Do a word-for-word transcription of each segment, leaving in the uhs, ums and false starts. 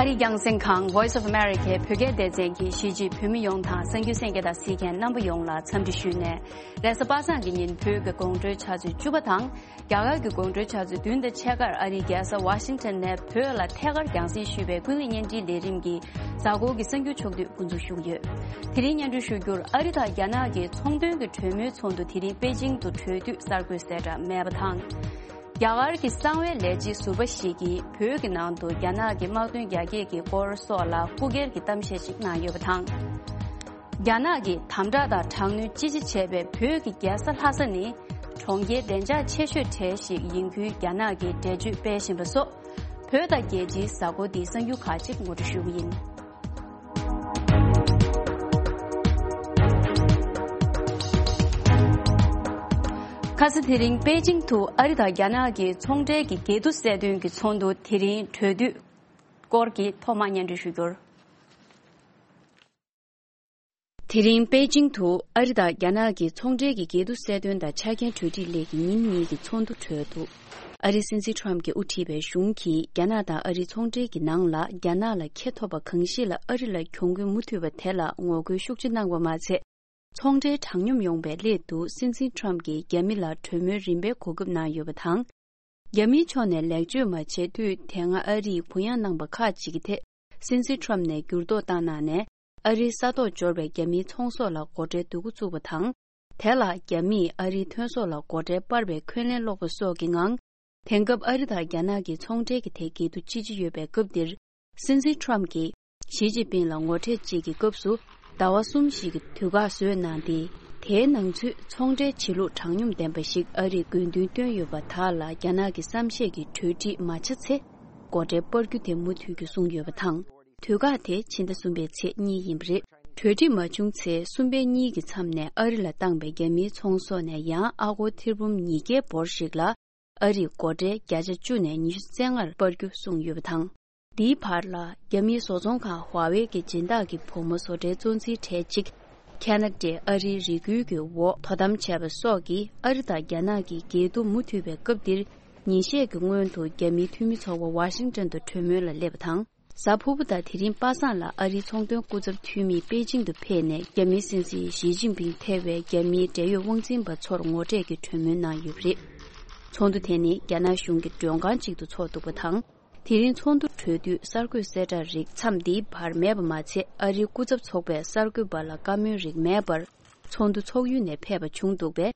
ཨ་རིའི་རྒྱང་སྲིང་ཁང་Voice of America བོད་སྐད་སྡེ་ཚན་གྱིས་གཞིས་བྱེས་བོད་མི་ཡོངས་དང་གསར་འགྱུར་གསན་མཁན་དང་གཟིགས་མཁན་རྣམ་པ་ཡོངས་ལ་འཚམས་འདྲི་ཞུས་ནས། རེས་གཟའ་པ་སངས་ཀྱི་ཉིན་བོད་ཀྱི་དགོང་དྲོའི་ཆུ་ཚོད་བཅུ་པ་དང་། རྒྱ་གར་གྱི་དགོང་དྲོའི་ཆུ་ཚོད་བདུན་དང་ཕྱེད་ཀར་ཨ་རིའི་རྒྱལ་ས་ཝ་ཤིང་ཊོན་ནས་བོད་ལ་ཐད་ཀར་རྒྱང་སྲིང་ཞུས་པའི་ཀུན་གླེང་བརྙན་འཕྲིན་ལས་རིམ་གྱི་གཟའ་འཁོར་གྱི་གསར་འགྱུར་ཕྱོགས་བསྡུས་འགོ་འཛུགས་ཞུ་གི་ཡོད། དེ་རིང་སྙན་སྒྲོན་ཞུ་རྒྱུར། ཨ་རི་དང་རྒྱ་ནག་གི་ཚོང་དོན་གྱི་གྲོས་མོལ་ཚོགས་འདུ་དེ་རིང་པེ་ཅིང་དུ་གྲོལ་དུས་གསར་འགོད་གསལ་བསྒྲགས་མེད་པ་དང་། རྒྱ་གར་གྱི་གསང་བའི་ལས་བྱེད་ཟུར་པ་ཞིག་གིས་བོད་ཀྱི་ནང་དུ་རྒྱ་ནག་གི་དམག་དོན་རྒྱ་སྐྱེད་ཀྱི་སྐོར་སོགས་ལ་རྐུ་འཁྱེར་གྱི་གཏམ་བཤད་ཅིག་གནང་ཡོད་པ་དང་། རྒྱ་ནག་གིས་དམ་དྲག་དང་དྲག་གནོན་ཅི་ཆེ་བྱས་པའི་བོད་ཀྱི་རྒྱལ་ས་ལྷ་ས་ནི་གྲོང་ཁྱེར་བདེ་འཇགས་ཆེ་ཤོས་གྲས་ཤིག་ཡིན་ཁུལ་རྒྱ་ནག་གིས་འགྲེལ་བརྗོད་སྤེལ་བཞིན་པ་སོགས། བོད་དང་རྒྱལ་སྤྱིའི་གཟའ་འཁོར་འདིའི་གསར་འགྱུར་ཁག་ཅིག་ངོ་སྤྲོད་ཞུ་གི་ཡིན། ཁ་སང་དེ་རིང་པེ་ཅིང་དུ་ཨ་རི་དང་རྒྱ་ནག་གི་ཚོང་འབྲེལ་གྱི་འགལ་འདུ་སེལ་དོན་གྱི་ཚོགས་འདུ་དེ་རིང་གྲོལ་དུས་སྐོར་གྱི་ཐོག་མར་སྙན་སྒྲོན་ཞུ་རྒྱུར། དེ་རིང་པེ་ཅིང་དུ་ཨ་རི་དང་རྒྱ་ནག་གི་ཚོང་འབྲེལ་གྱི་འགལ་འདུ་སེལ་དོན་དང་ཆ་རྐྱེན་གྲོས་འགྲིག་སླད་ཀྱི་ཉིན་གཉིས་ཀྱི་ཚོགས་འདུ་གྲོལ་འདུག་ཨ་རིའི་སྲིད་འཛིན་ཁྲོམ་གྱིས་དབུ་ཁྲིད་པའི་གཞུང་གིས་རྒྱ་ནག་དང་ཨ་རིའི་ཚོང་འབྲེལ་གྱི་ནང་ལ་རྒྱ་ནག་ལ་ཁེ་ཐོབ་པ་གང་ཞིག་ལ་ཨ་རི་ལ་གྱོང་གུན་མུ་མཐུད་པ་དེ་ལ་ངོ་རྒོལ་ཤུགས་ཆེ་གནང་བ་མ་ཚད། ཚོང་འབྲེལ་དྲང་སྙོམས་ཡོང་བའི་སླད་དུ་སྲིད་འཛིན་ཁྲོམ་གྱིས་རྒྱ་མི་ལ་གྲོས་མོལ་རིམ་པས་གོ་སྐབས་གནང་ཡོད་པ་དང་། རྒྱ་མིའི་ཕྱོགས་ནས་ལེགས་བཅོས་མ་བྱས་དུས་དེ་སྔ་ཨ་རིས་གུ་ཡངས་གནང་པ་ཁག་ཅིག་གི་ཐད། སྲིད་འཛིན་ཁྲོམ་ནས་འགྱུར་ལྡོག་བཏང་གནང་ནས། ཨ་རིའི་ས་ཐོག་འབྱོར་བའི་རྒྱ་མིའི་ཚོང་ཟོག་ལ་སྒོ་ཁྲལ་བསྡུ་འགོ་བཙུགས་པ་དང་། དེ་ལ་རྒྱ་མིས་ཨ་རིའི་ཐོན་ཟོག་ལ་སྒོ་ཁྲལ་སྤར་བའི་འཁོན་ལན་སློག་པ་སོགས་ཀྱི་ངང་། དེང་སྐབས་ཨ་རི་དང་རྒྱ་ནག་གི་ཚོང་འབྲེལ་གྱི་ཐད་འགལ་འདུ་ཅི་ཆེ་ཡོད་པའི་སྐབས་འདིར། སྲིད་འཛིན་ཁྲོམ་གྱིས་ཞི་ཅིན་ཕིང་ལ་ངོ་འཕྲད་བཅས་ཀྱི་སྐབས་སུ། ཟླ་བ་གསུམ་ཞིག་གི་དུས་བཀག་བཟོས་གནང་སྟེ། དེའི་ནང་ཚུད་ཚོང་འབྲེལ་བྱེད་ལུགས་དྲང་སྙོམས་ལྡན་པ་ཞིག་ཨ་རིས་དགོས་འདུན་བཏོན་ཡོད་པ་དག་ལ་རྒྱ་ནག་གི་བསམ་ཤེས་ཀྱི་གྲོས་འགྲིག་མ་ཆགས་ཚེ། སྒོ་ཁྲལ་སྤར་རྒྱུ་དེ་མུ་མཐུད་ཀྱིས་གསུངས་ཡོད་པ་དང་། དུས་བཀག་དེ་ཕྱི་ཟླ་གསུམ་པའི་ཚེས་གཉིས་ཡིན་པ་རེད། གྲོས་འགྲིག་མ་བྱུང་ཚེ་གསུམ་པའི་གཉིས་ཀྱི་མཚམས་ནས་ཨ་རི་ལ་བཏང་པའི་རྒྱ་མིའི་ཚོང་ཟོག་ནས་ཡང་ཨ་སྒོར་ཐེར་འབུམ་ཉིས་བརྒྱའི་འབོར་ཞིག་ལ། ཨ་རིས་སྒོ་ཁྲལ་བརྒྱ་ཆ་བཅུ་ནས་ཉི་ཤུ་རྩ་ལྔར་སྤར་རྒྱུ་གསུངས་ཡོད་པ་དང་། འདིའི་བར་ལ། རྒྱ་མིའི་བཟོ་ཚོང་ཁང་ཧྭ་ཝེ་གི་སྦྱིན་བདག་གི་བུ་མོ་བཟོ་གྲྭའི་གཙོ་འཛིན་གྲས་གཅིག་ཁ་ན་ཌའི་ཨ་རིའི་རེ་སྐུལ་གྱི་འོག་དོ་དམ་བྱས་པ་སོགས་ཀྱིས་ཨ་རི་དང་རྒྱ་ནག་གི་འགལ་འདུ་མུ་མཐུད་པའི་སྐབས་འདིར། ཉིན་ཤས་ཀྱི་སྔོན་དུ་རྒྱ་མིའི་འཐུས་མི་ཚོགས་པ་ཝ་ཤིང་ཊོན་དུ་གྲོས་མོལ་ལ་སླེབས་པ་དང་། གཟའ་ཕུར་བུ་དང་དེ་རིང་པ་སངས་ལ་ཨ་རིའི་ཚོང་དོན་སྐུ་ཚབ་འཐུས་མིས་པེ་ཅིང་དུ་ཕེབས་ནས་རྒྱ་མིའི་སྲིད་འཛིན་ཞི་ཅིན་ཕིང་ཐེ་བའི་རྒྱ་མིའི་འབྲེལ་ཡོད་དབང་འཛིན་པ་ཚོར་ངོ་འཕྲད་ཀྱི་གྲོས་མོལ་གནང་ཡོད་པ་རེད། ཚོགས་འདུ་དེ་ནི་རྒྱ་ནག་གཞུང་གི་མགྲོན་ཁང་ཅིག་ཏུ་འཚོགས་འདུག་པ་དང་། དེ་རིང་ཚོགས་འདུ་གྲོལ་དུས་གསར་འགོད་གསལ་བསྒྲགས་རིགས་མཚམས་འདིའི་བར་མེད་པ་མ་ཚད། ཨ་རིའི་སྐུ་ཚབ་ཚོགས་པས་གསར་འགོད་པ་ལ་བཀའ་མོལ་རིགས་མེད་པར། ཚོགས་འདུ་འཚོགས་ཡུལ་ནས་ཕེབས་པ་བྱུང་འདུག་པས།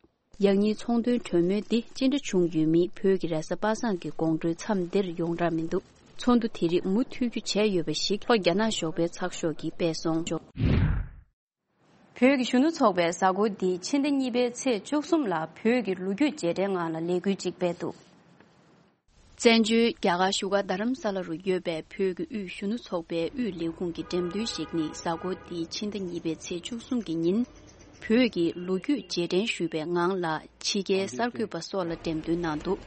ཡང་སྙིང་ཚོང་དོན་གྲོས་མོལ་འདི་ཅི་འདྲ་བྱུང་ཡོད་མིན་བོད་ཀྱི་རེས་གཟའ་པ་སངས་ཀྱི་དགོང་དྲོའི་མཚམས་འདིར་ཡོངས་གྲགས་མི་འདུག་ཚོགས་འདུ་དེ་རིགས་མུ་མཐུད་རྒྱུ་བྱས་ཡོད་པ་ཞིག་ལྷོ་རྒྱ་ནག་ཞོགས་པའི་ཚགས་ཤོག་གིས་སྤེལ་སོང་། བོད་ཀྱི་གཞོན་ནུ་ཚོགས་པས་གཟའ་འཁོར་འདིའི་ཕྱི་ཟླ་གཉིས་པའི་ཚེས་བཅུ་གསུམ་ལ་བོད་ཀྱི་ལོ་རྒྱུས་རྗེས་དྲན་ངང་ལ་ལས་འགུལ་ཅིག་སྤེལ་འདུག་བཙན་བྱོལ་རྒྱ་གར་བཞུགས་སྒར་རྡ་རམ་ས་ལ་རུ་ཡོད་པའི་བོད་ཀྱི་དབུས་གཞོན་ནུ་ཚོགས་པའི་དབུས་ལས་ཁུངས་ཀྱི་འགྲེམས་སྟོན་ཞིག་ནི་གཟའ་འཁོར་འདིའི་ཕྱི་ཟླ་གཉིས་པའི་ཚེས་བཅུ་གསུམ་གྱི་ཉིན། བོད་ཀྱི་ལོ་རྒྱུས་རྗེས་དྲན་ཞུས་པའི་ངང་ལ་ཕྱི་རྒྱལ་གསར་འགོད་པ་སོགས་ལ་འགྲེམས་སྟོན་གནང་འདུག་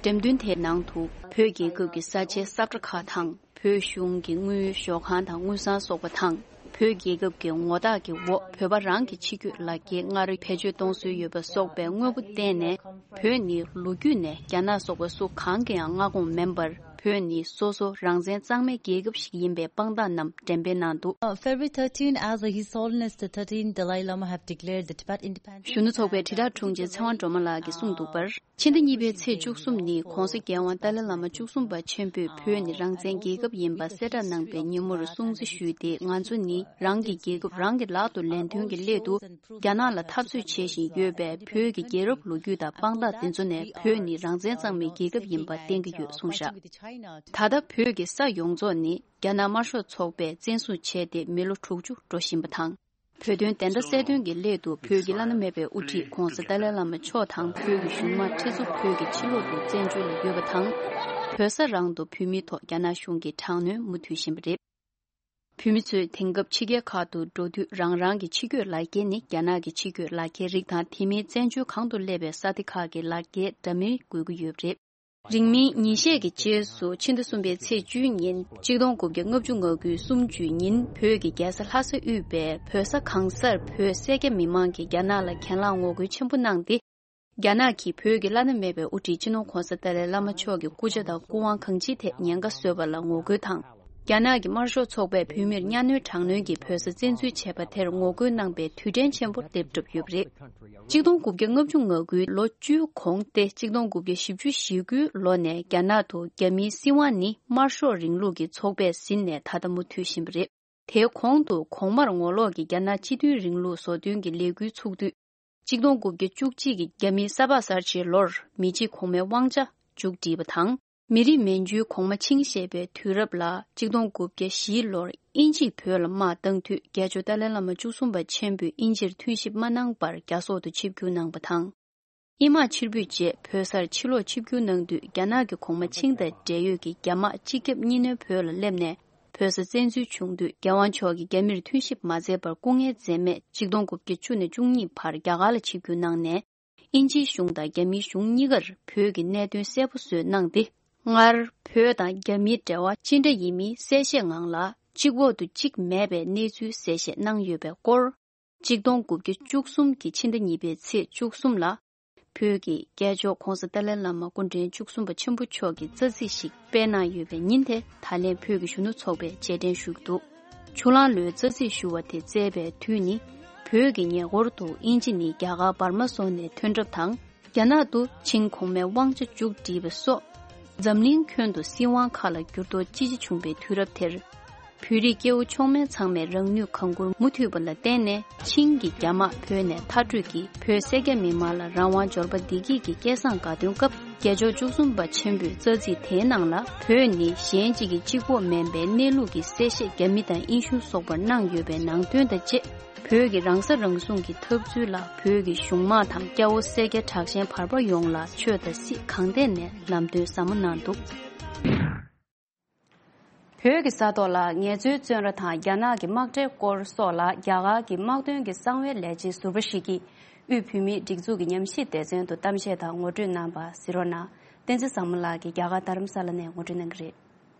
འགྲེམས་སྟོན་དེའི་ནང་དུ་བོད་རྒྱལ་ཁབ་ཀྱི་ས་ཆའི་ས་བཀྲ་ཁག་དང་། བོད་གཞུང་གི་དངུལ་ཞོགས་ཁང་དང་དངུལ་སྲང་སོགས་པ་དང་། བོད་རྒྱལ་ཁབ་ཀྱི་ངོ་རྟགས་ཀྱི་འོག་བོད་པ་རང་གི་ཕྱི་སྐྱོད་ལག་འཁྱེར་སྔར་བེད་སྤྱོད་གཏོང་སྲོལ་ཡོད་པ་སོགས་པའི་དངོས་པོ་བསྟན་ནས། བོད་ནི་ལོ་རྒྱུས་ནས་རྒྱ་ནག་སོགས་པ་སུ་གང་གིས་ཡང་མངའ་ཁོངས་མིན་པར། བོད་ནི་སོ་སོ་རང་བཙན་གཙང་མའི་རྒྱལ་ཁབ་ཞིག་ཡིན་པའི་དཔང་རྟགས་རྣམས་འགྲེམས་སྤེལ་གནང་འདུག Uh, February thirteen, as the His Holiness the thirteenth Dalai Lama have declared the Tibet independent. གཞོན་ནུ་ཚོགས་པའི་དྲིལ་བསྒྲགས་དྲུང་ཆེ་ཚེ་དབང་སྒྲོལ་མ་ལགས་ཀྱིས་གསུངས་འདུག་པར། ཕྱི་ཟླ་གཉིས་པའི་ཚེས་བཅུ་གསུམ་ནི་༧གོང་ས་༧རྒྱལ་དབང་ཏཱ་ལའི་བླ་མ་བཅུ་གསུམ་པ་ཆེན་པོས་བོད་ནི་རང་བཙན་རྒྱལ་ཁབ་ཡིན་པ་གསལ་བསྒྲགས་གནང་པའི་ཉིན་མོར་སྲུང་བརྩི་ཞུས་ཏེ། ང་ཚོ་ནི་རང་གི་རྒྱལ་ཁབ་རང་གི་ལག་ཏུ་ལེན་དོན་གྱི་སླད་དུ། རྒྱ་ནག་ལ་འཐབ་རྩོད་བྱེད་བཞིན་ཡོད་པའི་བོད་ཀྱི་རྒྱལ་རབས་ལོ་རྒྱུས་དང་དཔང་རྟགས་དེ་ཚོ་ནས་བོད་ནི་རང་བཙན་གཙང་མའི་རྒྱལ་ཁབ་ཡིན་པ་བསྟན་གྱི་ཡོད་གསུངས་བཞག་ད་ལྟ་བོད་ཀྱི་ས་ཡོངས་རྫོགས་ནི་རྒྱ་ནག་དམར་ཤོག་ཚོགས་པས་བཙན་བཟུང་བྱས་ཏེ་མི་ལོ་དྲུག་ཅུ་འགྲོ་བཞིན་པ་དང་། བོད་དོན་བདེན་མཐའ་གསལ་སྟོན་གྱི་སླད་དུ་བོད་ཀྱི་བླ་ན་མེད་པའི་དབུ་ཁྲིད་༧གོང་ས་ཏཱ་ལའི་བླ་མ་མཆོག་དང་བོད་ཀྱི་གཞུང་དམངས་ཁྲི་ཚོ་བོད་ཀྱི་ཕྱི་ལོགས་སུ་བཙན་བྱོལ་ལ་ཡོད་པ་དང་། བོད་ས་རང་དུ་བོད་མིའི་ཐོག་རྒྱ་ནག་གཞུང་གིས་དྲག་གནོན་མུ་མཐུད་བཞིན་པ་རེད། བོད་མི་ཚོས་དེང་སྐབས་ཕྱི་རྒྱལ་ཁག་ཏུ་འགྲོ་དུས་རང་རང་གི་ཕྱི་སྐྱོད་ལག་འཁྱེར་ནི་རྒྱ་ནག་གི་ཕྱི་སྐྱོད་ལག་འཁྱེར་རིགས་དང་དེ་མིན་བཙན་བྱོལ་གང་དུ་སླེབས་པའི་ས་སྡེ་ཁག་གི་ལག་འཁྱེར་འདྲ་མིན་དགོས་ཀྱི་ཡོད་པ་རེད། རིང་མིན་ཉིན་ཤས་ཀྱི་རྗེས་སུ་ཕྱི་ཟླ་གསུམ་པའི་ཚེས་བཅུའི་ཉིན་ཆིག་སྟོང་དགུ་བརྒྱ་ལྔ་བཅུ་ང་དགུའི་གསུམ་བཅུའི་ཉིན་བོད་ཀྱི་རྒྱལ་ས་ལྷ་ས་དབུས་པའི་བོད་ས་གང་སར་བོད་སེར་སྐྱ་མི་མང་གིས་རྒྱ་ནག་ལ་གྱེན་ལངས་ངོ་རྒོལ་ཆེན་པོ་གནང་སྟེ། རྒྱ་ནག་གིས་བོད་ཀྱི་བླ་ན་མེད་པའི་དབུ་ཁྲིད་སྤྱི་ནོར་༧གོང་ས་ཏཱ་ལའི་བླ་མ་མཆོག་གི་སྐུ་ཕྱྭ་དང་སྐུ་དབང་གང་ཅིའི་ཐད་ཉེན་ཁ་བཟོས་པ་ལ་ངོ་རྒོལ་དང་། རྒྱ་ནག་གི་དམར་ཤོག་ཚོགས་པས་བོད་མིར་གཉའ་གནོན་དྲག་གནོན་གྱིས་བོད་ས་བཙན་འཛུལ་བྱས་པ་དེར་ངོ་རྒོལ་གནང་པའི་དུས་དྲན་ཆེན་པོ་སླེབས་གྲབས་ཡོད་པ་རེད། གཅིག་སྟོང་དགུ་བརྒྱ་ལྔ་བཅུ་ང་དགུའི་ལོ་བཅུའི་གོང་སྟེ་གཅིག་སྟོང་དགུ་བརྒྱ་བཞི་བཅུ་ཞེ་དགུའི་ལོ་ནས་རྒྱ་ནག་ཏུ་རྒྱ་མིའི་སྲིད་དབང་ནི་དམར་ཤོག་རིང་ལུགས་ཀྱི་ཚོགས་པས་ཟིན་ནས་ད་ལྟ་མུ་མཐུད་བཞིན་པ་རེད། དེའི་གོང་དུ་གོང་མར་ངོ་ལོག་གི་རྒྱ་ནག་སྤྱི་མཐུན་རིང་ལུགས་བཟོ་སྐྲུན་གྱི་ལས་འགུལ་ཚུགས་དུས། གཅིག་སྟོང་དགུ་བརྒྱ་བཅུ་གཅིག་གི་རྒྱ་མིའི་ས་ཕག་གསར་བརྗེའི་ལོར་མི་གཅིག་གོང་མའི་དབང་ཆ་མཇུག་བསྒྲིལ་བ་དང་། མི་རིགས་མན་ཇུའི་གོང་མ་ཆིང་བཞེས་པའི་དུས་རབས་ལ་གཅིག་སྟོང་དགུ་བརྒྱ་བཞིའི་ལོར་དབྱིན་ཇིས་བོད་ལ་དམག་བཏང་དུས་རྒྱལ་མཆོག་ཏཱ་ལའི་བླ་མ་བཅུ་གསུམ་པ་ཆེན་པོས་དབྱིན་ཇིར་མཐུན་ཞིབ་མ་གནང་བར་རྒྱ་སོག་ཏུ་ཆིབས་བསྒྱུར་གནང་བ་དང་། དབྱིན་དམག་ཕྱིར་འབུད་རྗེས་བོད་སར་ཕྱིར་ལོག་ཆིབས་བསྒྱུར་གནང་དུས་རྒྱ་ནག་གི་གོང་མ་ཆིང་དང་འབྲེལ་ཡོད་ཀྱི་རྒྱ་དམག་སྤྱི་ཁྱབ་གཉིས་སྣེ་བོད་ལ་སླེབས་ནས། བོད་ས་བཙན་འཛུལ་བྱུང་དུས་རྒྱལ་དབང་མཆོག་གིས་རྒྱ་མིར་མཐུན་ཞིབ་མ་མཛད་པར་སྐུ་ངལ་འཛེམས་མེད་གཅིག་སྟོང་དགུ་བརྒྱ་བཅུ་ནས་བཅུ་གཉིས་བར་རྒྱ་གར་ལ་ཆིབས་བསྒྱུར་གནང་ནས། དབྱིན་ཇིའི་གཞུང་དང་རྒྱ་མིའི་གཞུང་གཉིས་ཀར་བོད་ཀྱི་གནད་དོན་གསལ་པོ་བཟོས་གནང་སྟེ། སྔར་བོད་དང་རྒྱ་མིའི་འབྲེལ་བ་ཅི་འདྲ་ཡིན་མིན་གསལ་བཤད་ངང་ལ་གཅིག་འོག་ཏུ་གཅིག་མེད་པའི་གནས་ཚུལ་གསལ་བཤད་གནང་ཡོད་པའི་སྐོར། གཅིག་སྟོང་དགུ་བརྒྱ་བཅུ་གསུམ་གྱི་ཕྱི་ཟླ་གཉིས་པའི་ཚེས་བཅུ་གསུམ་ལ། བོད་ཀྱི་རྒྱལ་མཆོག་ྋགོང་ས་ཏཱ་ལའི་བླ་མ་སྐུ་ཕྲེང་བཅུ་གསུམ་པ་ཆེན་པོ་མཆོག་གིས་རྩ་ཚིག་ཞིག་སྤེལ་གནང་ཡོད་པའི་ཉིན་དེ་ད་ལན་བོད་ཀྱི་གཞོན་ནུ་ཚོགས་པས་རྗེས་དྲན་ཞུས་འདུག་ཆུ་གླང་ལོའི་རྩ་ཚིག་ཞུ་བ་དེ་བསྩལ་བའི་དུས་ནི། བོད་ཀྱི་ཉེ་འཁོར་དུ་དབྱིན་ཇི་ནི་རྒྱ་གར་འབར་མ་སོགས་ནས་ཐོན་གྲབས་དང་། རྒྱ་ནག་ཏུ་ཆིང་གོང་མའི་དབང་ཆ་མཇུག་བསྒྲིལ་བ་སོགས། འཛམ་གླིང་ཁྱོན་དུ་སྲིད་དབང་ཁག་ལ་འགྱུར་ལྡོག་ཅི་ཆེ་བྱུང་པའི་དུས་རབས་དེར། བོད་རིགས་སྐྱེ་བོ་མཆོག་དམན་ཚང་མས་རང་ནུས་གང་མགྱོགས་མུ་མཐུད་པ་ལ་བརྟེན་ནས། ཆིང་གི་རྒྱ་དམག་བོད་ནས་མཐར་སྐྲོད་ཀྱིས་བོད་སེར་སྐྱ་མི་མང་ལ་རང་དབང་འབྱོར་པ་བདེ་སྐྱིད་ཀྱི་སྐལ་བཟང་དགའ་སྟོན་སྐབས། རྒྱལ་མཆོག་བཅུ་གསུམ་པ་ཆེན་པོས་རྩ་ཚིག་དེའི་ནང་ལ། བོད་ནི་གཞན་གཅིག་གི་གཅིག་པོ་མིན་པའི་གནས་ལུགས་ཀྱི་གསལ་བཤད་རྒྱ་མི་དང་དབྱིན་གཞུང་སོགས་པར་གནང་ཡོད་པའི་ནང་དོན་དང་བཅས། བོད་ཀྱི་རང་ས་རང་སྲུང་གི་འཐབ་རྩོད་ལ་བོད་ཀྱི་གཞུང་དམངས་དང་སྐྱ་བོ་སེར་སྐྱ་དྲག་ཞན་བར་པ་ཡོངས་ལ་ཆོས་དང་སྲིད་གང་ཐད་ནས་ལམ་སྟོན་ཟབ་མོ་གནང་འདུག་བོད་ཀྱི་ས་ཐོག་ལ་ངལ་རྩོལ་བཙོན་ར་དང་རྒྱ་ནག་གི་དམག་གྲལ་སྐོར་སོགས་ལ་རྒྱ་གར་གྱི་དམག་དོན་གྱི་གསང་བའི་ལས་བྱེད་ཟུར་པ་ཞིག་གིས་དབུས་བོད་མིའི་སྒྲིག་འཛུགས་ཀྱི་ཉམས་ཞིབ་སྡེ་ཚན་དུ་གཏམ་བཤད་དང་ངོ་སྤྲོད་གནང་པ་གཟིགས་རོགས་གནང་། བསྟན་འཛིན་བཟང་མོ་ལགས་ཀྱིས་རྒྱ་གར་རྡ་རམ་ས་ལ་ནས་ངོ་སྤྲོད་གནང་གི་རེད།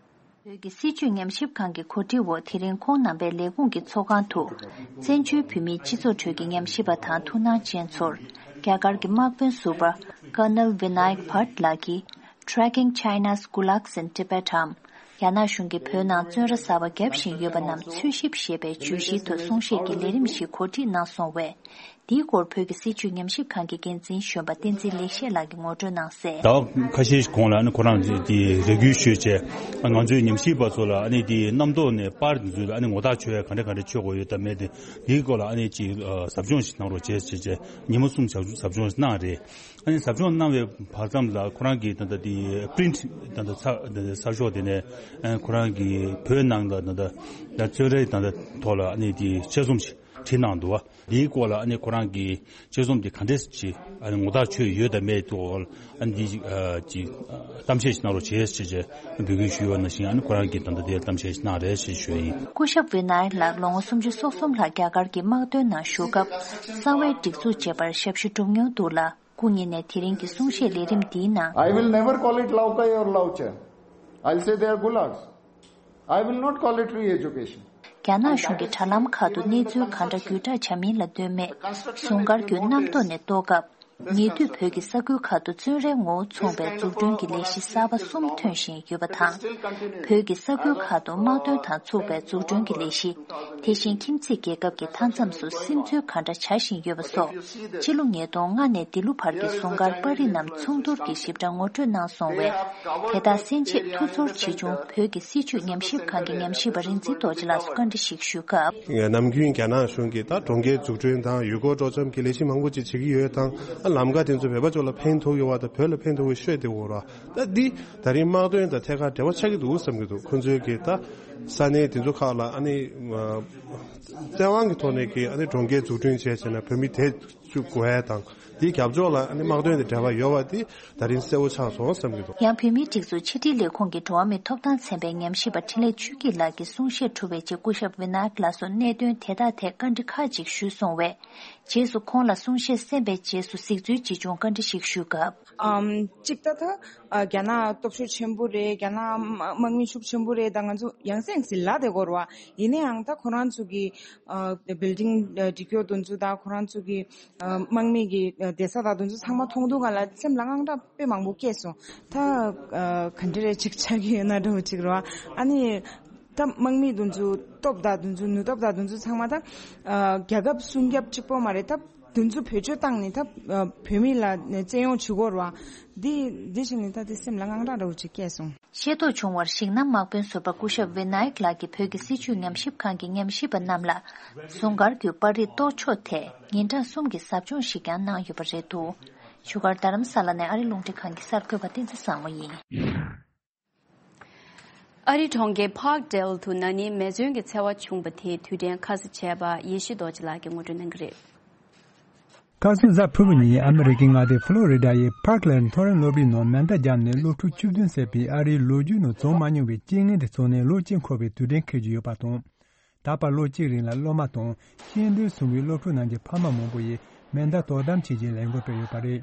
བོད་ཀྱི་སྲིད་བྱུས་ཉམས་ཞིབ་ཁང་གི་གོ་སྒྲིག་འོག་དེ་རིང་ཁོང་རྣམ་པའི་ལས་ཁུངས་ཀྱི་ཚོགས་ཁང་དུ། བཙན་བྱོལ་བོད་མིའི་སྤྱི་ཚོགས་ཁྲོད་ཀྱི་ཉམས་ཞིབ་པ་དང་ཐུགས་སྣང་ཅན་ཚོར། རྒྱ་གར་གྱི་དམག་དཔོན་ཟུར་པ། Colonel Vinayak Bhatt ལགས་ཀྱིས། Tracking China's Gulags in Tibet འམ། རྒྱ་ནག་གཞུང་གིས་བོད་ནང་བཙོན་ར་གསར་པ་བརྒྱབ་བཞིན་ཡོད་པ་རྣམས་འཚོལ་ཞིབ་ཞེས་པའི་བརྗོད་གཞིའི་ཐོག་གསུང་བཤད་ཀྱི་ལས་རིམ་ཞིག་གོ་སྒྲིག་གནང་སོང་བས། འདིའི་སྐོར་བོད་ཀྱི་སྲིད་བྱུས་ཉམས་ཞིབ་ཁང་གི་འགན་འཛིན་གཞོན་པ་བསྟན་འཛིན་ལེགས་བཤད་ལགས་ཀྱིས་ངོ་སྤྲོད་གནང་གསལ། ཟླ་བ་ཁ་ཤས་གོང་ལ་ཨ་ནི་ཁོ་རང་གིས་རེ་སྐུལ་ཞུས་བྱས། ང་ཚོའི་ཉམས་ཞིབ་པ་ཚོ་ལ་ཨ་ནི་དེ་རྣམ་རྟོག་ནས་པར་འདི་ཚོ་ལ་ཨ་ནི་ངོ་རྟགས་ཆོད་ཡ་ག་འདྲ་ག་འདྲ་ཆོད་དགོས་ཡོད་དམ་མེད་དེ། དེའི་སྐོར་ལ་ཨ་ནི་ཅིག་ཟབ་སྦྱོང་ཞིག་གནང་རོགས་བྱས་བྱས་བྱས་ཉིན་མོ་གསུམ་ཟབ་ཟབ་སྦྱོང་ཞིག་གནང་རེད། ཨ་ནི་ཟབ་སྦྱོང་གནང་བའི་བར་མཚམས་ལ་ཁོ་རང་གིས་ད་ལྟ་དེ་པི་རིན་ཊི་ད་ལྟ་ཚ་ད་ལྟ་ཚ་ཤོག་དེ་ནས་ཨ་ཁོ་རང་གིས་བོད་ནང་ལ་ད་ལྟ་ད་བཙོན་རའི་ད་ལྟ་ཐོག་ལ་ཨ་ནི་དེ་དཔྱད་རྩོམ་ཞིག་བྲིས་གནང་འདུག་བ། འདིའི་སྐོར་ལ་ཨ་ནི་ཁོ་རང་གིས་དཔྱད་རྩོམ་དེ་ག་འདྲས་ཅིག་ཨ་ནི་ངོ་རྟགས་ཆོད་ཡོད་དམ་མེད་ཐོག་ཨ་ནི་འདི་ཅིག་གཏམ་བཤད་ཞིག་གནང་རོགས་བྱས་ཞེས་བྱས་འབོད་སྐུལ་ཞུས་ཡོད་ནང་བཞིན། ཨ་ནི་ཁོ་རང་གིས་ད་ལྟ་དེར་གཏམ་བཤད་ཞིག་གནང་རེད་ཞེས་ཞུ་ཡ་ཡིན། སྐུ་ཞབས་ཝི་ནཱ་ཡག་ལགས་ལོ་ངོ་སུམ་ཅུ་སོ་གསུམ་ལྷག་རྒྱ་གར་གྱི་དམག་དོན་ནང་ཞུགས་སྐབས་གསང་བའི་སྒྲིག་འཛུགས་བཅས་པར་ཞབས་ཞུ་བསྒྲུབས་མྱོང་འདུག་ལ། སྐུ་ཉིད་ནས་དེ་རིང་གི་གསུང་བཤད་ལས་རིམ་འདིའི་ནང་། I will never call it Laokai or Laocha. I'll say they are gulags. I will not call it re-education. རྒྱ་ནག་གཞུང་གིས་དྲ་ལམ་ཁག་ཏུ་གནས་ཚུལ་གང་འདྲ་བརྒྱུད་བསྒྲགས་བྱ་མིན་ལ་ལྟོས་མེད། ཟུང་སྐར་གྱི་རྣམ་རྟོག་ནས་རྟོགས་སྐབས། ཉེ་དུས་བོད་ཀྱི་ས་ཁུལ་ཁག་ཏུ་བཙོན་རའི་ངོ་བོ་མཚུངས་པའི་འཛུགས་སྐྲུན་གྱི་ལས་གཞི་གསར་པ་གསུམ་ཐོན་བཞིན་ཡོད་པ་དང་། བོད་ཀྱི་ས་ཁུལ་ཁག་ཏུ་དམག་དོན་དང་ཚུགས་པའི་འཛུགས་སྐྲུན་གྱི་ལས་གཞི། དེ་བཞིན་ཁྱིམ་མཚེས་རྒྱལ་ཁབ་ཀྱི་མཐའ་མཚམས་སུ་སིམ་འཛུལ་གང་འདྲ་བྱ་བཞིན་ཡོད་པ་སོགས། ཕྱི་ལོ་ཉིས་སྟོང་ལྔ་ནས་འདི་ལོ་བར་གྱི་ཟུང་སྐར་པར་རིས་རྣམས་ཚོགས་འདུར་གྱིས་ཞིབ་ཕྲ་ངོ་སྤྲོད་གནང་སོང་བས། དེ་དག་གསན་ཆེད་ཐུགས་ཚོར་ཆེ་ཆུང་བོད་ཀྱི་སྲིད་བྱུས་ཉམས་ཞིབ་ཁང་གི་ཉམས་ཞིབ་པ་རིག་འཛིན་རྡོ་རྗེ་ལགས་སུ་བཀའ་འདྲི་ཞིག་ཞུས་སྐབས། ནམ་རྒྱུན་རྒྱ་ནག་གཞུང་གིས་ད་གྲོང་ཁྱེར་འཛུགས་སྐྲུན་དང་ཡུལ་སྐོར་སྤྲོ་འཆམ་གྱི་ལས་གཞི་མང་པོ་ཅིག་བྱེད་ཀྱི་ཡོད་དང་། ལམ་ཁ་དེ་ཚོ་བོད་པ་ཚོ་ལ་ཕན་ཐོགས་ཀྱི་བ་དང་བོད་ལ་ཕན་ཐོགས་ཀྱི་ཤོད་དེ་འོ་ར། ད་འདི་ད་རིང་དམག་དོན་དང་ཐད་ཀར་འབྲེལ་བ་ཆགས་ཀྱི་འདུག་བསམ་གྱི་འདུག་ཁོང་ཚོས་ཀྱིས་ད་ས་གནས་དེ་ཚོ་ཁག་ལ་ཨ་ནི་བཙན་དབང་གི་ཐོག་ནས་ཀྱི་ཨ་ནི་གྲོང་ཁྱེར་འཛུགས་སྐྲུན་བྱས་བྱས་ན་བོད་མི་དེ་བཅུག་དགོས་ཡ་དང་། དེའི་རྒྱབ་ཕྱོགས་ལ་ཨ་ནི་དམག་དོན་དང་འབྲེལ་བ་ཡོད་པ་དེ་ད་རིང་གསལ་བོ་ཆགས་སོང་བསམ་གྱི་འདུག་ཡང་བོད་མིའི་སྒྲིག་འཛུགས་ཕྱི་དྲིལ་ལས་ཁུངས་ཀྱི་འགྲོ་བ་མིའི་ཐོབ་ཐང་ཚན་པའི་ཉམས་ཞིབ་པ་འཕྲིན་ལས་ཆོས་སྐྱིད་ལགས་ཀྱིས་གསུང་བཤད་གྲུབ་པའི་རྗེས་སྐུ་ཞབས་ཝི་ནཱ་ཡག་ལགས་སུ་གནད་དོན་དེ་དག་ཐད་བཀའ་འདྲི་ཁག་ཅིག་ཞུས་སོང་བས། རྗེས་སུ་ཁོང་ལ་གསུང་བཤད་གསན་པའི་རྗེས་སུ་གཟིགས་ཚུལ་ཅིག་བྱུང་བཀའ་འདྲི་ཞིག་ཞུས་སྐབས། ཨམ། གཅིག་ད་ད་ཨ་རྒྱ་ནག་སྟོབས་ཤུགས་ཆེན་པོ་རེད། རྒྱ་ནག་དམག་དམག་མི་ཤུགས་ཆེན་པོ་རེད། ད་ང་ཚོ་ཡང་སེ་ཡང་སེ་ལབ་བསྡད་ཀྱི་ཡོད་རེད་བ། ཡིན་ན་ཡང་ད་ཁོ་རང་ཚོ་གི་ཨ་བིལ་ཌིང་ཨ་སྒྲིག་ཡོད་དེ་ཚོ་དང་ཁོ་རང་ཚོ་གི་ཨ་དམག་མི་གི་ཨ་བསྡད་ས་དང་དེ་ཚོ་ཚང་མ་མཐོང་དུས་སྒང་ལ་སེམས་ལ་དངངས་སྐྲག་དཔེ་མང་པོ་སྐྱེས་སོང་། ད་ཨ་ག་འདྲ་རེད་ཅིག་ཆགས་ཀྱི་ཡོད་ན་འདྲ་བོ་ཅིག་རེད་བ། ཨ་ནི། ད་དམག་མི་དེ་ཚོ་སྟོབས་དང་དེ་ཚོ་ནུས་སྟོབས་དང་དེ་ཚོ་ཚང་མ་ད་ཨ་རྒྱལ་ཁབ་སྲུང་སྐྱོབ་གཅིག་པོ་མ་རེད། ད་དེ་ཚོ་བེད་སྤྱོད་བཏང་ནས་ད་ཨ་བོད་མི་ལ་ནས་བཙན་གཡོག་བྱེད་དགོས་རེད་བ། འདི་འདི་བཞིན་ནི་ད་དེ་སེམས་ལ་དངངས་སྐྲག་འདྲ་བོ་ཅིག་སྐྱེས་སོང་། ཤེས་རྟོགས་བྱུང་བར་གཞིགས་ན། དམག་དཔོན་ཟུར་པ་སྐུ་ཞབས་ཝི་ནཱ་ཡིག་ལགས་ཀྱིས་བོད་ཀྱི་སྲིད་བྱུས་ཉམས་ཞིབ་ཁང་གི་ཉམས་ཞིབ་པ་རྣམས་ལ་ཟུང་སྐར་གྱི་པར་རིས་གཏོར་ཕྱོགས་ཐད་ཉིན་གྲངས་གསུམ་གྱི་ཟབ་སྦྱོང་ཞིག་ཀྱང་གནང་ཡོད་པ་རེད་འདུག་བཞུགས་སྒར་རྡ་རམ་ས་ལ་ནས་ཨ་རིའི་རླུང་འཕྲིན་ཁང་གི་གསར་འགོད་པ་བསྟན་འཛིན་བཟང་མོ་ཡིན། ཨ་རིའི་གྲོང་ཁྱེར་Parkdale་དུ་ན་ནིང་མེ་མཚོན་གྱི་འཚེ་བ་བྱུང་བ་དེའི་དུས་དྲན་ཁ་གསལ་བྱས་པ་ཡེ་ཤེས་རྡོ་རྗེ་ལགས་ཀྱིས་ངོ་སྤྲོད་གནང་གི་རེད། ཁ་སང་གཟའ་ཕུར་བུ་ཉིན་ཨ་མི་རི་ཀའི་མངའ་སྡེ་ཕུ་ལོ་རི་ཌ་ཡི་Parkland་མཐོ་རིམ་སློབ་གྲྭའི་ནང་མེ་མདའ་བརྒྱབ་ནས་སློབ་ཕྲུག་བཅུ་བདུན་བསད་པའི་ཨ་རིའི་ལོ་རྒྱུས་ནང་བྱུང་མ་མྱོང་བའི་རྐྱེན་ངན་དེ་ཚོགས་ནས་ལོ་གཅིག་འཁོར་བའི་དུས་དྲན་འཁེལ་གྱི་ཡོད་པ་དང་། ད་བར་ལོ་གཅིག་རིང་ལ་སློབ་མ་དང་སྐྱེས་ལྡན་ཚོགས་པའི་སློབ་ཕྲུག་རྣམས་ཀྱི་ཕ་མ་མང་པོ་ཡིས་མེ་མདའ་དོ་དམ་བྱེད་ཆེད་ལས་འགུལ་སྤེལ་ཡོད་པ་རེད།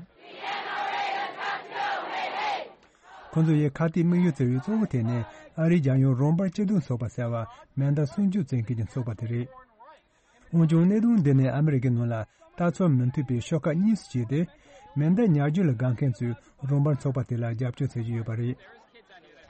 ཁོང་ཚོ་ཡི་ཁ་གཏད་དམིགས་ཡུལ་བརྩི་བའི་གཙོ་བོ་དེ་ནི་ཨ་རིའི་རྒྱལ་ཡོངས་རོགས་པ་སྐྱིད་སྡུག་ཚོགས་པ་ཟེར་བ་མེ་མདའ་སྲུང་སྐྱོབ་བྱེད་མཁན་གྱི་ཚོགས་པ་དེ་རེད། འོན་ཀྱང་གནད་དོན་འདི་ནི་ཨ་མི་རི་ཀའི་ནང་ལ་ལྟ་ཚུལ་མི་མཐུན་པའི་ཤོག་ཁག་གཉིས་སུ་གྱེས་ཏེ། མེ་མདའ་ཉར་རྒྱུ་ལ་དགའ་མཁན་ཚོས་རོགས་པ་ཚོགས་པ་དེ་ལ་རྒྱབ་སྐྱོར་བྱེད་ཀྱི་ཡོད་པ་རེད།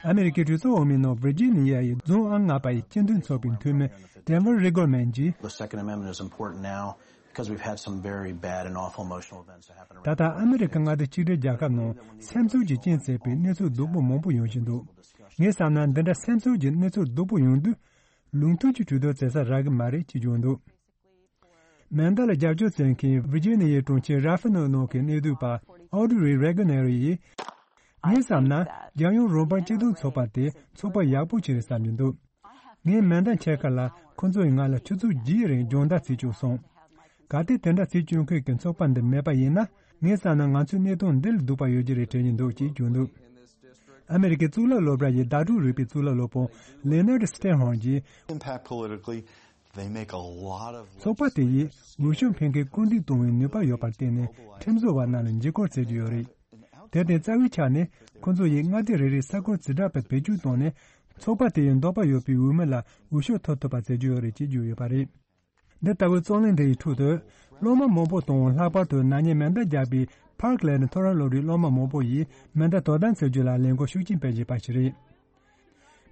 ཨ་མི་རི་ཀའི་གྲོས་ཚོགས་འོག་མའི་ནང་ཝིར་ཇི་ནི་ཡ་ཡི་རྫོང་ཨང་ལྔ་པ་ཡི་སྤྱི་མཐུན་ཚོགས་པའི་འཐུས་མི་Delvin Riggleman་གྱིས། The Second Amendment is important now because we've had some very bad and awful emotional events that happened around. ད་ལྟ་ཨ་མི་རི་ཀ་མངའ་སྡེ་གཅིག་སྒྲིལ་རྒྱལ་ཁབ་ནང་སེམས་ཚོར་གྱི་རྐྱེན་བྱས་པའི་གནས་ཚུལ་སྡུག་པོ་མང་པོ་ཡོང་བཞིན་འདུག་ངས་བསམ་ན་འདི་འདྲ་སེམས་ཚོར་གྱི་གནས་ཚུལ་སྡུག་པོ་ཡོང་དུས། ལུང་མཐུན་གྱི་གྲོས་བསྡུར་བྱེད་ས་རག་གི་མ་རེད་ཅེས་བརྗོད་འདུག་མེ་མདའ་ལ་རྒྱབ་སྐྱོར་བྱེད་མཁན་ཝི་ཇི་ནི་ཡའི་གྲོང་ཁྱེར་ར་ཧྥི་ནོ་ནང་གི་གནས་སྡོད་པ་Audrey Ragginetti་ཡིས། ངས་བསམ་ན་རྒྱལ་ཡོངས་རོགས་པ་སྐྱིད་སྡུག་ཚོགས་པ་དེ་ཚོགས་པ་ཡག་པོ་ཞིག་རེད་བསམ་གྱི་འདུག་ངས་མེ་མདའ་འཁྱེར་ཁ་ལ་ཁོ་ཚོ་ཡིས་ང་ལ་ཆུ་ཚོད་བརྒྱད་རིང་སྦྱོང་བརྡར་བྱེད་བཅུག་སོང་། གལ་ཏེ་དེ་འདྲ་བྱེད་བཅུག་མཁན་གྱི་ཚོགས་པ་འདི་མེད་པ་ཡིན་ན། ངས་བསམ་ན་ང་ཚོའི་གནད་དོན་འདི་ལས་སྡུག་པ་ཡོད་ཀྱི་རེད་དྲན་གྱི་འདུག་ཅེས་བརྗོད་འདུག་ཨ་མི་རི་ཀའི་གཙུག་ལག་སློབ་གྲྭ་ཡི་བརྡ་སྤྲོད་རིག་པའི་གཙུག་ལག་སློབ་དཔོན་Leonard Steinhorn་གྱིས། Impact politically, they make a lot of ཚོགས་པ་དེ་ཡིས་འོས་ཤོག་འཕེན་མཁན་སྐུལ་འདེད་གཏོང་བའི་ནུས་པ་ཡོད་པར་བརྟེན་ནས་ཁྲིམས་བཟོ་བ་རྣམས་ལ་འཇིགས་སྐུལ་བྱེད་ཀྱི་ཡོད་རེད། དེར་བརྟེན་རྩ་བའི་ཆ་ནས་ཁོ་ཚོ་ཡིས་མངའ་སྡེ་རེ་རེའི་ས་ཁུལ་རྩིས་ཁྲ་བེད་སྤྱོད་བཏང་ནས་ཚོགས་པ་དེ་ཡི་འདོད་པ་ཡོད་པའི་འོས་མི་ལ་འོས་ཤོག་ཐོབ་ཐུབ་པ་བྱེད་ཀྱི་ཡོད་རེད་ཅེས་བརྗོད་ཡོད་པ་རེད། འདི་ལྟ་བུའི་རྩོད་གླེང་འདི་ཡི་ཁྲོད་དུ། སློབ་མ་མང་པོ་དང་ལྷག་པར་དུ་ན་ནིང་མེ་མདའ་བརྒྱབ་པའི་Parkland་མཐོ་རིམ་སློབ་གྲྭའི་སློབ་མ་མང་པོ་ཡིས་མེ་མདའ་དོ་དམ་བྱེད་རྒྱུ་ལ་ལས་འགུལ་ཤུགས་ཆེན་སྤེལ་བཞིན་པ་ཞིག་རེད།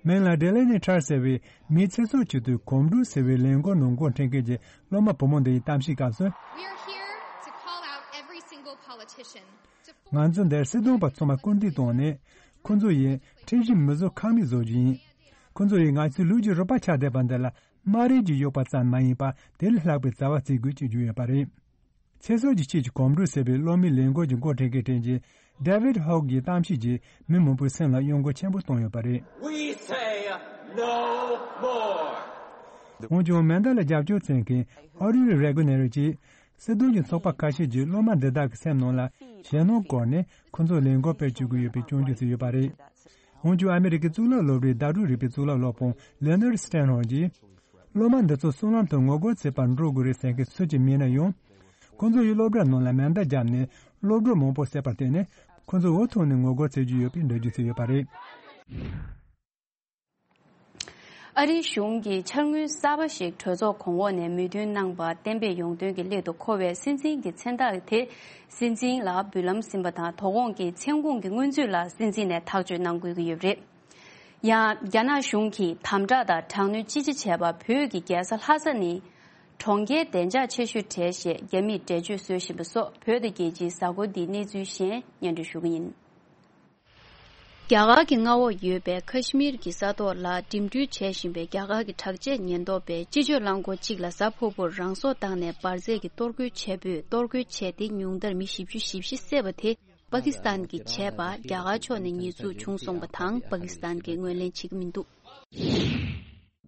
མིང་ལ་Delaney Tran་ཟེར་བའི་མིའི་ཚེ་སྲོག་ཆེད་དུ་གོམ་བགྲོད་ཟེར་བའི་ལས་འགུལ་ནང་འགོ་འཁྲིད་མཁན་གྱི་སློབ་མ་བུ་མོ་འདི་ཡི་གཏམ་བཤད་སྐབས་སུ། We are here to call out every single politician to ང་ཚོ་འདིར་སྲིད་དོན་པ་ཚང་མ་སྐུལ་འདེད་བཏང་ནས། ཁོ་ཚོ་ཡིས་ཁྲིམས་གཞི་མི་བཟོ་ཁང་མིག་བཟོ་རྒྱུ་ཡིན། ཁོ་ཚོ་ཡིས་ང་ཚོའི་ལུས་ཀྱི་རུས་པ་ཆགས་བསྡད་པ་འདི་ལ་དམར་རིལ་གྱིས་གཡོགས་པ་ཙམ་མ་ཡིན་པར་དེ་ལས་ལྷག་པའི་བྱ་བ་བྱེད་དགོས་ཅེས་བརྗོད་ཡོད་པ་རེད། ཚེ་སྲོག་གི་ཆེད་ཀྱི་གོམ་བགྲོད་ཟེར་བའི་སློབ་མའི་ལས་འགུལ་གྱི་འགོ་ཁྲིད་མཁན་དྲན་གྱི་David Hogg་གྱི་གཏམ་བཤད་ཀྱིས་མི་མང་པོའི་སེམས་ལ་གཡོ་འགུལ་ཆེན་པོ་བཏང་ཡོད་པ་རེད། We say no more. འོན་ཀྱང་མེ་མདའ་ལ་རྒྱབ་སྐྱོར་བྱེད་མཁན་Audrey Ragginetti་གྱིས། སྲིད་དོན་གྱི་ཚོགས་པ་ཁ་ཤས་ཀྱིས་སློབ་མ་འདི་དག་གི་སེམས་ནང་ལ་ཞེད་སྣང་བསྐོར་ནས་ཁོ་ཚོར་ལས་འགུལ་སྤེལ་བཅུག་གི་ཡོད་པའི་སྐྱོན་བརྗོད་བྱས་ཡོད་པ་རེད། འོན་ཀྱང་ཨ་མི་རི་ཀའི་གཙུག་ལག་སློབ་གྲྭའི་བརྡ་སྤྲོད་རིག་པའི་གཙུག་ལག་སློབ་དཔོན་Leonard Steinhorn་གྱིས། སློབ་མ་འདི་ཚོ་སྲིད་ལམ་དུ་ངོ་རྒོལ་བྱེད་པར་འགྲོ་དགོས་རེད་ཟེར་མཁན་སུ་གཅིག་མེད་ན་ཡང་། ཁོ་ཚོ་ཡིས་སློབ་གྲྭ་ནང་ལ་མེ་མདའ་བརྒྱབ་ནས་སློབ་གྲོགས་མང་པོ་བསད་པར་བརྟེན་ནས་ཁོ་ཚོ་འུ་ཐུག་ནས་ངོ་རྒོལ་བྱེད་ཀྱི་ཡོད་པའི་འགྲེལ་བརྗོད་བྱས་ཡོད་པ་རེད། ཨ་རིའི་གཞུང་གིས་འཆར་དངུལ་གསར་པ་ཞིག་གྲོས་ཚོགས་གོང་འོག་ནས་མོས་མཐུན་གནང་པ་གཏན་འབེབས་ཡོང་དོན་གྱི་སླད་དུ་མཁོ་བའི་སྲིད་འཛིན་གྱི་མཚན་རྟགས་དེ་སྲིད་འཛིན་ལ་འབུལ་ལམ་ཟིན་པ་དང་། དོ་དགོང་གི་མཚན་གུང་གི་སྔོན་ཚུད་ལ་སྲིད་འཛིན་ནས་ཐག་གཅོད་གནང་དགོས་ཀྱི་ཡོད་པ་རེད། ཡང་རྒྱ་ནག་གཞུང་གིས་དམ་དྲག་དང་དྲག་གནོན་ཅི་ཆེ་བྱས་པ་བོད་ཀྱི་རྒྱལ་ས་ལྷ་ས་ནི་གྲོང་ཁྱེར་བདེ་འཇགས་ཆེ་ཤོས་གྲས་ཞེས་རྒྱ་མིས་འགྲེལ་བརྗོད་བཟོ་བཞིན་པ་སོགས་བོད་དང་རྒྱལ་སྤྱིའི་གཟའ་འཁོར་འདིའི་གནས་ཚུལ་གཞན་སྙན་སྒྲོན་ཞུ་གི་ཡིན། རྒྱ་གར་གྱི་མངའ་འོག་ཡོད་པའི་ཁ་ཤི་མིར་གྱི་ས་ཐོག་ལ་འགྲིམ་འགྲུལ་བྱེད་བཞིན་པའི་རྒྱ་གར་གྱི་དྲག་ཆས་ཉེན་རྟོག་པས་སྤྱི་སྤྱོད་རླངས་འཁོར་གཅིག་ལ་གཟའ་ཕུར་བུར་རང་སྲོག་བཏང་ནས་འབར་རྫས་ཀྱི་གཏོར་རྒོལ་བྱས་པས། གཏོར་རྒོལ་བྱས་ཏེ་ཉུང་མཐར་མི་བཞི་བཅུ་ཞེ་བཞི་བསད་པ་དེ་པ་ཀི་སི་ཐན་གྱིས་བྱས་པ་རྒྱ་གར་ཕྱོགས་ནས་ཉེས་འཛུགས་བྱུང་སོང་བ་དང་། པ་ཀི་སི་ཐན་གྱིས་ངོས་ལེན་བྱེད་ཀྱི་མི་འདུག་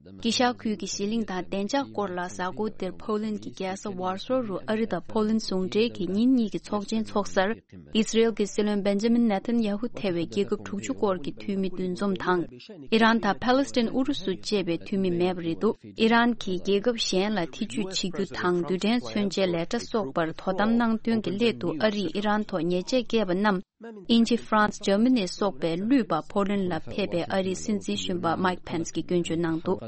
དཀྱིལ་ཤར་ཁུལ་གྱི་ཞི་ལིང་དང་བདེ་འཇགས་སྐོར་ལ་གཟའ་འཁོར་འདིར་ཕོ་ལན་གྱི་རྒྱལ་ས་ཝར་སོ་རུ་ཨ་རི་དང་ཕོ་ལན་ཟུང་འབྲེལ་གྱི་ཉིན་གཉིས་ཀྱི་ཚོགས་ཆེན་འཚོགས་སར། ཨི་སི་རེལ་གྱི་སྲིད་བློན་བེན་ཇ་མིན་ནེ་ཐན་ཡ་ཧུ་ཐེ་བའི་རྒྱལ་ཁབ་དྲུག་ཅུ་སྐོར་གྱི་འཐུས་མི་འདུ་འཛོམས་དང་། ཨི་རན་དང་ཕཱ་ལེ་སི་ཐན་ཨུ་རུ་སུ་བཅས་པའི་འཐུས་མི་མེད་པ་རེད་འདུག་ཨི་རན་གྱིས་རྒྱལ་ཁབ་གཞན་ལ་ཐེ་ཇུས་བྱེད་རྒྱུ་དང་། རྡུལ་ཕྲན་མཚོན་ཆའི་ལས་གྲྭ་སོགས་པར་དོ་དམ་གནང་དོན་གྱི་སླད་དུ་ཨ་རིས་ཨི་རན་ཐོག་ཉེས་ཆད་བཀལ་བ་རྣམས། དབྱིན་ཇི། ཧྥ་རན་སི། འཇར་མ་ནི་སོགས་པའི་ལུས་པ་ཕོ་ལན་ལ་ཕེབས་པའི་ཨ་རིའི་སྲིད་འཛིན་གཞོན་པ་མའིག་ཕེན་སི་གིས་སྐྱོན་བརྗོད་གནང་འདུག་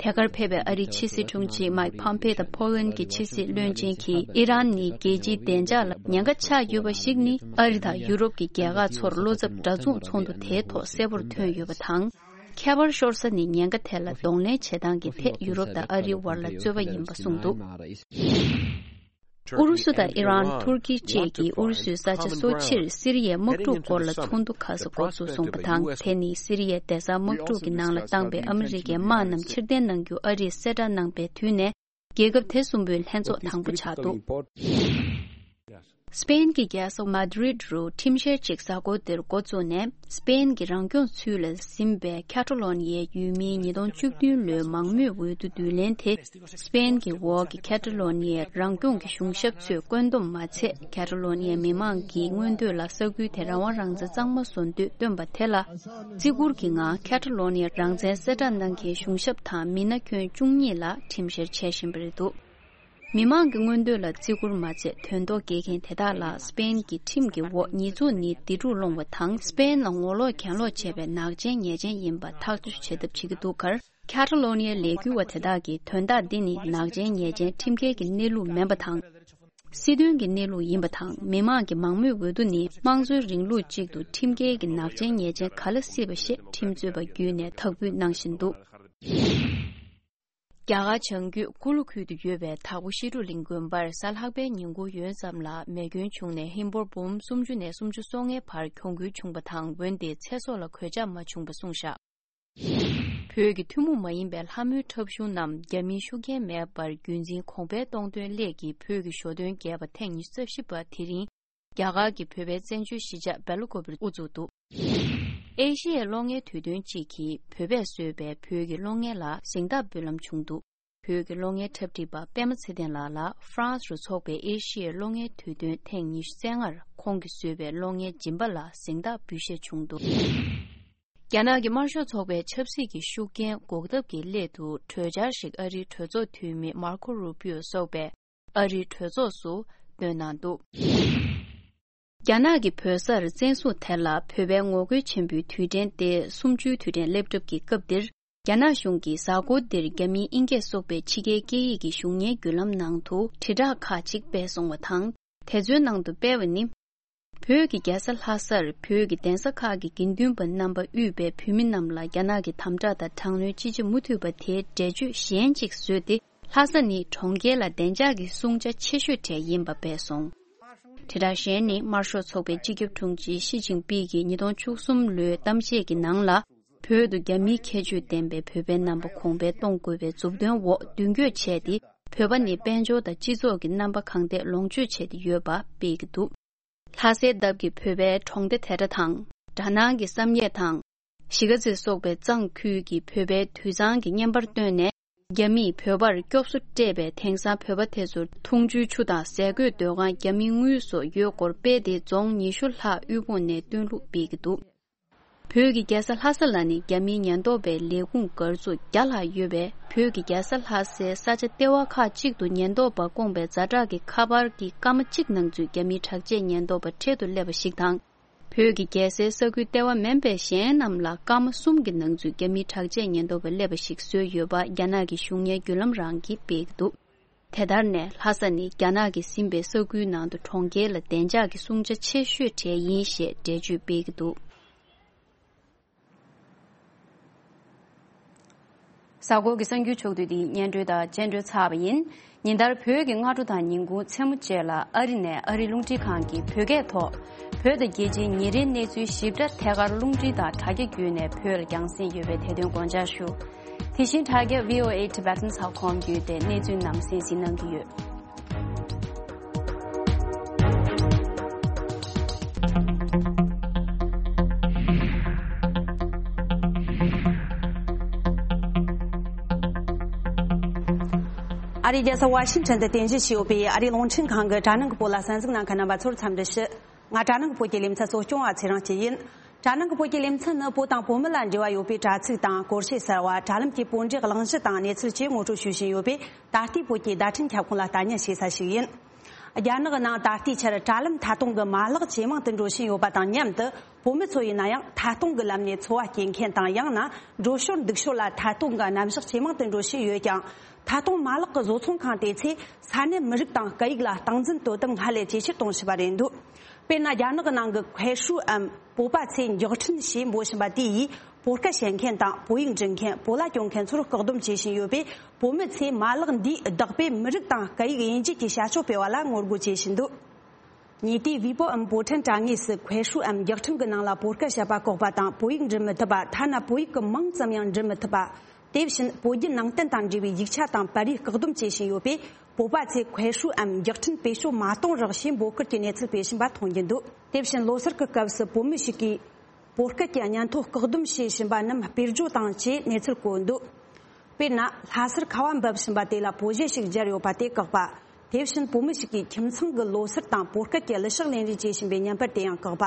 དེ་གར་ཕེབས་པའི་ཨ་རིའི་ཕྱི་སྲིད་དྲུང་ཆེ་མའིག་ཕོམ་ཕེ་དང་ཕོ་ལན་གྱི་ཕྱི་སྲིད་བློན་ཆེན་གྱིས། ཨི་རན་ནི་རྒྱལ་སྤྱིའི་བདེ་འཇགས་ལ་ཉེན་ཁ་ཆགས་ཡོད་པ་ཞིག་ནི། ཨ་རི་དང་ཡུ་རོབ་ཀྱི་རྒྱལ་ཁག་ཚོར་བློ་འཚབ་འདྲ་མཚུངས་ཚོགས་འདུ་དེའི་ཐོག་གསལ་པོར་ཐོན་ཡོད་པ་དང་། ཁྱད་པར་ཤོར་ས་ནི་ཉེན་ཁ་དེ་ལ་གདོང་ལེན་བྱེད་སྟངས་ཀྱི་ཐད་ཡུ་རོབ་དང་ཨ་རིའི་བར་ལ་རྩོད་པ་ཡིན་པ་གསུངས་འདུག། ཨུ་རུ་སུ་དང་ཨི་རན། ཐུར་ཀི་བཅས་ཀྱིས་ཨུ་རུ་སུའི་ས་ཆ་སོར་ཕྱིར་སི་རི་ཡའི་དམག་འཁྲུག་སྐོར་ལ་ཚོགས་འདུ་ཁ་ཤས་འགོ་འཛུགས་སོང་བ་དང་། དེ་ནི་སི་རི་ཡའི་བདེ་གསར་དམག་འཁྲུག་གི་ནང་ལ་བཏང་པའི་ཨ་མི་རི་ཀའི་དམག་རྣམས་ཕྱིར་འཐེན་གནང་རྒྱུ་ཨ་རིས་གསལ་བསྒྲགས་གནང་པའི་དུས་ནས། རྒྱལ་ཁབ་དེ་གསུམ་པོའི་ལྷན་ཚོགས་དང་པོ་ཆགས་འདུག། སི་པེན་གྱི་རྒྱལ་ས་མ་དི་རིད་རུ་ཁྲིམས་བཤེར་ཅིག་གཟའ་འཁོར་འདིར་འགོ་བཙུགས་ནས། སི་པེན་གྱི་རང་སྐྱོང་ཚུལ་ལ་ཟིན་པའི་ཁ་ཏ་ལོ་ནི་ཡའི་ཡུལ་མིའི་ཉིས་སྟོང་བཅུ་བདུན་ལོའི་མང་མོས་འོས་བསྡུ་བསྡུ་ལེན་དེ། སི་པེན་གྱི་འོག་གི་ཁ་ཏ་ལོ་ནི་ཡའི་རང་སྐྱོང་གི་གཞུང་ཞབས་ཚོས་བཀོད་འདོམས་མ་ཚད། ཁ་ཏ་ལོ་ནི་ཡའི་མི་མང་གི་མངོན་འདོད་ལ་ས་ཁུལ་དེ་རང་དབང་རང་བཙན་གཙང་མ་བཟོ་འདོད་བཏོན་པ་དེ་ལ། བརྩི་བཀུར་གྱི་ངང་ཁ་ཏ་ལོ་ནི་ཡའི་རང་བཙན་གསལ་བསྒྲགས་གནང་མཁན་གཞུང་ཞབས་དང་མི་སྣ་ཁྱོན་བཅུ་གཉིས་ལ་ཁྲིམས་བཤེར་བྱེད་བཞིན་པ་རེད་འདུག། མི་མང་གི་མངོན་འདོད་ལ་བརྩི་བཀུར་མ་ཚད། དོན་ཐོག་འགེལ་མཁན་དེ་དག་ལ་སི་པེན་གྱི་ཁྲིམས་ཀྱི་འོག་ཉེས་འཛུགས་ནི་སྡིག་སྒྲུབ་སློང་བ་དང་། སི་པེན་ལ་ངོ་ལོག་གྱེན་ལོག་བྱས་པའི་ནག་ཅན་ཉེས་ཅན་ཡིན་པ་ཐག་གཅོད་བྱེད་ཐབས་བྱེད་ཀྱི་འདུག་ཁར། ཁ་ཏ་ལོ་ནི་ཡའི་ལས་འགུལ་བ་དེ་དག་གིས་དོན་དག་འདི་ནི་ནག་ཅན་ཉེས་ཅན་ཁྲིམས་འགལ་གྱི་གནས་ལུགས་མིན་པ་དང་། སྲིད་དོན་གྱི་གནས་ལུགས་ཡིན་པ་དང་། མི་མང་གི་མང་མོས་འོས་བསྡུ་ནི་དམངས་གཙོའི་རིང་ལུགས་གཅིག་ཏུ་ཁྲིམས་འགལ་གྱི་ནག་ཅན་ཉེས་ཅན་ག་ལ་སྲིད་པ་ཞེས་ཁྲིམས་རྩོད་པ་བརྒྱུད་ནས་དག་འབུལ་གནང་བཞིན་འདུག། རྒྱ་གར་བྱང་རྒྱུད་ཀུ་ལུ་ཁུལ་དུ་ཡོད་པའི་དྭགས་པོ་ཤི་ཏུ་གླིང་དགོན་པར་གཟའ་ལྷག་པའི་ཉིན་གུང་ཡོལ་ཙམ་ལ་མེ་སྐྱོན་བྱུང་ནས་ཧིན་སྒོར་འབུམ་སུམ་ཅུ་ནས་སུམ་ཅུ་སོ་ལྔའི་བར་གྱོང་གུན་བྱུང་བ་དང་། འོན་ཏེ་ཚེ་སྲོག་ལ་གོད་ཆག་མ་བྱུང་བ་གསུངས་བཞག། བོད་ཀྱི་ཐུན་མོང་མ་ཡིན་པའི་ལྷ་མོའི་འཁྲབ་གཞུང་རྣམས་རྒྱ་མིའི་ཤུགས་རྐྱེན་མེད་པར་རྒྱུན་འཛིན་གོང་འཕེལ་གཏོང་དོན་སླད་ཀྱིས་བོད་ཀྱི་ཞོ་སྟོན་རྒྱས་པ་ཐེངས་ཉི་ཤུ་རྩ་བཞི་པ་དེ་རིང་རྒྱ་གར་གྱི་བོད་པའི་བཙན་བྱོལ་གཞིས་ཆགས་སྦེལ་ཀོབ་ལ་དབུ་བཙུགས་འདུག། ཨེ་ཤི་ཡའི་གློག་བརྙན་དུས་སྟོན་གཅིག་གིས་བོད་པས་བཟོས་པའི་བོད་ཀྱི་གློག་བརྙན་ལ་གཟེངས་རྟགས་འབུལ་ལམ་བྱུང་འདུག། བོད་ཀྱི་གློག་བརྙན་འཁྲབ་ཁྲིད་པ་པད་མ་ཚེ་བརྟན་ལགས་ལ་ཧྥ་རན་སི་རུ་འཚོགས་པའི་ཨེ་ཤི་ཡའི་གློག་བརྙན་དུས་སྟོན་ཐེངས་ཉི་ཤུ་རྩ་ལྔར་ཁོང་གིས་བཟོས་པའི་གློག་བརྙན་སྦྱིན་པ་ལ་གཟེངས་རྟགས་འབུལ་བཞེས་བྱུང་འདུག། རྒྱ་ནག་གི་དམར་ཤོག་ཚོགས་པའི་ཆབ་སྲིད་ཀྱི་ཤུགས་རྐྱེན་འགོག་ཐབས་ཀྱི་སླད་དུ་གྲོས་འཆར་ཞིག་ཨ་རིའི་གྲོས་ཚོགས་འཐུས་མི་མར་ཁོ་རུ་པིའོ་སོགས་པས་ཨ་རིའི་གྲོས་ཚོགས་སུ་བཏོན་གནང་འདུག། རྒྱ་ནག་གི་བོད་སར་བཙན་བཟུང་དེ་ལ་བོད་པའི་ངོ་རྒོལ་ཆེན་པོའི་དུས་དྲན་ཏེ་གསུམ་བཅུའི་དུས་དྲན་སླེབས་གྲབས་ཀྱི་སྐབས་འདིར། རྒྱ་ནག་གཞུང་གིས་གཟའ་འཁོར་འདིར་རྒྱ་མིའི་ཨིན་སྐད་སོགས་པའི་ཕྱི་རྒྱལ་སྐད་ཡིག་གི་གཞུང་བརྙན་བརྒྱུད་ལམ་ནང་དུ་དྲིལ་བསྒྲགས་ཁག་ཅིག་སྤེལ་སོང་བ་དང་། དེ་ཚོའི་ནང་དུ་སྤེལ་བ་ནི། བོད་ཀྱི་རྒྱལ་ས་ལྷ་སར་བོད་ཀྱི་གདན་ས་ཁག་གི་དགེ་འདུན་པ་རྣམ་པ་དབུས་པའི་བོད་མི་རྣམས་ལ་རྒྱ་ནག་གི་དམ་དྲག་དང་དྲག་གནོན་ཅི་བྱེད་མུ་མཐུད་པ་དེའི་འགྲེལ་བརྗོད་གཞན་གཅིག་བཟོས་ཏེ། ལྷ་ས་ནི་གྲོང་ཁྱེར་ལ་བདེ་འཇགས་ཀྱི་སྲུང་བྱ་ཆེ་ཤོས་གྲས་ཡིན་པ་སྤེལ་སོང་། དྲིལ་བསྒྲགས་གཞན་ནི། དམར་ཤོག་ཚོགས་པའི་སྤྱི་ཁྱབ་དྲུང་ཆེ་ཞི་ཅིན་ཕིང་གིས་ཉིས་སྟོང་བཅུ་གསུམ་ལོའི་གཏམ་བཤད་ཀྱི་ནང་ལ། བོད་དུ་རྒྱ་མིའི་ཁྱད་ཆོས་ལྡན་པའི་བོད་པའི་རྣམ་པ་གོང་འཕེལ་གཏོང་དགོས་པའི་མཛུབ་སྟོན་འོག་མདུན་སྐྱོད་བྱས་ཏེ། བོད་པ་ནི་དཔལ་འབྱོར་དང་སྤྱི་ཚོགས་ཀྱི་རྣམ་པ་གང་ཐད་ལོངས་སྤྱོད་བྱས་ཏེ་ཡོད་པ་སྤེལ་གྱི་འདུག། ལྷ་སའི་འདབས་ཀྱི་བོད་པའི་གྲོང་སྡེ་དེ་འདྲ་དང་། གྲ་ནང་གི་བསམ་ཡས་དང་། གཞིས་ཀ་རྩེ་སོགས་པའི་གཙང་ཁུལ་གྱི་བོད་པའི་དུད་ཚང་གི་བརྙན་པར་བཏོན་ནས། རྒྱ་མིས་བོད་པར་སྐྱོབ་གསོ་སྤྲད་པས། དེང་སང་བོད་པ་དེ་ཚོར་འཐུང་ཆུའི་ཆུ་དང་ཟས་གོས་སྡོད་ཁང་རྒྱ་མིའི་དངུལ་སོགས་ཡོད་སྐོར་སྤེལ་ཏེ། རྫོང་ཉི་ཤུ་ལྷག་དབུལ་ཕོངས་ནས་བཏོན་ལུགས་སྤེལ་གྱི་འདུག། བོད་ཀྱི་རྒྱལ་ས་ལྷ་ས་ལ་ནི་རྒྱ་མིའི་ཉེན་རྟོག་པའི་ལས་ཁུངས་སྒར་ཚུགས་བརྒྱ་ལྷག་ཡོད་པས། བོད་ཀྱི་རྒྱལ་ས་ལྷ་སའི་ས་ཆ་ལྟེ་བ་ཁག་ཅིག་ཏུ་ཉེན་རྟོག་པ་བསྐོངས་པའི་ཛ་དྲག་གི་ཁ་པར་གྱི་སྐར་མ་གཅིག་ནང་ཚུད་རྒྱ་མིའི་དྲག་ཆས་ཉེན་རྟོག་པ་འཕྲལ་དུ་སླེབས་པ་ཞིག་དང་། བོད་ཀྱི་རྒྱལ་སའི་ས་ཁུལ་ལྟེ་བ་མིན་པའི་གཞན་རྣམས་ལ་སྐར་མ་གསུམ་གྱི་ནང་ཚུད་རྒྱ་མིའི་དྲག་ཆས་ཉེན་རྟོག་པ་སླེབས་པ་ཞིག་བཟོས་ཡོད་པ་རྒྱ་ནག་གི་གཞུང་གཉེར་བརྒྱུད་ལམ་རང་གིས་སྤེལ་གྱི་འདུག། དེ་ལྟར་ནས་ལྷ་ས་ནི་རྒྱ་ནག་གིས་ཟིན་པའི་ས་ཁུལ་ནང་དུ་གྲོང་ཁྱེར་ལ་བདེ་འཇགས་ཀྱི་སྲུང་བྱ་ཆེ་ཤོས་གྲས་ཡིན་ཞེས་འགྲེལ་བརྗོད་སྤེལ་གྱི་འདུག། གཟའ་འཁོར་གྱི་གསར་འགྱུར་ཕྱོགས་བསྡུས་འདི་སྙན་སྒྲོན་དང་རྒྱན་སྒྲོན་ཚར་བ་ཡིན། ཉིན་ལྟར་བོད་ཀྱི་སྔ་དྲོ་དང་ཉིན་གུང་མཚན་མོ་བཅས་ལ་ཨ་རི་ནས་ཨ་རིའི་རླུང་འཕྲིན་ཁང་གི་བོད་སྐད་ཐོག་བོད་དང་རྒྱལ་སྤྱིའི་ཉིན་རེའི་གནས་ཚུལ་ཞིབ་ཕྲ་ཐད་ཀར་རླུང་འཕྲིན་དང་དྲ་རྒྱ་བརྒྱུད་ནས་བོད་ལ་རྒྱང་སྲིང་ཡོད་པའི་དེ་དོན་དགོངས་འཇགས་ཞུ། དེ་བཞིན་དྲ་རྒྱ་V O A Tibetans dot com བརྒྱུད་དེ་གནས་ཚུལ་རྣམས་གསན་གཟིགས་གནང་གི་ཡོད། ཨ་རིའི་རྒྱལ་ས་ཝ་ཤིང་ཊོན་དུ་རྟེན་གཞི་བྱས་ཡོད་པའི་ཨ་རིའི་རླུང་འཕྲིན་ཁང་གི་དྲ་ནང་གི་བོད་ལ་གསན་གཟིགས་གནང་མཁན་རྣམ་པ་ཚོར་འཚམས་འདྲི་ཞུ། ང་དྲ་ནང་གི་བོད་ཀྱི་ལེ་ཚན་གཙོ་སྐྱོང་བ་ཚེ་རིང་སྐྱིད་ཡིན། དྲ་ནང་གི་བོད་ཀྱི་ལེ་ཚན་ནི་བོད་དང་བོད་མི་ལ་འབྲེལ་བ་ཡོད་པའི་དྲ་ཚིགས་དང་སྐོར་བཤད་གསར་བ། དྲ་ལམ་གྱི་བོད་འབྲེལ་གླེང་གཞི་དང་གནས་ཚུལ་བཅས་ངོ་སྤྲོད་ཞུ་བཞིན་ཡོད་པས། ད་ལྟའི་བོད་ཀྱི་བརྡ་འཕྲིན་ཁྱབ་ཁོངས་ལ་ལྟ་ཉན་བྱེད་ས་ཞིག་ཡིན། རྒྱ་ནག་གི་ནང་ད་ལྟའི་ཆར་དྲ་ལམ་མཐའ་སྟོང་གི་མ་ལག་ཇེ་མང་དུ་འགྲོ་བཞིན་ཡོད་པ་དང་མཉམ་དུ། བོད་མི་ཚོ་ཡིན་ན་ཡང་མཐའ་སྟོང་གི་ལམ་ནས་འཚོ་བ་སྐྱེལ་མཁན་དང་། ཡང་ན་འགྲོ་ཞོར་འདུག་ཞོར་ལ་མཐའ་སྟོང་གི་རྣམ་གཞག་ཇེ་མང་དུ་འགྲོ་བཞིན་ཡོད་ཀྱང་། མཐའ་སྟོང་མ་ལག་གི་བཟོ་ཚོང་ཁང་དེ་ཚོས་ས་གནས་མི་རིགས་དང་སྐད་ཡིག་ལ་སྟངས་འཛིན་དོ་དམ་སྔར་ལས་ཇེ་ཆེར་གཏོང་བཞིན་པ་རེད་འདུག། དཔེར་ན། རྒྱ་ནག་གི་ནང་གི་ཁའེ་ཧྲུའུ་འམ། བོད་པ་ཚོས་མགྱོགས་འཕྲིན་ཞེས་འབོད་བཞིན་པ་དེ་ཡིས་བོད་སྐད་བཤད་མཁན་དང་བོད་ཡིག་འབྲི་མཁན། བོད་ལྭ་གྱོན་མཁན་ཚོར་བཀག་སྡོམ་བྱེད་བཞིན་ཡོད་པས། བོད་མི་ཚོས་མ་ལག་འདིས་བདག་པོས་མི་རིགས་དང་སྐད་ཡིག་དབྱེ་འབྱེད་ཀྱི་བྱ་སྤྱོད་སྤེལ་བ་ལ་ངོ་རྒོལ་བྱེད་བཞིན་འདུག་ཉེ་དུས་ཝི་པོའམ་བོད་ཕྲན་དྲ་ངོས་སུ་ཁོའེ་ཧྲུའུ་འམ་རྒྱག་ཁྲིམས་ཀྱི་ནང་ལ་བོད་སྐད་བཤད་པ་བཀག་པ་དང་། བོད་ཡིག་འབྲི་མི་ཐུབ་པ། ཐ་ན་བོད་ཡིག་གི་མིང་ཙམ་ཡང་འབྲི་མི་ཐུབ་པ། དེ་བཞིན་བོད་བརྒྱུད་ནང་བསྟན་དང་འབྲེལ་བའི་ཡིག་ཆ་དང་པར་རིས་བཀག་སྡོམ་བྱེད་བཞིན་ཡོད་པས། བོད་པ་ཚོས་ཁོའེ་ཧྲུའུ་འམ་རྒྱག་ཁྲིམས་བེད་སྤྱོད་མ་གཏོང་རོགས་ཞེས་འབོད་སྐུལ་གྱི་གནས་ཚུལ་སྤེལ་བཞིན་པ་མཐོང་རྒྱུ་འདུག་དེ་བཞིན་ལོ་སར་གྱི་སྐབས་སུ་བོད་མི་ཞིག་གིས་བོད་སྐད་ཀྱི་སྙན་ཐོ་བཀག་སྡོམ་བྱེད་བཞིན་པ་རྣམས་སྤེལ་རྒྱུ་དང་བཅས་གནས་ཚུལ་བཀོད་འདུག་དཔེར་ན། ལྷ་སར་ཁ་བ་འབབ་བཞིན་པ་དེ་ལ་བོད་གཞས་ཤིག་སྦྱར་ཡོད་པ་དེ་བཀག་པ། དེ་བཞིན་བོད་མི་ཞིག་གིས་ཁྱིམ་ཚང་གི་ལོ་སར་དང་བོད་སྐད་ཀྱི་གླུ་གཞས་ལེན་རེས་བྱེད་བཞིན་པའི་བརྙན་པར་དེ་ཡང་བཀག་པ།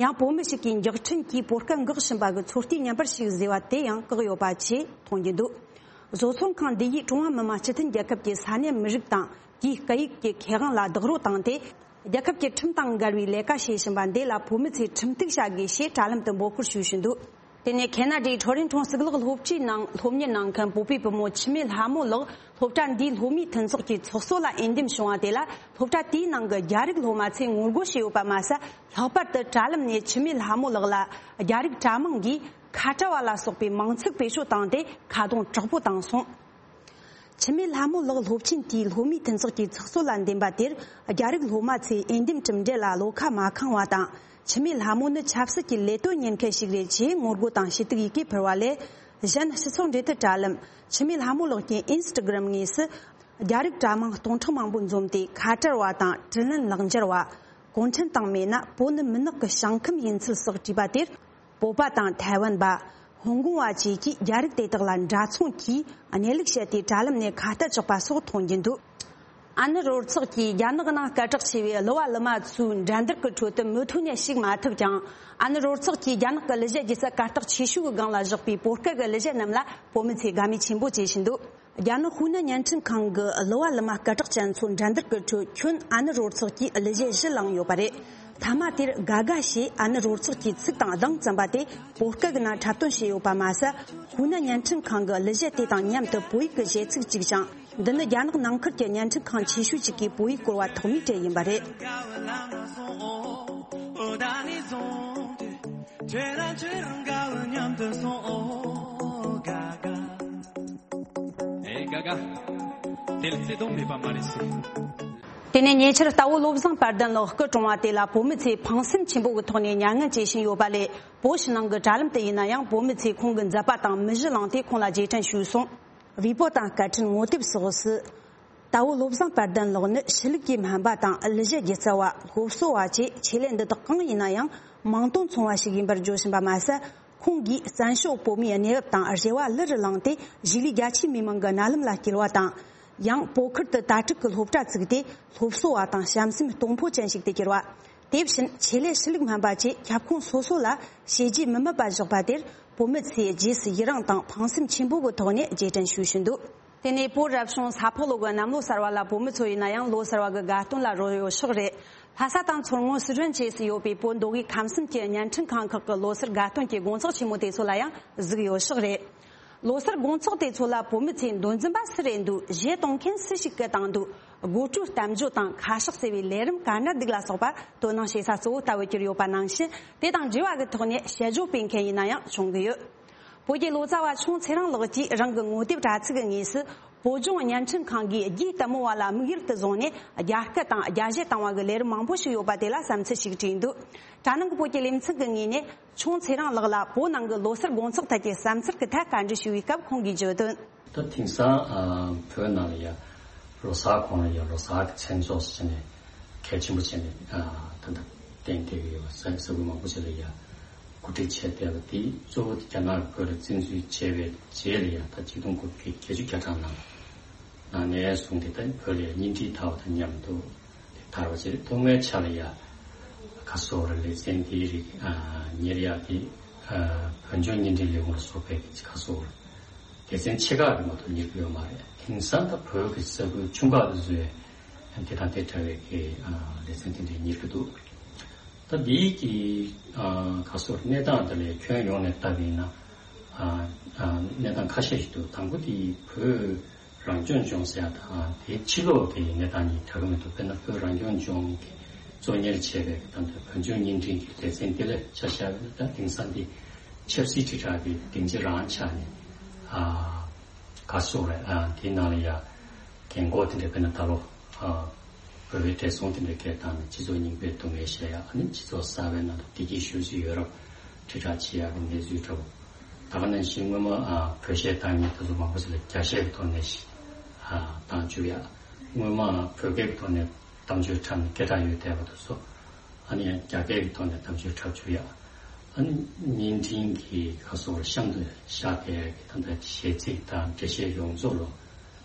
ཡང་བོད་མི་ཞིག་གིས་མགྱོགས་འཕྲིན་གྱིས་བོད་སྐད་འགོག་བཞིན་པ་གི་ཚོད་ལྟའི་བརྙན་པར་ཞིག་བཟོས་པ་དེ་ཡང་བཀག་ཡོད་པ་བཅས་མཐོང་རྒྱུ་འདུག་བཟོ་ཚོང་ཁང་འདི་ཡིས་ཀྲུང་ཧྭ་མི་དམངས་སྤྱི་མཐུན་རྒྱལ་ཁབ་ཀྱི་ས་གནས་མི་རིགས་དང་དེའི་སྐད་ཡིག་གི་ཁེ་དབང་ལ་རྡོག་རོལ་བཏང་སྟེ། རྒྱལ་ཁབ་ཀྱི་ཁྲིམས་དང་འགལ་བའི་ལས་ཀ་བྱེད་བཞིན་པ་འདི་ལ་བོད་མི་ཚོས་ཁྲིམས་གཏུག་བྱ་དགོས་ཞེས་དྲ་ལམ་དུ་འབོད་སྐུལ་ཞུས་བཞིན་འདུག་དེ་ནས་ཁེ་ན་ཌའི་ཁྲོ་རིན་ཁྲོང་གཙུག་ལག་སློབ་གྲྭའི་ནང་སློབ་གཉེར་གནང་མཁན་བོད་པའི་བུ་མོ་འཆི་མེད་ལྷ་མོ་ལགས། སློབ་གྲྭ་འདིའི་སློབ་མའི་མཐུན་ཚོགས་ཀྱི་ཚོགས་གཙོ་ལ་འོས་འདེམས་བྱུང་བ་དེ་ལ་སློབ་གྲྭ་དེའི་ནང་གི་རྒྱ་རིགས་སློབ་མ་ཚོས་ངོ་རྒོལ་བྱས་ཡོད་པ་མ་ཟད། ལྷག་པར་དུ་དྲ་ལམ་ནས་འཆི་མེད་ལྷ་མོ་ལགས་ལ་རྒྱ་རིགས་དྲ་མིང་གིས་ཁ་བྲལ་བ་ལ་སོགས་པའི་མིང་ཚིག་བེད་སྤྱོད་བཏང་སྟེ་ཁ་རྡུང་དྲག་པོ་བཏང་སོང་། འཆི་མེད་ལྷ་མོ་ལགས་སློབ་ཆེན་དེའི་སློབ་མའི་མཐུན་ཚོགས་ཀྱི་ཚོགས་གཙོ་ལ་འདེམས་པ་དེར། རྒྱ་རིགས་སློབ་མ་ཚོས་འོས་འདེམས་གྲུབ་འབྲས་ལ་བློ་ཁ་མ་ཁེངས་པ་དང་། འཆི་མེད་ལྷ་མོ་ནི་ཆབ་སྲིད་ཀྱི་ལས་དོན་གཉེར་མཁན་ཞིག་རེད་ཅེས་ངོ་རྒོལ་དང་ཞུ་གཏུག་ཡི་གེ་ཕུལ་བ་ལས། གཞན་སྤྱི་ཚོགས་འབྲེལ་མཐུད་དྲ་ལམ་འཆི་མེད་ལྷ་མོ་ལགས་ཀྱི་ཨིན་སི་ཊ་གྷི་རམ་ངོས་སུ། རྒྱ་རིགས་དྲ་མིང་སྟོང་ཕྲག་མང་པོ་འཛོམས་ཏེ་ཁ་བྲལ་བ་དང་དྲིན་ལན་ལག་འབྱོར་བ། གུང་ཁྲན་ཏང་མེད་ན་བོད་ནི་མུན་ནག་གི་ཞིང་ཁམས་ཡིན་ཚུལ་སོགས་བྲིས་པ་དེར། བོད་པ་དང་ཐའེ་ཝན་པ། ཧོང་ཀོང་བ་བཅས་ཀྱིས་རྒྱ་རིགས་དེ་དག་ལ་འདྲ་མཚུངས་ཀྱིས་གནས་ལུགས་བཤད་དེ་དྲ་ལམ་ནས་ཁ་གཏད་གཅོག་པ་སོགས་མཐོང་རྒྱུ་འདུག་ཨ་ནི་རོ་ཚོགས་ཀྱིས་རྒྱ་ནག་ནང་སྐད་གྲགས་ཆེ་བའི་གླུ་བ་གླུ་མ་ཚོའི་འགྲན་བསྡུར་གྱི་ཁྲོད་དུ་མུ་མཐུད་ནས་ཞུགས་མ་ཐུབ་ཀྱང་། ཨ་ནི་རོ་ཚོགས་ཀྱིས་རྒྱ་ནག་གི་གླུ་གཞས་སྒྱུ་རྩལ་གར་སྟེགས་ཆེ་ཤོས་ཀྱི་སྒང་ལ་བཞག་པའི་བོད་སྐད་ཀྱི་གླུ་གཞས་རྣམས་ལ་བོད་མི་ཚོས་དགའ་མོས་ཆེན་པོ་བྱེད་བཞིན་འདུག་རྒྱ་ནག་ཧུའུ་ནན་བརྙན་འཕྲིན་ཁང་གི་གླུ་བ་གླུ་མ་སྐད་གྲགས་ཅན་ཚོ་འགྲན་བསྡུར་གྱི་ཁྲོད་ཁྱོན་ཨ་ནི་རོ་ཚོགས་ཀྱིས་གླུ་གཞས་བཞི་བླངས་ཡོད་པ་རེད། མཐའ་མ་དེར་དགའ་དགའ་ཞེས་ཨ་ནི་རོ་ཚོགས་ཀྱི་ཚིག་དང་གདངས་བརྩམས་པ་དེ་བོད་སྐད་ཀྱི་ནང་འཁྲབ་སྟོན་བྱས་ཡོད་པ་མ་ཟད། ཧུའུ་ནན་བརྙན་འཕྲིན་ཁང་གི་གླུ་གཞས་དེ་དང་མཉམ་དུ་བོད་ཡིག་གི་གཞས་ཚིག་བཅུག་ཅིང་། འདི་ནི་རྒྱ་ནག་ནང་ཁུལ་གྱི་བརྙན་འཕྲིན་ཁང་ཆེ་ཤོས་གཅིག་གིས་བོད་ཡིག་སྐོར་བ་ཐོག་མའི་གྲས་ཡིན་པ་རེད། དེ་ལ་བརྩེ་དུང་མེད་པ་མ་རེད་ཟེར། དེ་ནས་ཉེ་ཆར་རྟ་བོ་བློ་བཟང་དཔལ་ལྡན་ལགས་སྐུ་གྲོངས་པ་དེ་ལ་བོད་མི་ཚོས་ཕངས་སེམས་ཆེན་པོ་གི་ཐོག་ནས་མྱ་ངན་བྱེད་བཞིན་ཡོད་པ་ལས། བོད་ཕྱི་ནང་གི་དྲ་ལམ་དུ་ཡིན་ན་ཡང་བོད་མི་ཚོས་ཁོང་གི་མཛད་པ་དང་མི་གཞི་བླངས་ཏེ་ཁོང་ལ་རྗེས་དྲན་ཞུས་སོང་། བི་པོ་དང་སྐད་འཕྲིན་ངོ་དེབ་སོགས་སུ། རྟ་བོ་བློ་བཟང་དཔལ་ལྡན་ལགས་ནི་ཤེས་ལུགས་ཀྱི་སྨན་པ་དང་གླུ་གཞས་སྒྱུ་རྩལ་བ། སློབ་གསོ་བ་བཅས་ཆེད་ལས་འདི་དག་གང་ཡིན་ན་ཡང་མིང་དོན་མཚུངས་པ་ཞིག་ཡིན་པར་བརྗོད་བཞིན་པ་མ་ཟད། ཁོང་གིས་བཙན་བྱོལ་བོད་མིའི་གནས་བབ་དང་རེ་བ་ལི་རུ་བླངས་ཏེ་གཞིས་ལུས་རྒྱ་ཆེའི་མི་མང་གི་རྣ་ལམ་ལ་སྐྱེལ་བ་དང་། ཡང་བོད་ཁུལ་དུ་དྭ་ཕྲུག་གི་སློབ་གྲྭ་བཙུགས་ཏེ་སློབ་གསོ་བ་དང་བྱམས་སེམས་གཏོང་ཕོད་ཅན་ཞིག་ཏུ་གྱུར་བ། དེ་བཞིན་ཆེད་ལས་ཤེས་ལུགས་སྨན་པ་བཅས་ཁྱབ་ཁོངས་སོ་སོ་ལ་བྱས་རྗེས་མི་དམིགས་པ་བཞག་པ་དེར་བོད་མི་ཚོས་རྗེས་སུ་ཡི་རངས་དང་ཕངས་སེམས་ཆེན་པོ་གི་ཐོག་ནས་རྗེས་དྲན་ཞུས་བཞིན་འདུག་དེ་ནས་བོད་རབ་བྱུང་ས་ཕག་ལོ་གི་གནམ་ལོ་གསར་བ་ལ་བོད་མི་ཚོ་ཡིན་ན་ཡང་ལོ་གསར་བ་གི་དགའ་སྟོན་ལ་རོལ་ཡོད་ཤག་རེད། ལྷ་ས་དང་མཚོ་སྔོན་སི་ཁྲོན་བཅས་སུ་ཡོད་པའི་བོད་མདོ་དབུས་ཁམས་གསུམ་གྱི་བརྙན་འཕྲིན་ཁང་ཁག་གི་ལོ་གསར་དགའ་སྟོན་གྱི་དགོང་ཚོགས་ཆེན་མོ་དེ་ཚོ་ལ་ཡང་གཟིགས་ཡོད་ཤག་རེད། ལོ་གསར་དགོང་ཚོགས་དེ་ཚོ་ལ་བོད་མི་ཚོས་མདོ་འཛིན་པ་སུ་རེད་འདུག་གཞས་གཏོང་མཁན་སུ་ཞིག་སྐད་བཏང་འདུག་སྒོ་དྲུག་གཏམ་བརྗོད་དང་ཁ་ཤགས་ཟེར་བའི་ལས་རིམ་ག་འདྲ་འདུག་ལ་སོགས་པ་དོ་སྣང་བྱེད་ས་གཙོ་བོ་ལྟ་བུ་གྱུར་ཡོད་པ་ནང་བཞིན། དེ་དང་འབྲེལ་བ་གི་ཐོག་ནས་དཔྱད་བརྗོད་སྤེལ་མཁན་ཡིན་ན་ཡང་བྱུང་གི་ཡོད། བོད་ཀྱི་ལོ་ཙཱ་བ་ཆུང་ཚེ་རིང་ལགས་ཀྱིས་རང་གི་ངོ་དེབ་དྲ་ཚིགས་ཀྱི་ངོས་སུ། བོད་ལྗོངས་བརྙན་འཕྲིན་ཁང་གིས་རྒྱའི་ལྟད་མོ་བ་ལ་དམིགས་ཡུལ་དུ་བཟུང་ནས་རྒྱ་སྐད་དང་རྒྱ་གཞས་བཏང་བ་གི་ལས་རིམ་མང་པོ་ཞིག་ཡོད་པ་དེ་ལ་བསམ་ཚུལ་ཞིག་བྲིས་འདུག་དྲ་ནང་གི་བོད་ཀྱི་ལེ་ཚན་གྱི་ངོས་ནས་ཆུང་ཚེ་རིང་ལགས་ལ་བོད་ནང་གི་ལོ་གསར་དགོང་ཚོགས་ཐད་ཀྱི་བསམ་ཚུལ་གྱི་ཐད་བཀའ་འདྲི་ཞུ་བའི་སྐབས་ཁོང་གིས་བརྗོད་དོན། ད་དེང་སང་ཨ་བོད་ནང་ལ་ཡ་ལོ་གསར་གོང་ལ་ཡ་ལོ་གསར་གྱི་མཚན་ཚོགས་སུ་བྱས་ནས་གལ་ཆེན་པོ་བྱས་ནས་ཨ་ད་ལྟ་གཏན་འཁེལ་གྱི་ཡོད་པ་ས་ས་ཁུལ་མང་པོ་ཞིག་ལ་ཡ་གོ་སྒྲིག་བྱས་བསྡད་པ་དེ་གཙོ་བོ་དེ་རྒྱ་ནག་གི་བོད་ལ་བཙན་འཛུལ་བྱས་པའི་རྗེས་ལ་ཡ་ད་ཆིག་སྟོང་དགུ་བརྒྱ་བརྒྱད་ཅུ་གྱ་གྲངས་ནང་ནང་ནས་བཟུང་སྟེ་ད་བོད་ལ་ཡ་གཉེན་སྒྲིག་འཐབ་པ་དང་མཉམ་དུ་དེ་དར་བ་བྱས། ཐོག་མའི་ཆ་ལ་ཡ་ཁ་སོ་ར་ལེ་ཚན་དེའི་རིགས་ཨ་གཉེར་ཡག་དེ་ཨ་བོད་ལྗོངས་གཉེན་སྒྲིག་ལས་ཁུངས་ལ་སོགས་པའི་ཁ་སོ་ར། སྡེ་ཚན་ཆེ་ཁག་གིས་མ་གཏོགས་གཉེར་གྱི་ཡོད་མ་རེད། དེང་སང་ད་བོད་ཀྱི་ས་ཁུལ་ཆུང་ཁག་ཏུ་བཟོས་དེ་དང་དེ་འདྲ་བའི་གི་ཨ་སྡེ་ཚན་དེ་འདྲས་གཉེར་གྱི་འདུག་ད་འདིའི་གི་ཨ་ག་སོགས་གནས་སྟངས་དེ་ལ་ཁྱོན་ཡོངས་ནས་བལྟ་བ་ཡིན་ན་ཨ་ཨ་གནས་སྟངས་ཁ་ཤས་ཤིག་འདུག་དང་པོ་དེ་བོད་རང་སྐྱོང་ལྗོངས་ཟེར་ཡ་དང་དེའི་ཕྱི་ལོགས་ཀྱི་གནས་སྟངས་གཉིས་འདྲ་གི་མི་འདུག་དཔེར་ན་བོད་རང་སྐྱོང་ལྗོངས་ཀྱི་ གཙོ་གཉེར་བྱས་པའི་ད་ལྟ་བོད་ལྗོངས་བརྙན་འཕྲིན་གྱི་ལེ་ཚན་དེ་ལ་ཆ་བཞག་པ་ཡིན་ན། ད་དེང་སང་འདི་ཆབ་སྲིད་དྲིལ་བསྒྲགས་ཀྱི་སྡིངས་ཆ་རང་ཆགས་ནས། ཨ་ག་སོགས་རེད། ཨ་དེའི་ནང་ལ་ཡ་རྒན་གོག་དེ་འདྲ། དཔེར་ན་ད་ལོ་ཨ་བོད་པའི་བགྲེས་སོང་དེ་འདྲ་སྐད་བཏང་ནས་སྤྱི་ཚོགས་རྙིང་པའི་སྡུག་བསྔལ་བཤད་ཡག། ཨ་ནི་སྤྱི་ཚོགས་གསར་པའི་ནང་དུ་བདེ་སྐྱིད་ཤོད་རྩིས་ཡོད་རབས་དྲིལ་བསྒྲགས་བྱེད་ཡག་གི་གནས་ཚུལ་འདྲ་བོ། ད་ག་ནང་བཞིན་སྔོན་མ་ཨ་བོད་གཞས་བཏང་མཁན་དེ་ཚོ་མང་པོ་ཞིག་ལ་རྒྱ་གཞས་ཀྱི་ཐོག་ནས་ཤིག་ཨ་བཏང་བཅུག་ཡག། སྔོན་མ་བོད་སྐད་ཀྱི་ཐོག་ནས་གཏམ་བརྗོད་འཁྲབ་ནས་སྐད་གྲགས་ཡོད་བསྡད་པ་དེ་ཚོ། ཨ་ནི་ཡང་རྒྱ་སྐད་ཀྱི་ཐོག་ནས་གཏམ་བརྗོད་འཁྲབ་བཅུག་ཡག། ཨ་ནི་བརྙན་འཕྲིན་གྱི་ཁ་སོགས་གཤམ་དུ་བཞག་བསྡད་ཡག་གི་ད་ལྟ་གཞས་ཚིག་དང་འགྲེལ་བཤད་ཡོངས་རྫོགས་ལོ།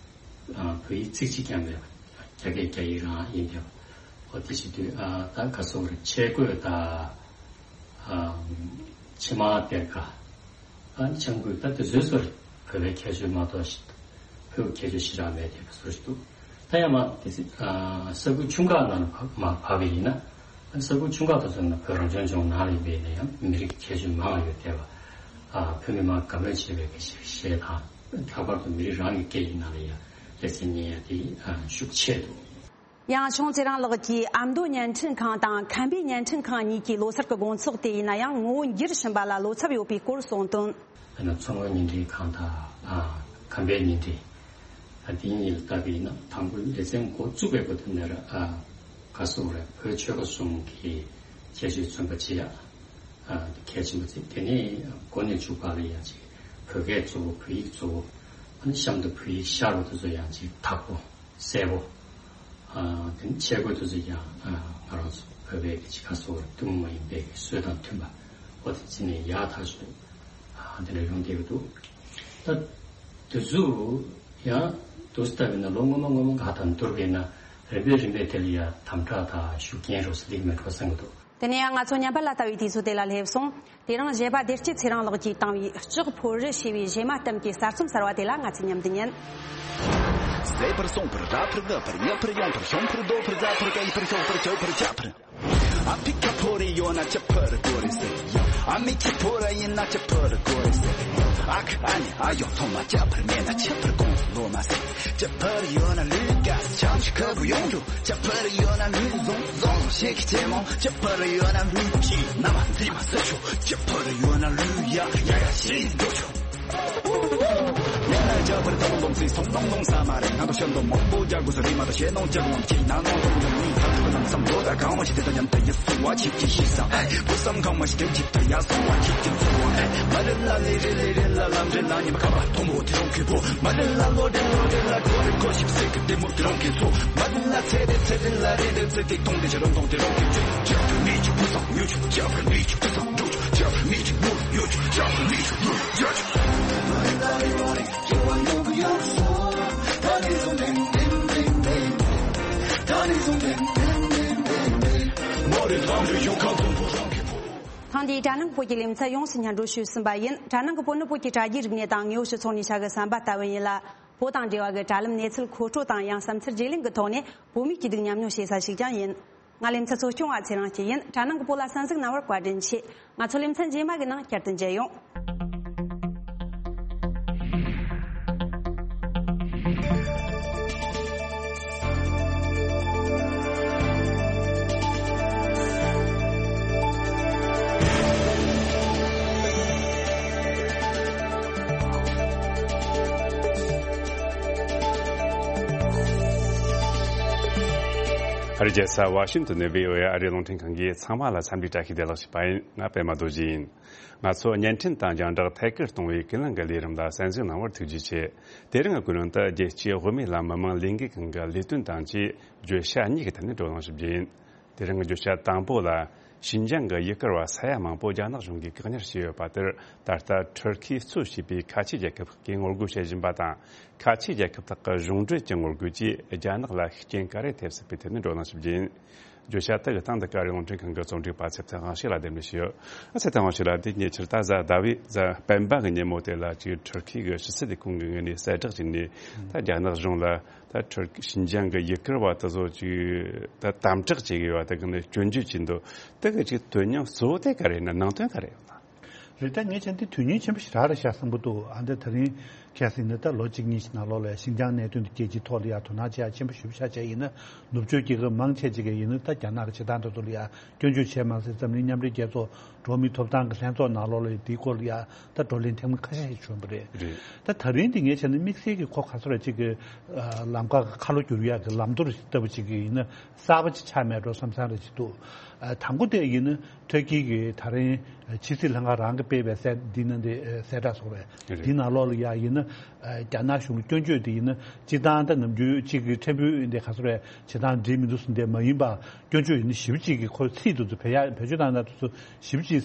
ཨ་བོད་ཡིག་ཚིག་གཅིག་ཀྱང་མེད་པ། རྒྱ་སྐད་རྒྱ་ཡིག་རང་ཡིན་བསྡད་པ། འོ་དེ་བྱེད་དུས་ཨ་ད་ཁ་སོགས་རེད། ཆས་གོས་དང་། ཨ་ཕྱེ་མར་གཏད་ཀ། ཨ་ནི་ཆང་ཁུག་ད་དེ་ཚོའི་སོར་བོད་པའི་ཁྱད་ཆོས་མ་གཏོགས་ཤི། བོད་ཀྱི་ཁྱད་ཆོས་ཞེ་དྲག་མེད་དེ་བཟོ་ཞིག་འདུག། ད་ཡང་མ་དེ་ཚེ་ཨ་ས་ཁུལ་ཆུང་ཁག་ནང་ལ་མ་བབས་པ་ཡིན་ན། ཨ་ནི་ས་ཁུལ་ཆུང་ཁག་དེ་ཚོ་ནང་བོད་རང་སྐྱོང་ལྗོངས་ནང་ལ་ཡིན་པ་ཡིན་ན་ཡང་མི་རིགས་ཀྱི་ཁྱད་ཆོས་མང་བ་ཡོད་བསྡད་པ། ཨ་བོད་མི་མང་དགའ་མོས་བྱེད་པའི་གི་གཞས་དང་། ལྷག་པར་དུ་མི་རིགས་རང་གི་སྐད་ཡིག་ནང་ལ་ཡང་ལེ་ཚན་གཉེར་ཡ་དེ་ཨ་ཤུགས་ཆེ་འདུག། ཡང་ཆུང་ཚེ་རིང་ལགས་ཀྱིས་ཨ་མདོ་བརྙན་འཕྲིན་ཁང་དང་ཁམས་པའི་བརྙན་འཕྲིན་ཁང་གཉིས་ཀྱི་ལོ་སར་གྱི་དགོང་ཚོགས་དེ་ཡིན་ན་ཡང་ངོ་བོ་འགྱུར་བཞིན་པ་ལ་བློ་འཚབ་ཡོད་པའི་སྐོར་གསུངས་དོན། དཔེར་ན་མཚོ་སྔོན་བརྙན་འཕྲིན་ཁང་དང་ཨ་ཁམས་པའི་བརྙན་འཕྲིན། ཨ་དེ་གཉིས་ལ་ལྟ་བ་ཡིན་ན་དང་པོ་ལེ་ཚན་འགོ་བཙུགས་པའི་སྐབས་དེ་ནས་ར་ཨ་ག་སོགས་རེད། བོད་ཆོལ་ཁ་གསུམ་གྱི་ཁྱད་ཆོས་མཚོན་པ་བྱེད་ཡ་ཨ་གལ་ཆེན་པོ་བརྩི། དེ་ནས་འགོ་ནས་མཇུག་བར་ལ་ཡང་ཅིག་བོད་སྐད་གཙོ་བོ། བོད་ཡིག་གཙོ་བོ། ཨ་ནི་གཤམ་དུ་བོད་ཡིག་ཤར་བ་དེ་ཚོ་ཡང་ཅིག་དག་པོ། གསལ་པོ། ཨ་དེ་ནི་ཆས་གོས་དེ་ཚོ་ཡང་ཨ་ང་རང་ཚོ་བོད་པའི་གི་ཅིག་ཁ་སོགས་ཐུན་མོང་མ་ཡིན་པའི་གི་སྲོལ་དང་མཐུན་པ། འོ་དེ་བརྩིས་ནས་ཡག་ཐག་ཆོད་ཨ་དེ་འདྲ་ཡོང་བསྡད་ཀྱི་འདུག། ད་དེ་ཚོ་ཡང་འདུག་སེ་ལྟ་བ་ཡིན་ན་ལོ་སྔོན་མ་སྔོན་མ་ག་དང་བསྡུར་བ་ཡིན་ན་རིམ་པས་རིམ་པས་དེ་ལ་ཡང་དམ་དྲག་དང་ཤུགས་རྐྱེན་རོགས་སུ་ལེགས་མེད་འགྲོ་བསམ་གྱི་འདུག། དེ་ནས་ཡང་ང་ཚོ་ཉམས་པ་ལ་ལྟ་བའི་དུས་ཚོད་དེ་ལ་སླེབས་སོང་། དེ་རིང་གཞས་པ་བདེ་སྐྱིད་ཚེ་རིང་ལགས་ཀྱིས་བཏང་བའི་ལྕགས་ཕོར་རི་ཞེས་པའི་གཞས་མ་གཏམ་གྱི་གསར་རྩོམ་གསར་བ་དེ་ལ་ང་ཚོས་མཉམ་དུ་ཉན། ཟད་པར་སོང་བར་ར་ཕར་ག་ཕར་ཉག་ཕར་ཡོང་ཕར་ཤོང་ཕར་རྡོ་ཕར་རྫ་ཕར་ག་ཡི་ཕར་ཤོག་ཕར་ཆོག་ཕར་ཆག་ཕར། ཨ་ཕི་ཁ་ཕོ་རེ་ཡོད་ན་ཆ་ཕར་གོ་རེ་ཟེར་ཡ། ཨ་མི་ཁྱི་ཕོ་ར་ཡིན་ན་ཆ་ཕར་གོ་རེ་ཟེར་ཡ། ཨ་ཁ་ཨ་ནི་ཨ་ཡོང་ཐོང་མ་ཆ་ཕར་མེད་ན་ཆ་ཕར་གོང་ལོ་མ་ཟེར། ཆ་ཕར་ཡོད་ན་ལུས་དཀའ་ཆམ་ཞིག་ཁ་བུ་ཡོང་རྒྱུ། ཇ་ཕར་ཡོད་ན་ལུས་ཟོང་ཟོང་ཞིག་གི་ཆེ་མོ། ཇ་ཕར་ཡོད་ན་ལུས་ཀྱི་ན་མ་འཛི་མ་ཟེར་ཆོག། ཇ་ཕར་ཡོད་ན་ལུས་ཡ་ཡ་ཡ་ཞིག་འགྲོ་ཆོག། ཡ་ན་ཇ་ཕར་ཏོང་ཏོང་ཙི་སོང་ཏོང་ཏོང་ས་མ་རེད། ང་ཚོ་ཤར་མདོ་མང་པོ་རྒྱག་དགོས་ས་རེད་མ་གཏོགས་ཞེད་སྣང་ཅག་ལོང་གྱི་ན་ནོང་ཏོང་ཏོང་མི་ཐག་ཐུག་ལམ་སང་ལོ་ད་གང་བ་ཞིག་དེ་ད་མཉམ་དུ་ཡི་སུ་བ་ཆིག་གི་ཤི་ས་ཨེ་བུ་སམ་གང་བ་ཞིག་དེ་ཅིག་ད་ཡ་སོང་བ་ཆིག་གི་ཚོ་བ་ཨེ་མ་རེད་ལ་ལེ་རེད་ལེ་རེད་ལ་ལམ་རེད་ལ་ཉི་མ་ཁ་བ་དོང་བོ་དེ་རོང་གི་བོ། མ་རེད་ལ་ལོ་རེད་ལོ་རེད་ལ་གོ་རེད་གོ་ཞིག་སེ་གི་དེ་མོ་དེ་རོང་གི་ཚོ། མ་རེད་ལ་ཚེ་རེད་ཚེ་རེད་ལ་རེད་རེད་ཚེ་གི་གཏོང་དེ་ཆ་རོང་གཏོང་དེ་རོང་གི་ཚེ། ཇ་མི་ཆུ་བུ་སང་ཡོ་ཆུ་ཇ་མི་ཆུ་བུ་སང་འགྲོ་ཆུ་ཇ་མི་ཆུ་ལོ་ཡོ་ཆུ་ཇ་མི་ཆུ་ལོ་ཇ་ཆུ། ཐེངས་འདིའི་དྲ་ནང་བོད་ཀྱི་ལེ་ཚན་ཡོངས་སུ་སྙན་སྒྲོན་ཞུས་ཟིན་པ་ཡིན། དྲ་ནང་གི་བོད་ནི་བོད་ཀྱི་དྲ་རྒྱའི་རིག་གནས་དང་དངོས་ཡོད་སྤྱི་ཚོགས་ནས་ཆ་གི་བསམ་པ་ལྟ་བུ་ཡིན་ལ། བོད་དང་འབྲེལ་བ་གི་དྲ་ལམ་གནས་ཚུལ་མཁོ་སྤྲོད་དང་ཡང་བསམ་ཚུལ་བརྗེ་ལེན་གྱི་ཐོག་ནས་བོད་མིའི་སྐྱིད་སྡུག་མཉམ་མྱོང་བྱེད་ས་ཞིག་ཀྱང་ཡིན། ང་ལེ་ཚན་གཙོ་སྐྱོང་བ་ཚེ་རིང་སྐྱིད་ཡིན། དྲ་ནང་གི་བོད་ལ་གསན་གཟིགས་གནང་བར་བཀའ་དྲིན་ཆེ། ང་ཚོ་ལེ་ཚན་རྗེས་མ་གི་ནང་བསྐྱར་དུ་མཇལ་ཡོང་། ཨ་རི་རྒྱལ་ས་ཝ་ཤིང་ཏོན་ནས་བྷི་ཨོ་ཨེ་ཨ་རིའི་རླུང་འཕྲིན་ཁང་གིས་ཚང་མ་ལ་འཚམས་འདྲི་བཀྲ་ཤིས་བདེ་ལེགས་ཞུས་པ་ཡིན། ང་པད་མ་རྡོ་རྗེ་ཡིན། ང་ཚོ་བརྙན་འཕྲིན་དང་རྒྱང་བསྒྲགས་ཐད་ཀར་གཏོང་བའི་ཀུན་གླེང་གི་ལས་རིམ་ལ་གསན་གཟིགས་གནང་བར་ཐུགས་རྗེ་ཆེ། དེ་རིང་གི་ཀུན་གླེང་དུ་རྒྱལ་སྤྱིའི་དབུ་མའི་ལམ་མི་མང་ལས་འགུལ་ཁང་གི་ལས་དོན་དང་བཅས་བརྗོད་བྱ་གཉིས་ཀྱི་ཐད་ནས་བགྲོ་གླེང་ཞུ་རྒྱུ་ཡིན། དེ་རིང་གི་བརྗོད་བྱ་དང་པོ་ལ། ཞིན་ཅང་གི་ཡུལ་སྐོར་བ་ས་ཡ་མང་པོ་རྒྱ་ནག་གཞུང་གིས་བཀག་ཉར་བྱས་ཡོད་པ་དེར། ད་ལྟ་ཊར་ཁིས་གཙོས་བྱས་པའི་ཁ་ཆེ་རྒྱལ་ཁབ་ཁག་གིས་ངོ་རྒོལ་བྱེད་བཞིན་པ་དང་། ཁ་ཆེ་རྒྱལ་ཁབ་དག་གི་གཞུང་འབྲེལ་གྱི་ངོ་རྒོལ་གྱིས་རྒྱ་ནག་ལ་ཤུགས་རྐྱེན་ག་རེ་ཐེབས་སྲིད་པའི་ཐད་ནས་བགྲོ་གླེང་ཞུ་རྒྱུ་ཡིན། བརྗོད་བྱ་དེ་གི་སྟེང་དུ་ཨ་རིའི་རླུང་འཕྲིན་ཁང་གི་རྩོམ་སྒྲིག་པ་ཚེ་བརྟན་དབང་ཕྱུག་ལ་གདན་འདྲེན་ཞུས་ཡོད། ཨ་ཚེ་བརྟན་དབང་ཕྱུག་ལགས། དེ་ཉེ་ཆར་ད་གཟའ་ཟླ་བའི་གཟའ་སྤེན་པ་གི་ཉིན་མོ་དེ་ལ་ཅིག་ཊར་ཁི་གི་ཕྱི་སྲིད་ལས་ཁུངས་ཀྱི་ངོས་ནས་གསལ་བསྒྲགས་བྱས་ནས། ད་རྒྱ་ནག་གཞུང་ལ་ད་ཊར་ཁི་ཞིན་ཅང་གི་ཡུལ་སྐོར་བ་དེ་ཚོ་ཅིག་ད་དམ་དྲག་བྱེད་དགོས་པ་དེ་གི་ནས་སྐྱོན་བརྗོད་བྱས་འདུག། དེ་གི་ཅིག་དོན་སྙིང་གཙོ་བོ་དེ་ག་རེ་ཡིན་ན། ནང་དོན་ག་རེ་ཡོད་ན། རེད། ད་ངས་བྱས་འདི་དོན་སྙིང་ཆེན་པོ་ཞིག་རག་རེད་ཤག་བསམ་གྱི་འདུག་ཨ་འདི་ད་རིང་ཁ་སང་ཡིན་ན་ད་ལོ་གཅིག་གཉིས་ཤིག་ནང་ལོགས་ལ་ཤིན་ཅང་གནད་དོན་དེ་རྒྱལ་སྤྱིའི་ཐོག་ལ་ཡ་དོ་སྣང་བྱེད་ཡ་ཆེན་པོ་ཞེ་པོ་ཆགས་བྱས་ཡིན་ན། ནུབ་ཕྱོགས་རྒྱལ་ཁབ་མང་ཆེ་ཅིག་གིས་ཡིན་ན་ད་རྒྱ་ནག་གི་བྱེད་སྟངས་དེ་ཚོ་ལ་ཡ་སྐྱོན་བརྗོད་བྱས་མ་ཟད། འཛམ་གླིང་མཉམ་འབྲེལ་རྒྱལ་ཚོགས་འགྲོ་བ་མིའི་ཐོབ་ཐང་གི་ལྷན་ཚོགས་ནང་ལོགས་ལ་ཡ་དེའི་སྐོར་ལ་ཡ་ད་བགྲོ་གླེང་ཐེངས་མ་ཁ་ཤས་ཤིག་བྱུང་བ་རེད། རེད། ད་ད་རིང་འདི་ངས་བྱས་ན་དམིགས་བསལ་གྱི་ཁོ་ག་ཚོད་རེད་ཅིག་གི་ལམ་ཁ་ཁ་ལོ་བསྒྱུར་ཡག་གི་ལམ་ཐོ་རེ་ཞིག་ལྟ་བུ་ཅིག་གི་ཡིན་ན་གསར་པ་ཅིག་ཆགས་མེད་འགྲོ་བསམ་བསམ་རེ་ཅིག་འདུག་ཨ། དང་པོ་དེ་ཡིན་ན་ཏུར་ཀི་གི་ད་རིང་ཕྱི་སྲིད་ལྷན་ཁང་རང་གིས་སྤེལ་བའི་གསལ་འདི་ནང་དེ་གསལ་བསྒྲགས་སོགས་རེད། རེད། འདི་ནང་ལོགས་ལ་ཡ་ཡིན་ན་རྒྱ་ནག་གཞུང་ལ་སྐྱོན་བརྗོད་དེ་ཡིན་ན་སྤྱིར་བཏང་ད་ནམ་རྒྱུན་གཅིག་གི་ཕྲན་བུ་འདི་ག་ཚོད་རེད་བྱེད་སྟངས་འགྲིག་མི་འདུག་ཟེར་འདི་མ་ཡིན་པ་སྐྱོན་བརྗོད་ཡིན་ན་ཞེ་པོ་ཅིག་གི་ཁོ་ཚིག་དེ་ཚོ་བེད་ཡ་བེད་སྤྱོད་བཏང་ན་དེ་ཚོ་ཞེ་པོ་ཅིག་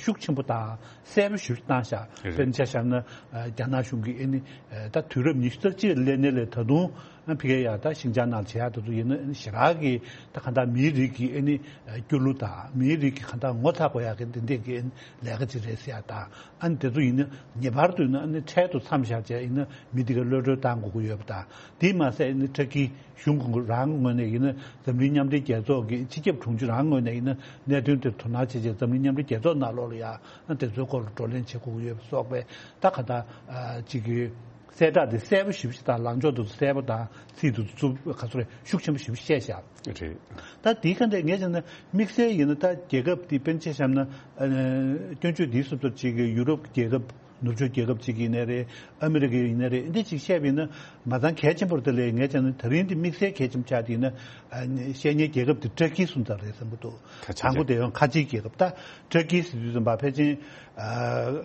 ཤུགས་ཆེན་པོ་དང་གསལ་པོ་ཞེ་པོ་ཅིག་བཏང་ཤག་རེད། དཔེར་ན་ཆ་བཞག་ན་རྒྱ་ནག་གཞུང་གིས་ཨ་ནི་ད་དུས་རབས་ཉི་ཤུ་རྩ་གཅིག་ལ་སླེབས་ནས་ལས་ད་དུང་ཕ་གིར་ཡ་ད་ཤིན་ཅང་ནང་བྱེད་ཡག་དེ་ཚོ་ཡིན་ན་ཞེ་དྲག་གི་ད་གང་ལྟར་མིའི་རིགས་ཀྱི་ཨ་ནི་སྐྱོ་གླུ་དང་མིའི་རིགས་ཀྱི་གང་ལྟར་ངོ་ཚ་དགོས་ཡག་གི་འདི་འདྲས་ཀྱི་ལས་ཀ་ཅིག་རེད་ཟེར་ཡག་དང་། ཨ་ནི་དེ་ཚོ་ཡིན་ན་ངེས་པར་དུ་ཡིན་ན་ཨ་ནི་འཕྲལ་དུ་མཚམས་བཞག་བྱས་ཡིན་ན་མི་དེ་ག་གློད་གྲོལ་བཏང་དགོས་ཀྱི་ཡོད་པ་དང་། དེས་མ་ཟད་ཨ་ནི་ཏུར་ཀི་གཞུང་གི་རང་ངོས་ནས་ཡིན་ན་འཛམ་གླིང་མཉམ་འབྲེལ་རྒྱལ་ཚོགས་ཀྱི་སྤྱི་ཁྱབ་དྲུང་ཆེ་རང་ངོས་ནས་ཡིན་ན་གནད་དོན་དེར་དོ་སྣང་བྱེད་ཆེད་འཛམ་གླིང་མཉམ་འབྲེལ་རྒྱལ་ཚོགས་ནང་ལོགས་ལ་ཡ་ཨ་དེ་ཚོའི་སྐོར་ལ་བགྲོ་གླེང་བྱེད་དགོས་ཀྱི་ཡོད་པ་སོགས་པའི་ད་ག་ད་ཅིག་གི་གསལ་བསྒྲགས་དེ་གསལ་པོ་ཞེ་པོ་ཞིག་དང་ལངས་ཕྱོགས་དེ་ཚོ་གསལ་པོ་དང་ཚིག་དེ་ཚོ་རྩུབ་ག་ཚོད་རེད་ཤུགས་ཆེན་པོ་ཞེ་པོ་བཤད་བཞག་རེད། ད་དེའི་ཁ་འདས་ངས་བྱས་ན་དམིགས་བསལ་ཡིན་ན་ད་རྒྱལ་ཁབ་དེ་དཔེར་ན་ཆ་བཞག་ན་ཨ་སྐྱོན་བརྗོད་དེའི་སུབ་ཚབ་ཅིག་གི་ཡུ་རོབ་རྒྱལ་ཁབ་ནུབ་ཕྱོགས་རྒྱལ་ཁབ་ཅིག་ཡིན་ནའི་རེད། ཨ་མི་རི་ཀ་ཡིན་ནའི་རེད། འདི་ཅིག་བཤད་པ་ཡིན་ན་མ་ཚང་གལ་ཆེན་པོ་རེད། དེ་ལས་ངས་བྱས་ན་ད་རིང་འདི་དམིགས་བསལ་གལ་ཆེན་པོ་ཆགས་དེ་ཡིན་ན་ཨ་བཤད་མཁན་རྒྱལ་ཁབ་དེ་ཏུར་ཀི་སོང་ཙང་རེད་བསམ་གྱི་འདུག་ཁ་ཆེ་དང་པོ་རྒྱལ་དེ་ཡང་ཁ་ཆེའི་རྒྱལ་ཁབ་ད་ཏུར་ཀི་ཟེར་དུས་ཙམ་པ་ཕལ་ཆེར་ཨ་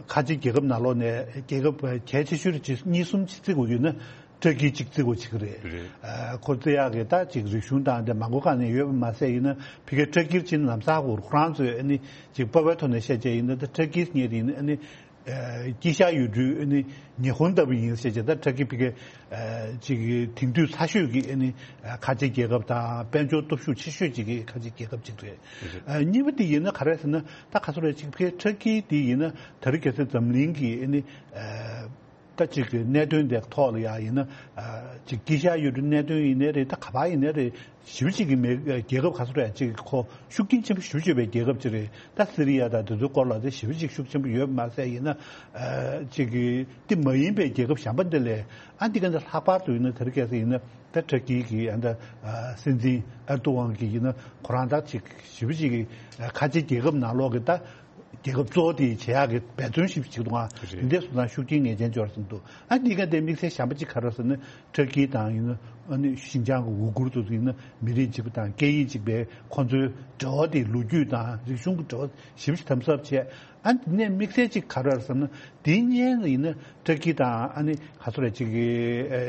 ཁ་ཆེའི་རྒྱལ་ཁབ་ནང་ལོགས་ནས་རྒྱལ་ཁབ་གལ་ཆེ་ཤོས་རེད་ཅེས་གཉིས་གསུམ་ཅིག་བརྩི་དགོས་ཡོད་ན། ཏུར་ཀི་གཅིག་བརྩི་དགོས་བྱེད་ཀྱི་རེད། རེད། ཨ་ཁོ་བརྩི་ཡག་གི་ད་ཅིག་རིག་གཞུང་དང་དེ་མང་པོ་གང་ནས་ཡོད་པ་མ་ཟད་ཡིན་ན་ཕ་གིའི་ཏུར་ཀིར་ཕྱིན་ལམ་སང་ཁོ་ཁོ་རང་ཚོས་ཨ་ནི་ཅིག་དཔའ་བའི་ཐོག་ནས་བཤད་བྱས་ཡིན་ན་ད་ཏུར་ཀིས་ངེད་ཡིན་ཨ་ནི་ཨ་དཀྱིལ་ཤར་ཡུལ་གྲུའི་ཨ་ནི་ཉི་ཧོང་ལྟ་བུ་ཡིན་ཟེར་བྱས་ད་ཏུར་ཀི་ཕ་གི་ཨ་ཅིག་དེང་དུས་ཚ་ཤོས་ཀྱི་ཨ་ནི་ཨ་ཁ་ཆེ་རྒྱལ་ཁབ་དང་དཔལ་འབྱོར་སྟོབས་ཤུགས་ཆེ་ཤོས་ཅིག་གི་ཁ་ཆེ་རྒྱལ་ཁབ་ཅིག་རེད། རེད། ཨ་གཉིས་པ་དེ་ཡིན་ན་ག་རེ་ཟེར་ན་ད་ག་ཚོད་རེད་ཅིག་ཕ་གི་ཏུར་ཀི་དེ་ཡིན་ན་ད་རེས་གལ་སྲིད་འཛམ་གླིང་གི་ཨ་ནི་ཨ། ད་ཅིག་གི་གནད་དོན་དེ་ཐོག་ལ་ཡ་ཡིན་ན་ཨ་ཅིག་དཀྱིལ་ཤར་ཡུལ་གྲུའི་གནད་དོན་ཡིན་ནའི་རེད། ད་ག་པར་ཡིན་ནའི་རེད། ཞེ་པོ་ཅིག་གི་མེ་རྒྱལ་ཁབ་ག་ཚོད་རེད་ཅིག་ཁོ་ཤུགས་རྐྱེན་ཆེན་པོ་ཞེ་པོ་ཅིག་ཡོད་པའི་རྒྱལ་ཁབ་ཅིག་རེད། ད་སི་རི་ཡ་དང་དེ་ཚོའི་སྐོར་ལ་དེ་ཞེ་པོ་ཅིག་ཤུགས་ཆེན་པོ་ཡོད་པ་མ་ཟད་ཡིན་ན་ཨ་ཅིག་གི་དེ་མ་ཡིན་པའི་རྒྱལ་ཁབ་གཞན་པ་འདི་ལས་ཨ་འདི་ག་འདི་ལྷག་པར་དུ་ཡིན་ན་དེ་རིང་ཁ་སང་ཡིན་ན་ད་ཏུར་ཀི་གི་ཨ་ད་ཨ་སྲིད་འཛིན་ཨེར་ཏོ་ཝང་གི་ཡིན་ན་ཁོ་རང་ད་ཅིག་ཞེ་པོ་ཅིག་གི་ཨ་ཁ་ཆེ་རྒྱལ་ཁབ་ནང་ལོགས་ཀྱི་ད། རྒྱལ་ཁབ་གཙོ་བོ་དེ་བྱེད་ཡག་གི་འབད་བརྩོན་ཞིག་བྱེད་འདུག་ཨ། རེད། འདི་འདྲ་སོང་ཙང་ཤུགས་རྐྱེན་ངེས་ཅན་འབྱོར་བསམ་འདུག་ཨ་འདི་ག་དེ་དམིགས་བསལ་གཞན་པ་གཅིག་ག་རེ་ཟེར་ན་ཏུར་ཀི་དང་ཡིན་ན་ཨ་ནི་ཤིན་ཅང་གི་ཝུ་གུར་དེ་ཚོ་ཡིན་ན་མི་རིགས་གཅིག་པ་དང་སྐད་ཡིག་གཅིག་པའི་ཁོང་ཚོའི་འབྲེལ་བ་དེ་ལོ་རྒྱུས་དང་རིག་གཞུང་གི་འབྲེལ་བ་ཞིབ་ཞིབ་དམ་ཟབ་བྱས། ཨ་འདི་ནས་དམིགས་བསལ་གཅིག་ག་རེ་ཟེར་ན་དེ་གཉིས་ཡིན་ན་ཏུར་ཀི་དང་ཨ་ནི་ག་ཚོད་རེད་ཅིག་གི་ཨ་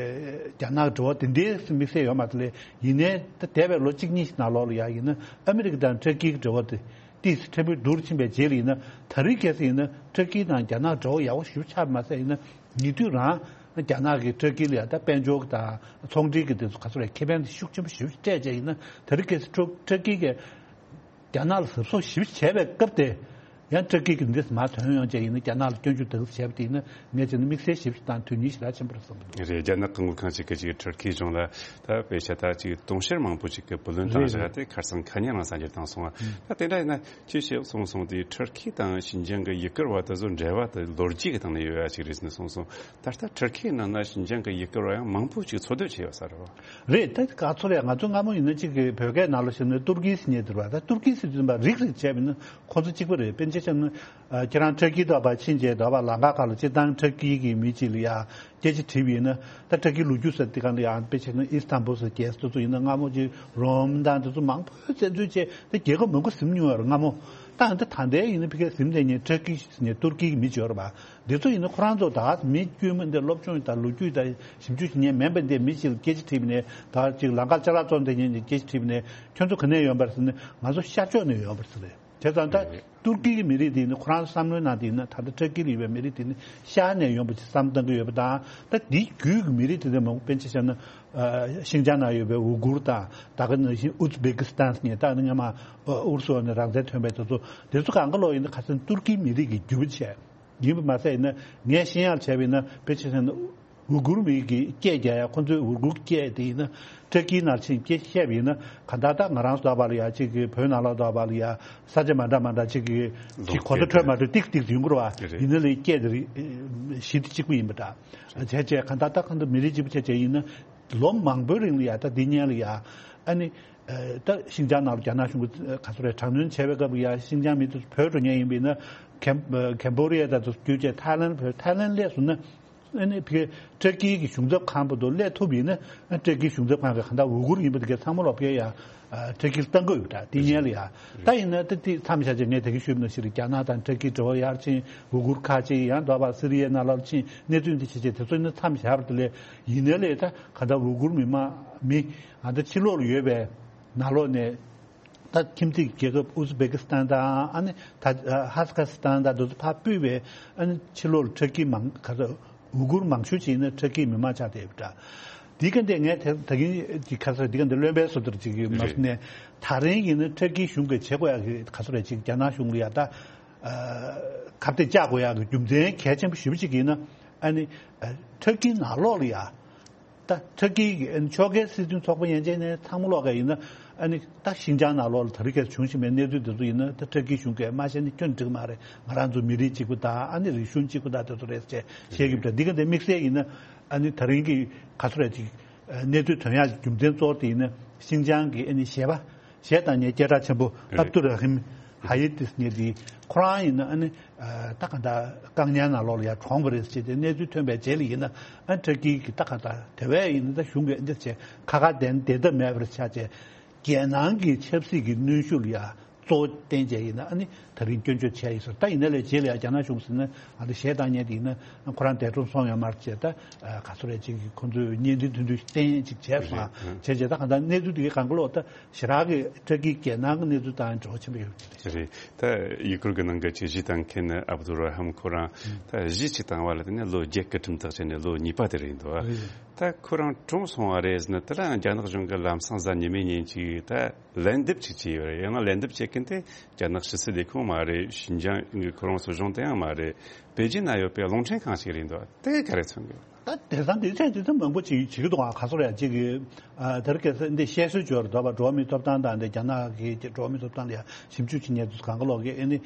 རྒྱ་ནག་འབྲེལ་བ་དེ་འདྲའི་དམིགས་བསལ་ཡོད་མ་རེད། ལས་ཡིན་ནའི་ད་འདས་པའི་ལོ་གཅིག་གཉིས་ཤིག་ནང་ལོགས་ལ་ཡ་ཡིན་ན་ཨ་མི་རི་ཀ་དང་ཏུར་ཀིའི་འབྲེལ་བ་དེ། ཏིས་ཕྲན་བུ་སྡུག་རུ་ཕྱིན་པའི་རྗེས་ལ་ཡིན་ན་ད་རེས་གལ་སྲིད་ཡིན་ན་ཏུར་ཀི་དང་རྒྱ་ནག་འབྲེལ་བ་ཡག་པོ་ཞེ་པོ་ཆགས་མ་ཟད་ཡིན་ན་ཉེ་དུས་རང་རྒྱ་ནག་གིས་ཏུར་ཀི་ལ་ཡང་ད་དཔལ་འབྱོར་གྱི་དང་ཚོང་འབྲེལ་གྱི་དེ་ཚོ་ག་ཚོད་རེད་ཁེ་ཕན་དེ་ཤུགས་ཆེན་པོ་ཞེ་པོ་སྤྲད་བྱས་ཡིན་ན་ད་རེས་གལ་སྲིད་ཏུར་ཏུར་ཀི་གིས་རྒྱ་ནག་ལ་གཟབ་གཟབ་ཞེ་པོ་བྱས་པའི་སྐབས་དེ་ཡང་ཏུར་ཀི་གིས་འདི་མར་ཐོན་ཡོང་བྱས་ཡིན་ན་རྒྱ་ནག་ལ་སྐྱོན་བརྗོད་དེ་ཚོ་བྱས་པ་དེ་ཡིན་ན་ངས་བྱས་ན་དམིགས་བསལ་ཞེ་པོ་ཞིག་དང་དོན་སྙིང་ཞེ་དྲག་ཆེན་པོ་རེད་བསམ་གྱི་འདུག་རེད། རྒྱ་ནག་གི་དངུལ་ཁང་ཅིག་གིས་ཅིག་ཏུར་ཀིའི་གཞུང་ལ་ད་དཔེ་བྱས་ད་ཅིག་དུང་ཕྱུར་མང་པོ་ཅིག་གི་བུ་ལོན་བཏང་རེད། བཞག་དེ་ཁ་སང་ཁ་ཉིན་རང་གསར་འགྱུར་བཏང་སོང་བ། ད་དེ་འདྲ་ཡིན་ན་ཅི་བྱས་སོང་སོང་དེ་ཏུར་ཀི་དང་ཞིན་ཅང་གི་ཡུ་གུར་བ་དེ་ཚོ་འབྲེལ་བ་དེ་ལོ་རྒྱུས་ཀྱི་སྟེང་ནས་ཡོད་ཡ་ཅིག་རེད་ཟེར་ནས་སོང་སོང་། ད་ལྟ་ཏུར་ཀིའི་ནང་ན་ཞིན་ཅང་གི་ཡུ་གུར་བ་ཡང་མང་པོ་ཅིག་འཚོ་སྡོད་བྱས་ཡོད་ས་རེད་བ། རེད། ད་ག་ཚོད་རེད། ང་ཚོ་སྔ་མོ་ཡིན་ན་ཅིག་གི་བོད་སྐད་ནང་ལ་བཤད་ན་ཏུར་ཀི་ཟེར་མཁན་དེ་རེད་བ། ད་ཏུར་ཀི་ཟེར་དུས་ཙམ་པ་རིགས་རིགས་བྱས་པ་ཡིན་ན་ཁོང་ཚོ་གཅིག་པ་རེད། དཔེར་ན་ཆ་བཞག་ན། ཨ་ཁྱེད་རང་ཏུར་ཀི་དོག་པ་ཕྱིན་རྗེས་དོག་པ་ལམ་ཁ་ཁག་ལ་སྤྱིར་བཏང་ཏུར་ཀི་གི་མི་གཅིག་ལ་ཡ་སྐད་ཆ་དྲིས་པ་ཡིན་ན་ད་ཏུར་ཀི་ལོ་རྒྱུས་ཟེར་དེ་གང་ལ་ཡང་དཔེ་བྱས་ན་ཨི་སི་ཐན་བུལ་ཟེར་རྒྱལ་ས་དེ་ཚོ་ཡིན་ན་སྔ་མོ་ཅིག་རོམ་དང་དེ་ཚོ་མང་པོས་བཙན་འཛུལ་བྱས་ད་རྒྱལ་ཁབ་མང་པོ་ཟིན་མྱོང་ཡོད་རེད་སྔ་མོ། ད་ད་ད་ལྟའི་ཡིན་ན་ཕ་གིར་ཟིན་བསྡད་མཁན་ཏུར་ཀི་ཟེར་མཁན་ཏུར་ཀི་གི་མི་གཅིག་ཡོད་རེད་པ། འདི་ཚོ་ཡིན་ན་ཁོ་རང་ཚོ་ད་མི་དཀྱུས་མ་འདི་སློབ་སྦྱོང་དང་ལོ་རྒྱུས་དང་ཞིབ་འཇུག་བྱེད་མཁན་མིན་པ་འདི་མི་གཅིག་ལ་སྐད་ཆ་དྲིས་པ་ནས་ད་ཅིག་ལམ་ཁར་ཅ་ལག་བཙོང་བསྡད་མཁན་གྱི་སྐད་ཆ་དྲིས་པ་ནས་ཁྱོད་ཚོ་ག་ནས་ཡོང་པ་རེད་ཟེར་ན་ང་ཚོ་ཤར་ཕྱོགས་ནས་ཡོང་པ་རེད་ཟེར་རེད། བྱས་ཙང་ད་ཏུར་ཀི་གི་མི་རིགས་དེ་ཡིན་ན་ཁོ་རང་ཚོ་བསམ་བློའི་ནང་དེ་ཡིན་ན་ད་ལྟ་ཏུར་ཀི་ལ་ཡོད་པའི་མི་རིགས་དེ་ནི་ཤར་ནས་ཡོང་པ་ཅིག་བསམ་བཏང་གི་ཡོད་པ་དང་ད་དེའི་བརྒྱུད་ཀྱི་མི་རིགས་དེ་འདྲ་མང་པོ་དཔེར་ན་ཆ་བཞག་ན་ཤིན་ཅང་ནང་ཡོད་པའི་ཝུ་གུར་དང་ད་ག་ནང་བཞིན་ཨུ་ཛི་བེ་ཀི་སི་ཐན་ཟེར་མཁན་ད་ནི་སྔ་མ་ཨུ་རུ་སུ་ནས་རང་བཙན་ཐོན་པའི་དེ་ཚོ་དེ་ཚོ་གང་ག་ལོག་ཡིན་ན་ཁ་སང་ཏུར་ཀིའི་མི་རིགས་ཀྱི་རྒྱུད་པ་བྱས། ཡིན་པ་མ་ཟད་ཡིན་ན་ངས་ཤེས་ཡག་བྱས་པ་ཡིན་ན་དཔེར་ཆ་བཞག་ན་ ཝུ་གུར་མི་གི་སྐད་རྒྱག་ཡ། ཁོ་ཚོས་ཝུ་གུར་སྐད་དེ་ཡིན་ན་ཏུར་ཀི་ནང་ཕྱིན་སྐད་བཤད་པ་ཡིན་ན། ག་ད་ད་ང་རང་ཚོ་འདྲ་པོ་ལ་ཡ་གཅིག་གི་བོད་ནང་ལོགས་འདྲ་པོ་ལ་ཡ་ས་ཆ་མ་འདྲ་མ་འདྲ་གཅིག་གི་གི་གོ་བརྡ་འཕྲོད་མ་འཕྲོད་ཏིག་ཏིག་ཡོང་གི་རེད་བ། རེད། ཡིན་ན་ལས་སྐད་དེ་རེད། གཞི་དེ་གཅིག་པུ་ཡིན་པ་འདྲ། བྱས་བྱས་ག་ད་ད་གང་ལྟར་མི་རིགས་གཅིག་པུ་བྱས་བྱས་ཡིན་ན། ལོ་མང་པོའི་རིང་ལ་ཡ་ད་འདི་སྔོན་ལ་ཡ་ཨ་ནི། ད་ཤིན་ཅང་ནང་ལ་རྒྱ་ནག་གཞུང་གིས་ག་ཚོད་རེད། དྲག་གནོན་བྱས་པའི་སྐབས་ལ་ཡ་ཤིན་ཅང་མི་དེ་ཚོ་བྲོས་འགྲོ་མཁན་ཡིན་པ་ཡིན་ན། ཀེམ་ཀེམ་བོ་ཌི་ཡ་དང་དེ་ཚོ་བརྒྱུད་བྱས་ཐའི་ལན་བྲོས། ཐའི་ལན་སླེབས་སོང་ན། ཨ་ནི་ཕ་གི་ཏུར་ཀི་གི་གཞུང་ཚབ་ཁང་བར་དུ་སླེབས་ཐུབ་ཡིན་ན། ཨ་ཏུར་ཀི་གཞུང་ཚབ་ཁང་གི་གང་ལྟར་ཝུ་གུར་ཡིན་པ་དེ་གའི་ཚང་མ་ལོག་ཕ་གི་ཡ་ཨ་ཏུར་ཀི་ལ་གཏང་གི་ཡོད་ད། དེ་སྔོན་ལ་ཡ། ད་ཡིན་ན་ད་དེ་མཚམས་བཞག་བྱས་ངས་ད་གིན་ཞུས་པ་ནང་བཞིན་རྒྱ་ནག་དང་ཏུར་ཀི་འབྲེལ་བ་ཡར་ཕྱིན། ཝུ་གུར་ཁ་ཕྱིན། ཡང་འདྲ་པོ་སི་རི་ཡའི་ནང་ལོགས་ཕྱིན། གནས་ཚུལ་འདི་བྱས་བྱས་དེ་ཚོ་ཡིན་ན་མཚམས་བཞག་པ་དེ་ལས་ཡིན་ནའི་ལས་ད་གང་ལྟར་ཝུ་གུར་མི་མང་མི་ཨ་ད་ཕྱི་ལོགས་ལ་ཡོད་པའི་ནང་ལོགས་ནས། ད་ཁྱིམ་མཚེས་ཀྱི་རྒྱལ་ཁབ་ཨུ་ཛི་བེ་ཀི་སི་ཐན་དང་། ཨ་ནི་ད་ཧ་ས་ཁ་སི་ཐན་དང་དེ་ཚོ་ཕར་སྤོས་པའི། ཨ་ནི་ཕྱི་ལོགས་ལ་ཏུར་ཀི་མང་ག་ཚོད་ཝུ་གུར་མང་ཤོས་ཅིག་ཡིན་ན་ཏུར་ཀིའི་མི་མང་ཆགས་བསྡད་ཡོད་པ་འདྲ། འདི་ག་འདི་ངས་དེ་ད་གིན་གྱི་ཁ་སང་འདི་ག་འདི་བློན་པོའི་བཟོ་ལྟར་ཅིག་གི་མ་ནས་ད་རིང་ཡིན་ན་ཏུར་ཀིའི་གཞུང་གིས་བྱེད་དགོས་ཡག་གི་ག་ཚོད་རེད། ཅིག་རྒྱ་ནག་གཞུང་ལ་ཡ་ད་ཁ་གཏད་བཅག་དགོས་ཡག་གི་རྒྱུ་མཚན་གལ་ཆེན་པོ་ཞེ་པོ་ཅིག་ཡིན་ན། ཨ་ནི་ཏུར་ཀིའི་ནང་ལོགས་ལ་ཡ། ད་ཏུར་ཀིའི་ཕྱོགས་འགལ་སྲིད་དོན་ཚོགས་པ་ཡན་ཆད་ནས་ཚང་མ་ལོག་ག་ཡིན་ན། ཨ་ནི་ད་ཤིན་ཅང་ནང་ལོགས་ལ་ད་རེས་ཀྱི་བྱུང་བཞིན་པའི་གནས་ཚུལ་དེ་ཚོ་ཡིན་ན། ད་ཏུར་ཀིའི་གཞུང་གིས་མ་བཤད་ན་ཁྱོན་འགྲིག་མ་རེད། ང་རང་ཚོ་མི་རིགས་གཅིག་པུ་དང་། ཨ་ནི་རིག་གཞུང་གཅིག་པུ་དང་དེ་ཚོ་རེད་ཅེས་བཤད་ཀྱི་འདུག་འདི་ག་འདི་དམིགས་བསལ་ཡིན་ན། ཨ་ནི་ད་རིང་གི་ག་ཚོད་རེད་ཅིག་གནས་ཚུལ་ཐོན་ཡག་གི་རྒྱུ་མཚན་གཙོ་བོ་དེ་ཡིན་ན། ཤིན་ཅང་གི་ཨ་ནི་གཞས་པ། གཞས་བཏང་མཁན་སྐད་གྲགས་ཆེན་པོ་རེད། ཨབ་དུ་ར་ཧིམ་ཧ་ཡེ་ཏིས་ངེད་འདི་ཁོ་རང་ཡིན་ན། ཨ་ནི་ད་ག་འདྲ་བཀག་ཉར་ནང་ལོགས་ལ་ཡར་གྲོངས་པ་རེད་ཟེར་ཏེ་གནས་ཚུལ་ཐོན་པའི་རྗེས་ལ་ཡིན་ན། ཨ་ཏུར་ཀི་གི་ད་ག་འདྲ་དེ་བས་ཡིན་ན་ད་གཞུང་གིས་འདི་བྱས་ཁ་ཁ་བདེན་བདེན་ཐབས་མེད་པར་ཆགས་བྱས། རྒྱལ་ནང་གི་ཆབ་སྲིད་ཀྱི་གནོན་ཤུགས་ལ་ཡ་གཙོ་བོ་བསྟན་བྱས་ཡིན་ན། ཨ་ནི་ད་རིང་སྐྱོན་བརྗོད་བྱས་ཡིན་ཟེར། ད་ཡིན་ན་ལས་རྗེས་ལ་ཡ་རྒྱ་ནག་གཞུང་ཟེར་ན། ཨ་ནི་གཞས་བཏང་མཁན་དེ་ཡིན་ན་ཁོ་རང་འདས་གྲོངས་སོང་ཡོད་མ་རེད་ཅེས། ད་ག་ཚོད་རེད་ཅིག་ཁོ་ཚོས་བརྙན་འཕྲིན་ཐུང་ཐུང་བསྟན་ཅིག་བྱས་སོང་། བྱས་རྗེས་ད་ག་འདྲ་གནས་ཚུལ་དེ་གའི་གང་ག་ལོག་ད་ཞེ་དྲག་གི་ཏུར་ཀིའི་རྒྱལ་ནང་གི་གནས་ཚུལ་དང་འབྲེལ་བ་ཆེན་པོ་ཡོད་ཀྱི་རེད། རེད། ད་ཡུ་གུར་གྱི་ནང་གི་ཅིག་གཞས་བཏང་མཁན་ཨབ་དུ་ར་ཧམ་ཁོ་རང་ད་གཞས་ཅིག་བཏང་བ་ལ་བརྟེན་ནས་ལོ་བརྒྱད་ཀྱི་ཁྲིམས་ཐག་བཅད་ནས་ལོ་གཉིས་པ་དེ་རེད་འདུག་རེད། ད་ཁོ་རང་གྲོངས་སོང་བ་རེད་ཟེར་ན། དེ་ལའང་རྒྱ་ནག་གཞུང་གིས་ལམ་སང་གཟའ་ཉི་མའི་ཉིན་ཅིག་ད་ལན་འདེབས་ཅིག་བྱས་ཡོད་རེད། ཡང་ན་ལན་འདེབས་བྱེད་མཁན་དེ་རྒྱ་ནག་ཕྱི་སྲིད་ལས་ཁུངས་མ་རེད། ཤིན་ཅང་གི་ཁོ་རང་སྲིད་གཞུང་དེ་ཡང་མ་རེད། པེ་ཅིན་ན་ཡོད་པའི་རླུང་འཕྲིན་ཁང་ཞིག་རེད་འདུག་དེ་ག་རེ་མཚོན་གི། ད་དེང་སང་དེ་ཚད་དེ་ཚད་མང་པོ་ཅིག་བྱེད་ཀྱི་འདུག་ཨ་ག་ཚོད་རེད་ཅིག་གི། ཨ་དེར་སྐད་ཆ་འདི་བཤད་སྲོལ་ཅིག་ཡོད་རེད། འདྲ་པོ་འགྲོ་བ་མིའི་ཐོབ་ཐང་དང་འདི་རྒྱ་ནག་གི་འགྲོ་བ་མིའི་ཐོབ་ཐང་ལ་ཡ་ཞིབ་འཇུག་བྱེད་མཁན་དེ་ཚོ་གང་ག་ལོག་གིས། ཨ་ནི་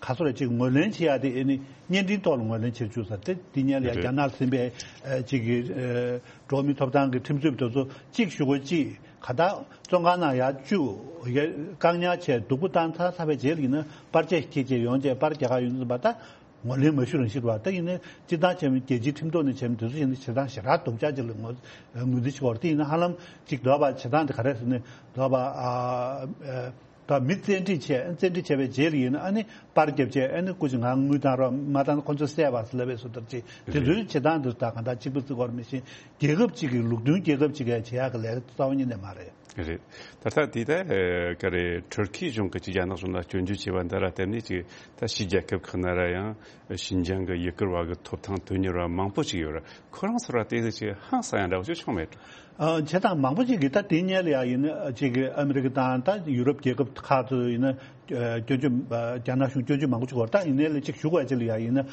ག་ཚོད་རེད་ཅིག་ངོས་ལེན་བྱེད་ཡ་དེ། ཨ་ནི་བརྙན་འཕྲིན་ཐོག་ལ་ངོས་ལེན་བྱེད་བཅུག་ས་དེ། དེ་སྔོན་ལ་ཡ་རེད། རྒྱ་ནག་ཟིན་པའི་ཨ་ཅིག་གི་ཨ་འགྲོ་བ་མིའི་ཐོབ་ཐང་གི་ཁྲིམས་རྩོད་པ་དེ་ཚོ་གཅིག་གཞུག་གུ་གཅིག་ག་ད་བཙོན་ཁང་ནང་ཡར་བཅུག་བཀག་ཉར་བྱས་སྡུག་པོ་བཏང་ཚར་ཚར་བའི་རྗེས་ལ་ཡིན་ན་པར་ཆས་ཁྱེར་བྱས་ཡོང་བྱས་པར་རྒྱག་ག་ཡོང་དུས་ཙམ་པ་ད། ངོས་ལེན་མ་ཞུ་རང་ཞིག་རེད་བ། ད་ཡིན་ནའི་སྤྱིར་བཏང་བྱས་ན་རྒྱལ་སྤྱིའི་ཁྲིམས་ཐོག་ནས་བྱས་ན་དེ་ཚོ་ཡིན་ན་བྱེད་སྟངས་ཞེ་དྲག་སྡུག་ཅག་ཅིག་ལ་ངོས་ངོས་འཛིན་བྱེད་དགོས་རེད། དེ་ཡིན་ན་ཧ་ལམ་ཅིག་འདྲ་པོ་བྱེད་སྟངས་དེ་ག་རེ་ཟེར་ན། འདྲ་པོ་ཨ་ཨ་ད་མི་བཙན་ཁྲིད་བྱས། བཙན་ཁྲིད་བྱས་པའི་རྗེས་ལ་ཡིན་ན་ཨ་ནི་པར་བརྒྱབ་བྱས། ཨ་ནི་སྐུ་མཁྱེན་ང་དངུལ་བཏང་རོགས། མ་བཏང་ན་ཁོ་ཚོ་བསད་པ་ཟེར་ལབ་པའི་བཟོ་ལྟ་ཅིག་དེ་ཚོའི་བྱེད་སྟངས་དེ་ཚོ་ད་གང་ལྟར་གཅིག་པ་བརྩི་དགོས་རེད། མི་ཤེས། རྒྱལ་ཁབ་ཅིག་གི་ལུགས་མཐུན་རྒྱལ་ཁབ་ཅིག་གིས་བྱེད་ཡག་གི་ལས་ཀ་རྩ་བ་ཉིད་ནས་མ་རེད། རེད། ད་ལྟ་དེ་ད་ཨ་ག་རེ་ཐུར་ཁེ་གཞུང་གིས་ཅིག་རྒྱ་ནག་གཞུང་ལ་སྐྱོན་བརྗོད་བྱས་པ་འདི་ལ་བརྟེན་ནས་ཅིག་ད་ཕྱིའི་རྒྱལ་ཁབ་ཁག་ནང་ལ་ཡང་ཤིན་ཅང་གི་ཡུ་གུར་བ་གི་ཐོབ་ཐང་དོན་གཉེར་བ་མང་པོ་ཅིག་ཡོད་རེད། ཁོ་རང་ཚོ་ལ་དེ་ཅིག་ཧང་སང་ཡ་འདྲ་བོ་ཅིག་བྱུང་མེད་འགྲོ། ཨ་བྱེད་སྟངས་མང་པོ་ཅིག་གིས་ད་དེ་སྔོན་ལ་ཡ་ཡིན་ན་ཅིག་ཨ་མི་རི་ཀ་དང་ད་ཡུ་རོབ་རྒྱལ་ཁབ་ཁག་ཚོ་ཡིན་ན་ཨ་སྐྱོན་བརྗོད། ཨ་རྒྱ་ནག་གཞུང་སྐྱོན་བརྗོད་མང་པོ་ཅིག་བར། ད་ཡིན་ནའི་ལས་ཅིག་ཞུ་དགོས་ཅིག་ལ་ཡ་ཡིན་ན།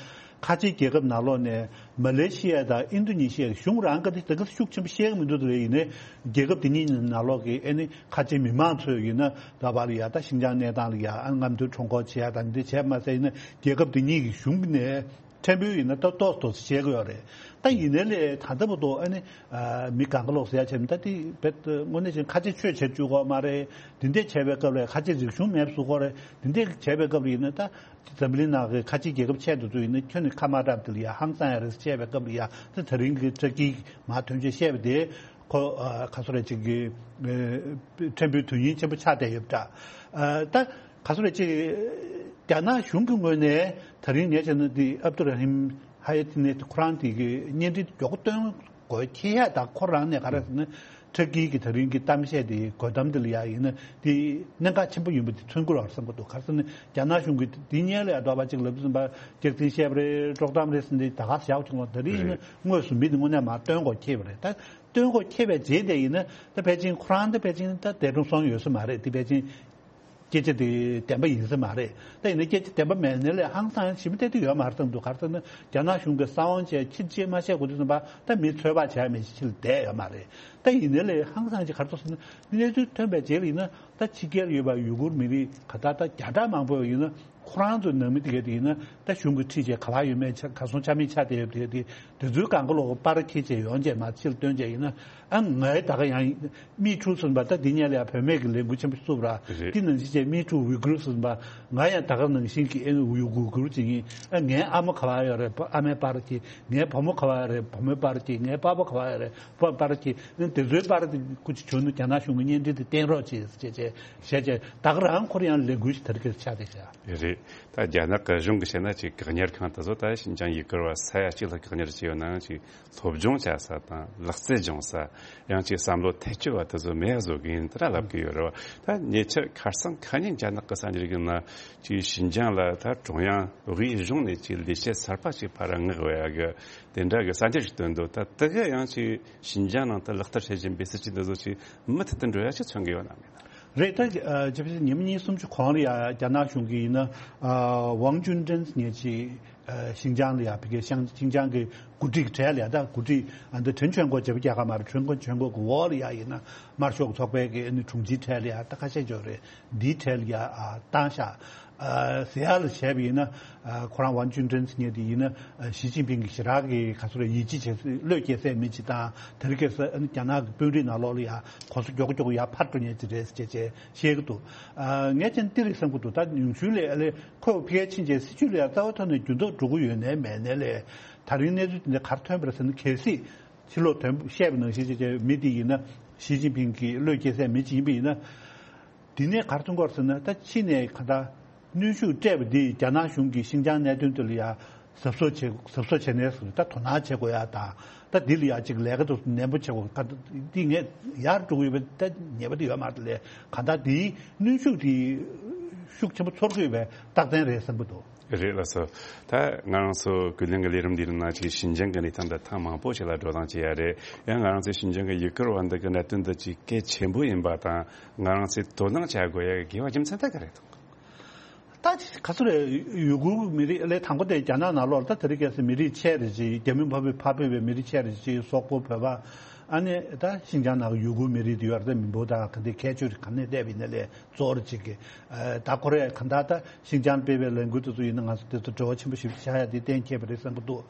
ཁ་ཆེའི་རྒྱལ་ཁབ་ནང་ལོགས་ནས་མ་ལེ་ཤི་ཡ་དང་ཨིན་རྡུ་ནི་ཤི་ཡའི་གཞུང་རང་ག་དེ་དེ་ག་ཤུགས་ཆེན་པོ་བཤད་ཀྱི་མི་འདུག་དེ་ཡིན་ནའི་རྒྱལ་ཁབ་དེ་གཉིས་ནང་ལོགས་ཀྱི་ཨ་ནི་ཁ་ཆེ་མི་མང་ཚོས་ཡིན་ན་ད་བར་ལ་ཡ་ད་ཤིན་ཅང་གནས་སྟངས་ལ་ཡ་ཨ་རྔམ་སྟོན་ཁྲོམ་སྐོར་བྱེད་ཡ་དང་འདི་བྱས་མ་ཟད། ཡིན་ན་རྒྱལ་ཁབ་དེ་གཉིས་ཀྱི་གཞུང་ནས་ཕྲན་བུ་ཡིན་ན་ད་ཏོག་ཏོག་བཤད་ཀྱི་ཡོད་རེད། ད་ཡིན་ནའི་ལས་ད་ལྟ་བར་དུ་ཨ་ནི་ཨ་མི་གང་ག་ལོག་ཟེར་ཡ་བྱས་ན། ད་དེ་རྦད་དངོས་གནས་བྱས་ན་ཁ་ཆེ་ཆོས་བྱེད་བཅུག་དགོས་མ་རེད། དེ་འདྲས་བྱས་པའི་སྐབས་ལ་ཁ་ཆེ་རིག་གཞུང་མེད་པ་བཟོ་དགོས་རེད། དེ་འདྲས་བྱས་པའི་སྐབས་ལ་ཡིན་ན་ད། འཛམ་གླིང་ནང་གི་ཁ་ཆེའི་རྒྱལ་ཁབ་ཆེ་འདི་ཚོ་ཡིན་ན་ཁྱོན་ནས་ཁ་མ་གྲགས་དེ་ལ་ཡ་ཧང་སང་ཡ་རེད་བཤད་པའི་སྐབས་ལ་ཡ། དེ་ད་རིང་གི་ཏུར་ཀི་མར་ཐོན་རྗེས་བཤད་པ་དེ་ཁོ་ཨ་ག་ཚོད་རེད་ཅིག་གི་ཨ་ཕྲན་བུའི་དོན་སྙིང་ཆེན་པོ་ཆགས་བསྡད་ཡོད་པ་འདྲ། ཨ་ད་ག་ཚོད་རེད་ཅིག་རྒྱ་ནག་གཞུང་གི་ངོས་ནས་ད་རིང་ངས་བྱས་ན་དེ་ཨབ་དུ་ར་ཧིམ་ཧ་ཡ་ཏི་ནེ་ཁོ་རང་དེ་གི་བརྙན་འཕྲིན་མགྱོགས་པོ་སྟོན་དགོས་ཁེལ་ཡ། ད་ཁོ་རང་ནས་ག་རེ་ཟེར་ན། ཏུར་ཀི་གི་ད་རིང་གི་གཏམ་བཤད་དེ་གོ་གཏམ་དེ་ལ་ཡ་ཡིན་ན་དེ་གནད་འགག་ཆེན་པོ་ཡིན་པ་དེ་མཚོན་གྱི་རེད་བསམ་གྱི་འདུག་ག་རེ་ཟེར་ན་རྒྱ་ནག་གཞུང་གིས་དེ་སྔོན་ལ་ཡ་འདྲ་པོ་ཅིག་ལབ་ཟིན་པ། སྐྱག་རྫུན་བཤད་པ་རེད། དཀྲོག་གཏམ་རེད་ཟེར་ནས་ད་ག་བཞག་བྱུང་བ། ད་རིང་ཡིན་ན་རེད། དངོས་སུ་མི་དེ་དངོས་གནས་མར་སྟོན་དགོས་ཁེལ་བ་རེད། ད་སྟོན་དགོས་ཁེལ་བའི་རྗེས་དེ་ཡིན་ན་ད་ཕལ་ཆེར་ཁོ་རང་ད་ཕལ་ཆེར་ད་འདས་གྲོངས་སོང་ཡོད་ས་མ་རེད། དེ་ཕལ་ཆེར་ སྐད་ཆ་དེ་བདེན་པ་ཡིན་ས་མ་རེད། ད་ཡིན་ན་སྐད་ཆ་བདེན་པ་མེད་ནའི་ལས་ཧང་སང་ཞིབ་མོ་བལྟས་དུས་ཡོད་མ་རེད་བསམ་འདུག་ག་རེ་ཟེར་ན་རྒྱ་ནག་གཞུང་གི་གསང་བ་བྱས་ཕྱིར་བཅད་མ་བྱས་དགོས་དུས་ཙམ་པ་ད་མི་ཚོད་དཔག་བྱས་མི་ཕྱིར་བསྡད་ཡོད་མ་རེད། ད་ཡིན་ནའི་ལས་ཧང་སང་ཅིག་ག་རེ་ཐུག་ཟེར་ན་གནས་ཚུལ་ཐོན་པའི་རྗེས་ལ་ཡིན་ན་ད་ཕྱི་རྒྱལ་ཡོད་པ་ཡུ་གུར་མི་རིགས་ག་ད་ད་བརྒྱ་ཕྲག་མང་པོ་ཡིན་ན་ཁོ་རང་ཚོའི་ནང་མི་དེ་གས་དེ་ཡིན་ན་ད་གཞུང་གི་ཁྲིད་བྱས་ག་པར་ཡོད་མེད་ཆ་ག་སོང་ཆ་མེད་ཆ་དེ་ཡོད་དེ་དེ་དེ་ཚོའི་གང་ག་ལོག་པར་ཁྱེར་བྱས་ཡོང་བྱས་མ་ཕྱིར་བཏོན་བྱས་ཡིན་ན་ཨ་ངའི་ད་ག་ཡང་། མི་ཕྲུག་ཟེར་བ་ད་འདི་ཉལ་ཡ་བུད་མེད་ཀྱི་ལས་འགུལ་ཆེན་པོ་བཙུགས་ར། རེད། འདི་ནང་བཞིན་བྱས་མི་ཕྲུག་ཝི་གུར་ཟེར་བ་ང་ཡང་ད་ག་ནང་བཞིན་གྱི་ཨེ་ཝི་གུར་གྱི་ངའི་ཨ་མའི་ཨ་མ་ག་བ་ཡོད་རེད་ཨ་མའི་པར་གྱི་ངའི་བུ་མོ་ག་བ་ཡོད་རེད་བུ་མོའི་པར་གྱི་ངའི་པ་ཕ་ག་བ་ཡོད་རེད་པ་པར་གྱི་དེ་ཚོའི་པར་དེ་ཀུ་ཅི་བྱུང་ན་རྒྱ་ནག་གཞུང་གི་གཉེན་འཕྲིན་དེ་བསྟན་རོགས་བྱེད་ཟེར་བྱས་བྱས་བྱས་ད་ག་རང་ཁོ་རང་ཡང་ལས་འགུལ་ཞིག་དར་གྱི་ཆགས་བསྡད་ཤག་རེད། ད་རྒྱ་ནག་གི་གཞུང་གི་བཤད་ན་ཅིག་བཀག་ཉར་ཁང་དེ་ཚོ་ད་ཞིན་ཅང་ཡུ་གུར་བ་ས་ཡ་གཅིག་ལ་བཀག་ཉར་བྱས་ཡོད་ནའང་ཅིག་སློབ་སྦྱོང་བྱ་ས་དང་ལག་རྩལ་སྦྱོང་ས། ཡང་ཅིག་བསམ་བློ་ཐེ་བྱུས་པ་དེ་ཚོ་མེད་བཟོ་གི་ཡིན་དེ་འདྲ་ལབ་གི་ཡོད་རེད་བ། ད་ཉེ་ཆར་ཁ་སང་ཁ་ཉིན་རྒྱ་ནག་གི་གསར་འགྱུར་གི་ནང་ཅིག་ཞིན་ཅང་ལ་ད་ཀྲུང་དབྱང་དབུས་གཞུང་ནས་ཅིག་ལས་བྱེད་གསར་པ་ཅིག་ཕར་མངགས་བས་ཡ་གི་དེ་འདྲ་གི་གསར་འགྱུར་ཞིག་བཏོན་འདུག་ད་དེ་ག་ཡང་ཅིག་ཞིན་ཅང་ནང་དུ་ལག་བསྟར་བྱེད་བཞིན་པའི་སྲིད་ཇུས་འདི་ཚོ་ཅིག་མུ་མཐུད་དུ་འགྲོ་ཡ་ཅིག་མཚོན་གི་ཡོད་ན་མེད་ན། རེད་ད། ཇི་ཕྱི་ཉིན་མོ་གཉིས་གསུམ་ཅིག་གོང་ལ་ཡ་རྒྱ་ནག་གཞུང་གིས་ཡིན་ན་ཝང་ཅུན་ཀྲེན་ཟེར་མཁན་ཅིག་ཨ། ཤིན་ཅང་ལ་ཡ་ཕ་གི་ཤང་ཤིན་ཅང་གི་འགོ་ཁྲིད་ཀྱི་གྲས་ལ་ཡ་ད་འགོ་ཁྲིད་ཨ་འདི་ཁྲེན་ཆོན་གོ་བྱེད་པ་རྒྱ་གར་མ་རེད། ཁྲེན་ཆོན་གོ་གི་འོག་ལ་ཡ་ཡིན་ན་དམར་ཤོག་གི་ཚོགས་པའི་གི་ཨ་ནི་དྲུང་ཆེའི་གྲས་ལ་ཡ་ད་ཁ་ཤས་འཇོག་རེད། འདིའི་གྲས་ལ་ཡ་ཨ་བཏང་ཤག་ཨ་ཟེར་ཡ་ལ་བྱས་པ་ཡིན་ན་ཨ་ཁོ་རང་ཝང་ཅུན་ཀྲེན་ཟེར་མཁན་དེ་ཡིན་ན་ཨ་ཞི་ཅིན་ཕིང་གི་ཞེ་དྲག་གི་ག་ཚོད་རེད་ཡིད་ཆེས་བྱེད་བློས་སྐྱེ་སའི་མི་ཅིག་དང་དེ་རིང་ཁ་སང་ཨ་ནི་རྒྱ་ནག་གི་དཔོན་རིགས་ནང་ལོགས་ལ་ཡ་གོ་ས་མགྱོགས་མགྱོགས་ཡ་ཕར་འགྲོ་མཁན་ཅིག་རེད་ཟེར་བྱས་བྱས་བཤད་གི་འདུག་ཨ་ངས་ཀྱང་འདི་རེད་བསམ་གི་འདུག་ད་ཉུང་ཤོས་ལ་ཨ་ལས། ཁོས་ཕ་གིར་ཕྱིན་རྗེས་སྲིད་ཇུས་ལ་ཡང་རྩ་བའི་ཐོག་ནས་འགྱུར་ལྡོག་འགྲོ་གི་ཡོད་ནའི་མེད་ནའི་ལས། ད་རིང་གནས་ཚུལ་དེ་འདྲ་ག་རེ་ཐོན་པ་རེད་ཟེར་ན་གལ་སྲིད་ཕྱི་ལོགས་དོན་བཤད་པ་ནང་བཞིན་བྱས་བྱས་མི་དེ་ཡིན་ན་ཞི་ཅིན་ཕིང་གི་བློས་སྐྱེ་སའི་མི་ཅིག་ཡིན་པ་ཡིན་ན། འདི་ནས་ག་རེ་མཐོང་གི་ཡོད་རེད་ཟེར་ན་ད་ཕྱི་ནས་ག་འདྲ་གནོན་ཤུགས་སྤྲད་པ་འདིས་རྒྱ་ནག་གཞུང་གིས་ཤིན་ཅང་གནད་དོན་དེ་ལ་ཡང་གཟབ་གཟབ་བྱེད་གཟབ་གཟབ་བྱས་ནས་ཟེར་ད་དོ་སྣང་བྱེད་དགོས་ཡ་དང་། ད་འདི་ལ་ཡ་གཅིག་ལས་ཀ་དེ་ནན་པོ་བྱེད་དགོས་ཀ་འདི་ངས་ཡར་འགྲོ་གི་ཡོད་པའི་ད་ཉེས་པ་དེ་ཡོད་མ་རེད་ལས་གང་ལྟར་འདིའི་གནོན་ཤུགས་དེ་ཤུགས་ཆེན་པོ་ཚོར་གི་ཡོད་པའི་རྟགས་མཚན་རེད་བསམ་གི་འདུག་རེད་ལགས་སོ། ད་ང་རང་ཚོ་ཀུན་གླེང་གི་ལས་རིམ་འདིའི་ནང་ཅིག་ཤིན་ཅང་གི་གནས་སྟངས་འདི་ཐེངས་མང་པོ་ཞིག་ལ་བགྲོ་གླེང་བྱས་ཡ་རེད། ཡང་ང་རང་ཚོའི་ཤིན་ཅང་གི་ཡུ་གུར་བ་འདི་གི་གནད་དོན་འདི་ཅིག་གལ་ཆེན་པོ་ཡིན་པ་དང་ང་རང་ཚོས་དོ་སྣང་བྱ་དགོས་ཡ་གི་དགེ་བ་རྒྱུ་མཚན་ད་ག་རེ་འདུག་ད་ག་ཚོད་རེད། ཡུ་གུར་མི་རིགས་ལས་དང་པོ་དེ་རྒྱ་ནག་ནང་ལོགས་ལ་ད་དེ་རིང་ཁ་སང་མི་རིགས་ཆེ་རེ་ཅིག་རྒྱ་མི་འཕགས་པའི་འཕགས་པའི་མི་རིགས་ཆེ་རེ་ཅིག་སོག་པོ་བོད་པ་ཨ་ནི་ད་ཤིན་ཅང་ནང་གི་ཡུ་གུར་མི་རིགས་དེ་ཡོད་རེད། ད་མི་འབོར་དང་ག་འདྲའི་ཁྱད་ཆོས་རེད་ག་ནས་བལྟས་པ་ཡིན་ན་ལས་གཙོ་བོ་རེ་ཅིག་གི་ད་ཁོ་རེ་ག་འདྲ་ད་ཤིན་ཅང་སྤེལ་བའི་ལས་འགུལ་དེ་ཚོ་ཡིན་ན་ང་ཚོ་དེ་ཚོ་འབྲེལ་བ་ཆེན་པོ་ཞིག་ཆགས་ཡ་དེ་གཏན་འཁེལ་བ་རེད་བསམ་གི་འདུག་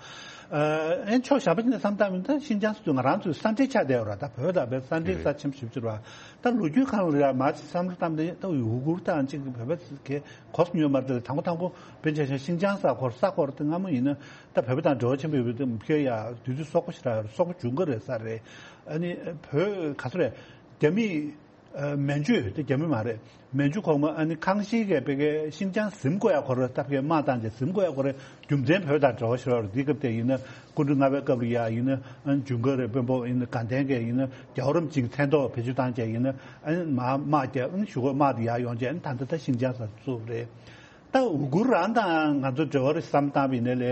ཨ་ནི་ཕྱོགས་གཞན་པ་ཅིག་ནས་བསམ་བཏང་མིན་ད་ཤིན་ཅང་ཟེར་དུས་ང་རང་ཚོའི་ས་འབྲེལ་ཆགས་བསྡད་ཡོད་རེད། ད་བོད་དང་བོད་ས་འབྲེལ་ས་ཆེན་པོ་ཞིག་ཅིག་རེད། ད་ལོ་རྒྱུས་སྒང་ལ་ཡང་མ་ཅིག་བསམ་བློ་བཏང་སྟེ་ད་ཡུ་གུར་དང་ཅིག་བོད་པ་ཚོ་གི་གོ་ས་ཉོས་མ་རེད། དང་པོ་དང་པོ་དཔེར་ན་ཆ་བཞག་ཤིན་ཅང་ས་ཁོར་ས་ཁོར་དེ་སྔ་མོ་ཡིན་ན་ད་བོད་པ་དང་འབྲེལ་བ་ཆེན་པོ་ཡོད་པའི་དེ་ཕ་གིར་ཡ་དུས་ཚོད་སོག་པོ་ཞིག་རག་ཡོད་རེད། སོག་པོ་ཇུན་གར་རེད་ས་རེད། ཨ་ནི་བོད་ག་ཚོད་རེད་རྒྱ་མི་ཨ་མན་ཇུ་དེ་རྒྱ་མི་མ་རེད། མན་ཇུ་གོང་མ་ཨ་ནི་ཁང་ཤིང་གིས་ཕ་གིར་ཤིན་ཅང་ཟིན་དགོས་ཡ་ཁོ་རང་ད་ཕ་གིར་དམག་བཏང་རྗེས་ཟིན་དགོས་ཡ་ཁོ་རང་རྒྱུ་མཚན་བོད་དང་འབྲེལ་བ་ཞིག་རེད། འདི་སྐབས་དེ་ཡིན་ན་སྐུ་ཕྲེང་ལྔ་པའི་སྐབས་ལ་ཡ་ཡིན་ན་ཨ་ནི་ཇུན་གར་རེད་དཔོན་པོ་ཡིན་ན་དགའ་ལྡན་གྱི་ཡིན་ན་རྒྱལ་བ་རིན་པོ་ཆེའི་མཚན་ཐོག་བེད་སྤྱོད་བཏང་བྱས་ཡིན་ན་ཨ་ནི་མ་དམག་རྒྱག་ཨ་ནི་གཞུག་གུ་དམག་དེ་ཡར་ཡོང་བྱས་ཨ་ནི་ད་ལྟ་ད་ཤིན་ཅང་ས་བཙུགས་པ་རེད། ད་ཝུ་གུར་རང་དང་ང་ཚོ་འབྲེལ་བ་རེད་བསམ་བཏང་བ་ཡིན་ན་ལས་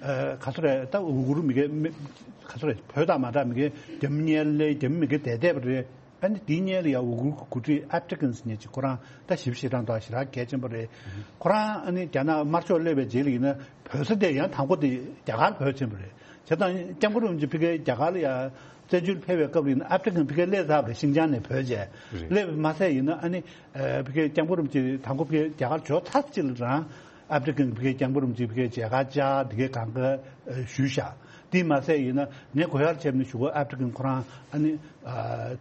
ཨ་ག་ཚོད་རེད། ད་ཝུ་གུར་མི་སྒེར་མི་ག་ཚོད་རེད། བོད་དང་མ་འདྲ་མི་སྒེར་རྒྱ་མི་གཉེར་ལས་རྒྱ་མི་མི་སྒེར་བསྡད་བསྡད་པ་རེད། ཨ་ནི་དེའི་སྔོན་ལ་ཡང་ཝུ་གུར་གྱི་འགོ་ཁྲིད་ཨབ་ཏི་ཀན་ཟེར་མཁན་ཅིག་ཁོ་རང་ད་ཞིབ་བཤེར་གཏོང་ཐོག་ཞེ་དྲག་གལ་ཆེན་པོ་རེད། ཁོ་རང་ཨ་ནི་རྒྱ་ནག་དམར་ཤོག་སླེབས་པའི་རྗེས་ལ་ཡིན་ན་བོད་ས་དེ་ཡང་དང་པོ་དེ་རྒྱ་གར་བོད་ཕྱིན་པ་རེད། བྱས་ཙང་སྐྱབས་མགོན་རིན་པོ་ཆེ་ཕ་གིར་རྒྱ་གར་ལ་ཡང་བཙན་བྱོལ་ཕེབས་པའི་སྐབས་ལ་ཡིན་ན་ཨབ་ཏི་ཀན་ཕ་གིར་སླེབས་ཚར་བ་རེད། ཤིན་ཅང་ནས་བོད་བྱས་རེད། སླེབས་མ་ཟད་ཡིན་ན་ཨ་ནི་ཕ་གིར་སྐྱབས་མགོན་རིན་པོ་ཆེ་དང་པོ་ཕ་གིར་རྒྱ་གར་འབྱོར་ཚར་ཅིག་ལ་རང་ཨབ་ཏི་ཀན་ཕ་གིར་སྐྱབས་མགོན་རིན་པོ་ཆེ་ཕ་གིར་མཇལ་ཁ་བཅར་འདི་གའི་གང་ག་ཞུས་བཞག་དེ་མ་ཟད་ཡིན་ན་ངས་གོ་ཡར་བྱས་ནས་གཞུག་གུ་ཨབ་ཏི་ཀན་ཁོ་རང་ཨ་ནི་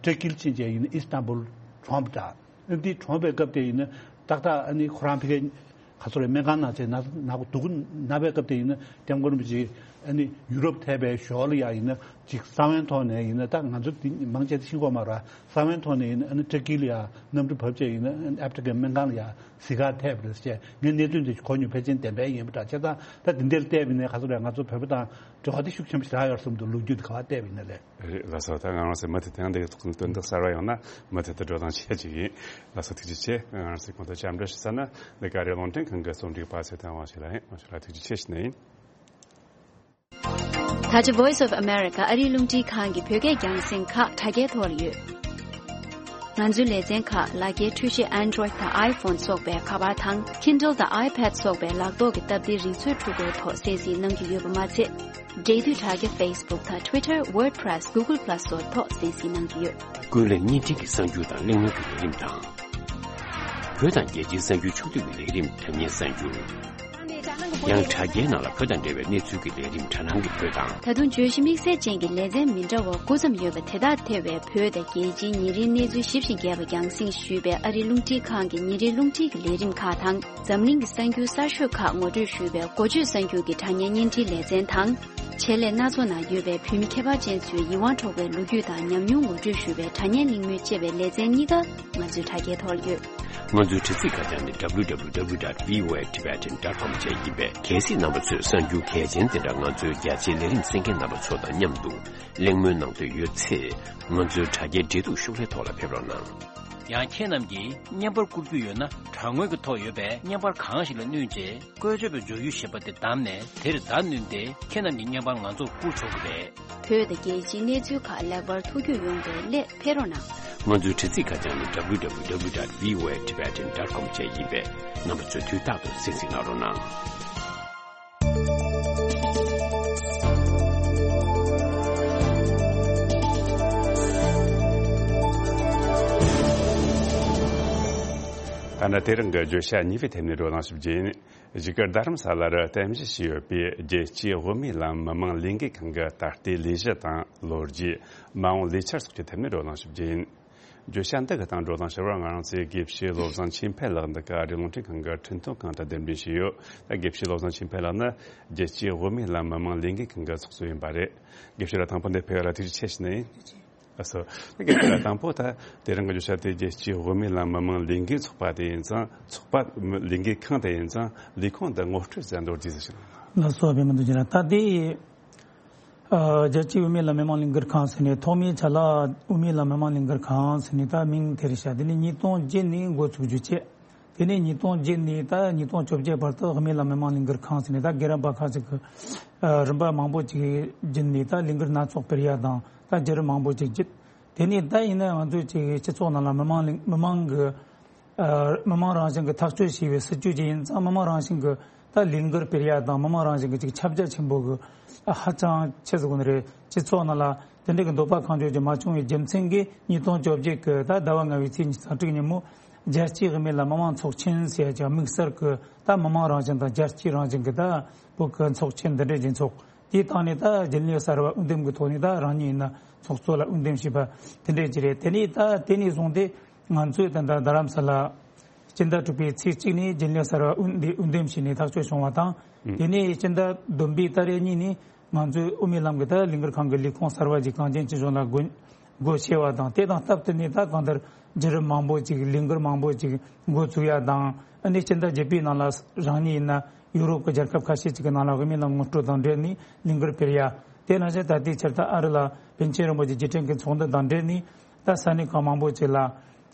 ཏུར་ཀི་ལ་ཕྱིན་བྱས་ཡིན་ན་ཨི་སི་ཏན་བུལ་གྲོངས་པ་འདྲ། ཨ་ནི་དེ་གྲོངས་པའི་སྐབས་དེ་ཡིན་ན་ཏག་ཏག་ཨ་ནི་ཁོ་རང་ཕ་གིར་ག་ཚོད་རེད་སྨན་ཁང་ནང་བྱས་ན་ན་གོ་སྡུག་གུ་ན་བའི་སྐབས་དེ་ཡིན་ན་སྐྱབས་མགོན་རིན་པོ་ཆེ་ཨ་ནི་ཡུ་རོབ་ཐེབས་པའི་ཞོར་ལ་ཡ་ཡིན་ན་ཅིག་གསང་བའི་ཐོག་ནས་ཡིན་ན་ད་ང་ཚོ་འདི་མང་ཆེ་ཤེས་ཀྱི་ཡོད་མ་རེད། གསང་བའི་ཐོག་ནས་ཡིན་ན་ཨ་ནི་ཏུར་ཀི་ལ་ཡ་གནམ་གྲུ་བབས་བྱས་ཡིན་ན་ཨ་ནི་ཨབ་ཏི་ཀའི་སྨན་ཁང་ལ་ཡ་གཟིགས་གར་ཐེབས་པ་རེད་ཟེར་ངས་གནས་ཚུལ་འདི་གོ་མྱོང་། ཕལ་ཆེར་བདེན་པ་ཡིན་པ་འདྲ། བྱས་ཙང་ད་འདི་འདྲར་བལྟས་པ་ཡིན་ན་ག་ཚོད་རེད། ང་ཚོ་བོད་པ་དང་འབྲེལ་བ་དེ་ཤུགས་ཆེན་པོ་ཞིག་རག་ཡོད་བསམ་འདུག་ལོ་རྒྱུས་དེ་ག་པར་བལྟས་པ་ཡིན་ན་ལས། རེད་ལགས་སོ། ད་ང་རང་ཚོའི་མུ་མཐུད་དེ་ཡང་འདི་གི་ཐོག་ནས་དོན་དག་གསར་པ་ཡོང་ན་མུ་མཐུད་དུ་བགྲོ་གླེང་བྱེད་ཀྱི་ཡིན། ལགས་སོ་ཐུགས་རྗེ་ཆེ། ང་རང་ཚོའི་གོང་དུ་བཅར་འདྲི་ཞུ་ས་ན་འདི་ག་རེ་རླུང་འཕྲིན་ཁང་གི་རྩོམ་སྒྲིག་པ་ཚེ་བརྟན་དབང་ཕྱུག་ལགས་ཡིན། དབང་ཕྱུག་ལགས་ཐུགས་རྗེ་ཆེ་ཞུ་ནི་ཡིན། ད་ཆ་Voice of America ཨ་རིའི་རླུང་འཕྲིན་ཁང་གི་བོད་སྐད་རྒྱང་སྲིང་ཁག་དྲ་རྒྱའི་ཐོག་ལ་ཡོད། ང་ཚོའི་ལེ་ཚན་ཁག་ལག་འཁྱེར་འཕྲུལ་ཆས་Android་དང་iPhone་སོགས་པའི་ཁ་པར་དང་Kindle་དང་iPad་སོགས་པའི་ལག་ཐོག་གི་སྟབས་བདེའི་རིག་མཛོད་འཕྲུལ་འཁོར་ཐོག་གསན་གཟིགས་གནང་རྒྱུ་ཡོད་པ་མ་ཚད། འབྲེལ་མཐུད་དྲ་རྒྱ་Facebook་དང་Twitter། WordPress། Google Plus་སོགས་ཐོག་གསན་གཟིགས་གནང་རྒྱུ་ཡོད། ཀུན་གླེང་བརྙན་འཕྲིན་གྱི་གསར་འགྱུར་དང་གླེང་མོལ་གྱི་ལས་རིམ་དང་། བོད་དང་རྒྱལ་སྤྱིའི་གསར་འགྱུར་ཕྱོགས་བསྡུས་ཀྱི་ལས་རིམ་དྲ་བརྙན་གསར་འགྱུར། ཡང་དྲ་རྒྱའི་ནང་ལ་བོད་དང་འབྲེལ་བའི་གནས་ཚུལ་གྱི་ལས་རིམ་དྲ་སྣང་གི་བོད་དང་། ད་དུང་བརྗོད་གཞི་དམིགས་བསལ་ཅན་གྱི་ལེ་ཚན་མི་འདྲ་བ་དགུ་ཙམ་ཡོད་པ་དེ་དག་ཐེ་བའི་བོད་དང་རྒྱལ་སྤྱིའི་ཉིན་རེའི་གནས་ཚུལ་ཞིབ་ཅིང་རྒྱས་པ་རྒྱང་སྲིང་ཞུས་པའི་ཨ་རིའི་རླུང་འཕྲིན་ཁང་གི་ཉིན་རེའི་རླུང་འཕྲིན་གྱི་ལས་རིམ་ཁག་དང་། འཛམ་གླིང་གི་གསར་འགྱུར་གསར་ཤོས་ཁག་ངོ་སྤྲོད་ཞུས་པའི་འགོ་བརྗོད་གསར་འགྱུར་གྱི་དྲ་བརྙན་བརྙན་འཕྲིན་ལེ་ཚན་དང་། ཆེད་ལས་སྣ་ཚོགས་ནང་ཡོད་པའི་བོད་མི་ཁྱད་པར་ཅན་ཚོའི་ཡིད་དབང་འཕྲོག་པའི་ལོ་རྒྱུས་དང་ཉམས་མྱོང་ངོ་སྤྲོད་ཞུ་བའི་དྲ་བརྙན་གླེང་མོལ་བཅས་པའི་ལེ་ཚན་གཉིས་ཀ་ང་ཚོའི་དྲ་རྒྱའི་ཐོག་ལ་ཡོད། ང་ཚོའི་དྲ་ཚིགས་ཁ་བྱང་ནི་W W W dot V O A Tibetan dot com བཅས་ཡིན་པས། གལ་སྲིད་རྣམ་པ་ཚོས་གསར་འགྱུར་གལ་ཆེན་དེ་འདྲ་ང་ཚོའི་རྒྱ་ཆེའི་ལས་རིམ་གསན་མཁན་རྣམ་པ་ཚོ་དང་མཉམ་དུ་གླེང་མོལ་གནང་འདོད་ཡོད་ཚེ། ང་ཚོའི་དྲ་རྒྱའི་འབྲེལ་གཏུག་ཤོག་ལྷེ་ཐོག་ལ་ཕེབས་རོགས་གནང་། ཡང་ཁྱེད་རྣམས་ཀྱིས་བརྙན་པར་བསྐུར་རྒྱུ་ཡོད་ན། དྲ་ངོས་ཀྱི་ཐོག་ཡོད་པའི་བརྙན་པར་གང་ཞིག་ལ་བསྣུན་རྗེས། བཀོལ་སྤྱོད་པའི་མཇུག་ཡུལ་ཞེས་པ་དེ་བདམས་ནས། དེར་བརྡ་བསྣུན་ཏེ། ཁྱེད་རྣམས་ཀྱི་བརྙན་པར་ང་ཚོར་བསྐུར་ཆོག་གི་རེད། བོད་དང་རྒྱལ་སྤྱིའི་གནས་ཚུལ་ཁག་ལེགས་པར་ཐུགས་རྒྱུས་ཡོང་བའི་སླད་ཕེབས་རོགས་གནང་། ང་ཚོའི་དྲ་ཚིགས་ཁ་བྱང་ནི་W W W dot V O A Tibetan dot com བཅས་ཡིན་པས། རྣམ་པ་ཚོས་དུས་རྟག་ཏུ་གསན་གཟིགས་གནང་རོགས་གནང་། ད་ནི་དེ་རིང་གི་བརྗོད་བྱ་གཉིས་པའི་ཐད་ནས་བགྲོ་གླེང་ཞུ་རྒྱུ་ཡིན། གཞིས་ཀ་རྡ་རམ་ས་ལར་རྟེན་གཞི་བྱས་ཡོད་པའི་རྒྱལ་སྤྱིའི་དབུ་མའི་ལམ་མི་མང་ལས་འགུལ་ཁང་གི་ད་ལྟའི་ལས་གཞི་དང་ལོ་རྒྱུས། མ་འོངས་ལས་འཆར་སོགས་ཀྱི་ཐད་ནས་བགྲོ་གླེང་ཞུ་རྒྱུ་ཡིན། བརྗོད་བྱ་འདི་གི་སྟེང་བགྲོ་གླེང་ཞུ་བར་ང་རང་ཚོའི་དགེ་བཤེས་བློ་བཟང་ཆོས་འཕེལ་ལགས་འདི་ག་ཨ་རིའི་རླུང་འཕྲིན་ཁང་གི་འཕྲིན་གཏོང་ཁང་དུ་གདན་འདྲེན་བྱས་ཡོད། ད་དགེ་བཤེས་བློ་བཟང་ཆོས་འཕེལ་ལགས་ནི་རྒྱལ་སྤྱིའི་དབུ་མའི་ལམ་མི་མང་ལས་འགུལ་ཁང་གི་ཚོགས་གཙོ་ཡིན་པ་རེད། དགེ་བཤེས་ལགས་དང་པོ་འདིར་ཕེབས་ཡ་ལ་ཐུགས་རྗེ་ཆེ་ཞུ་ནི་ཡིན། ཨ་སོ། ད་གལ་ཏེ་དང་པོ་ད་དེ་རིང་གི་བརྗོད་བྱ་དེ་རྒྱལ་སྤྱིའི་དབུ་མའི་ལམ་མི་མང་ལས་འགུལ་ཚོགས་པ་དེ་ཡིན་ཙང་། ཚོགས་པ་ལས་འགུལ་ཁང་དེ་ཡིན་ཙང་། ལས་ཁུངས་འདི་ངོ་སྤྲོད་ཟེར་མདོར་བསྡུས་ཟིག་ཞུ། ལགས་སོ། བདེ་མོ་འདུག་ཅི་ལ། ད་དེ་ཨ་རྒྱལ་སྤྱིའི་དབུ་མའི་ལམ་མི་མང་ལས་འགུལ་ཁང་ཟེར་ནས། ཐོག་མའི་ཆ་ལ་དབུ་མའི་ལམ་མི་མང་ལས་འགུལ་ཁང་ཟེར་ནས་ད་མིང་དེ་རེད་ཤག་དེ་ནས་ཉིས་སྟོང་བརྒྱད་ནས་འགོ་ཚུགས་རྒྱུ་བྱས། དེ་ནས་ཉིས་སྟོང་བརྒྱད་ནས་ད་ཉིས་སྟོང་བཅོ་བརྒྱད་བར་དུ་དབུ་མའི་ལམ་མི་མང་ལས་འགུལ་ཁང་ཟེར་ནས་ད་རྒན་རབས་པ་ཁག་ཅིག་གིས་ཨ་རིམ་པ་མང་པོ་ཅིག་བརྒྱུད་ནས་ད་ལས་འགུལ་སྣ་ཚོགས་སྤེལ་ཡ་དང་། ད་བརྒྱུད་རིམ་མང་པོ་ཅིག་བརྒྱུད། དེ་ནས་ད་ཡིན་ན་ང་ཚོའི་ཅིག་སྤྱི་ཚོགས་ནང་ལ་མི་མང་ལས་མི་མང་གི་ཨ་མི་མང་རང་བཞིན་གྱི་ཐག་གཅོད་བྱས་པའི་སྲིད་ཇུས་ཅིག་ཡིན་ཙང་། མི་མང་རང་བཞིན་གྱི་ད་ལས་འགུལ་སྤེལ་ཡ་དང་། མི་མང་རང་བཞིན་གྱི་ཅིག་ཁྱབ་རྒྱ་ཆེན་པོ་གི་ཨ་ཧ་ཅང་ཆེ་ཟེར་དགོས་ནི་རེད། སྤྱི་ཚོགས་ནང་ལ་དེ་འདྲ་གི་འདོད་པ་གང་བྱུང་ཅིག་མ་བྱུང་བའི་རྒྱུ་མཚན་གྱིས། ཉིས་སྟོང་བཅོ་བརྒྱད་ཀྱི་ད་ཟླ་བ་ལྔ་པའི་ཚེས་ཉི་ཤུ་རྩ་དྲུག་ཉིན་མོ་རྒྱལ་སྤྱིའི་དབུ་མའི་ལམ་མི་མང་ཚོགས་ཆེན་ཟེར་ཡ་ཅིག་དམིགས་བསལ་གྱི་ད་མི་མང་རང་བཞིན་དང་རྒྱལ་སྤྱིའི་རང་བཞིན་གྱི་ད་བོད་ཀྱི་ཚོགས་ཆེན་འདི་འདྲ་ཅིག་འཚོགས། དེའི་སྟེང་ནས་ད་རྒྱུན་ལས་གསར་བ་འོས་འདེམས་ཀྱི་ཐོག་ནས། ད་རང་ཉིད་ཡིན་ན་ཚོགས་གཙོ་ལ་འོས་འདེམས་བྱས་པ་དེ་འདྲ་ཅིག་རེད། དེ་ནས་ད་དེ་ནས་བཟུང་སྟེ་ང་ཚོས་ད་ལྟ་རྡ་རམ་ས་ལ་སྤྱི་ཟླ་དྲུག་པའི་ཚེས་གཅིག་ནས་རྒྱུན་ལས་གསར་བ་འོས་འདེམས་བྱས་ནས་ཐག་གཅོད་བྱུང་བ་དང་། ཨང་། དེ་ནས་སྤྱི་ཟླ་བདུན་པའི་ཏ་རིག་གཉིས་ནས་ང་ཚོའི་དབུ་མའི་ལམ་གྱི་ད་ལས་འགུལ་ཁང་གི་ལས་ཁུངས་གསར་བ་ཅིག་གངས་ཅན་སྐྱིད་གཤོངས་ལ་སྒོ་སྒོ་ཕྱེ་བ་དང་། དེ་དང་སྟབས་བསྟུན་ནས་ད་གང་ལྟར་བརྒྱུད་རིམ་མང་པོ་ཅིག་ལས་འགུལ་མང་པོ་ཅིག་འགོ་ཚུགས་ཡ་དང་། ཨ་ནི་སྤྱི་ཟླ་བརྒྱད་པའི་ནང་ལ་རང་ཉིད་ཡིན་ན་ཡུ་རོབ་ཀྱི་རྒྱལ་ཁབ་ཁ་ཤས་ཅིག་གི་ནང་ལ་དབུ་མའི་ལམ་ངོ་སྤྲོད་དང་འབྲེལ་ནས་ལས་འགུལ་སྤེལ་ཡ། དེ་ནང་བཞིན་ད་ལྟའི་ཆར་ད་ཨ་རི་ལ་པཎ་ཆེན་རིན་པོ་ཆེ་རྗེས་དྲན་གྱི་ཚོགས་འདུ་དང་འབྲེལ་ནས། ད་ས་གནས་ཁག་མང་པོ་ཅིག་ལ།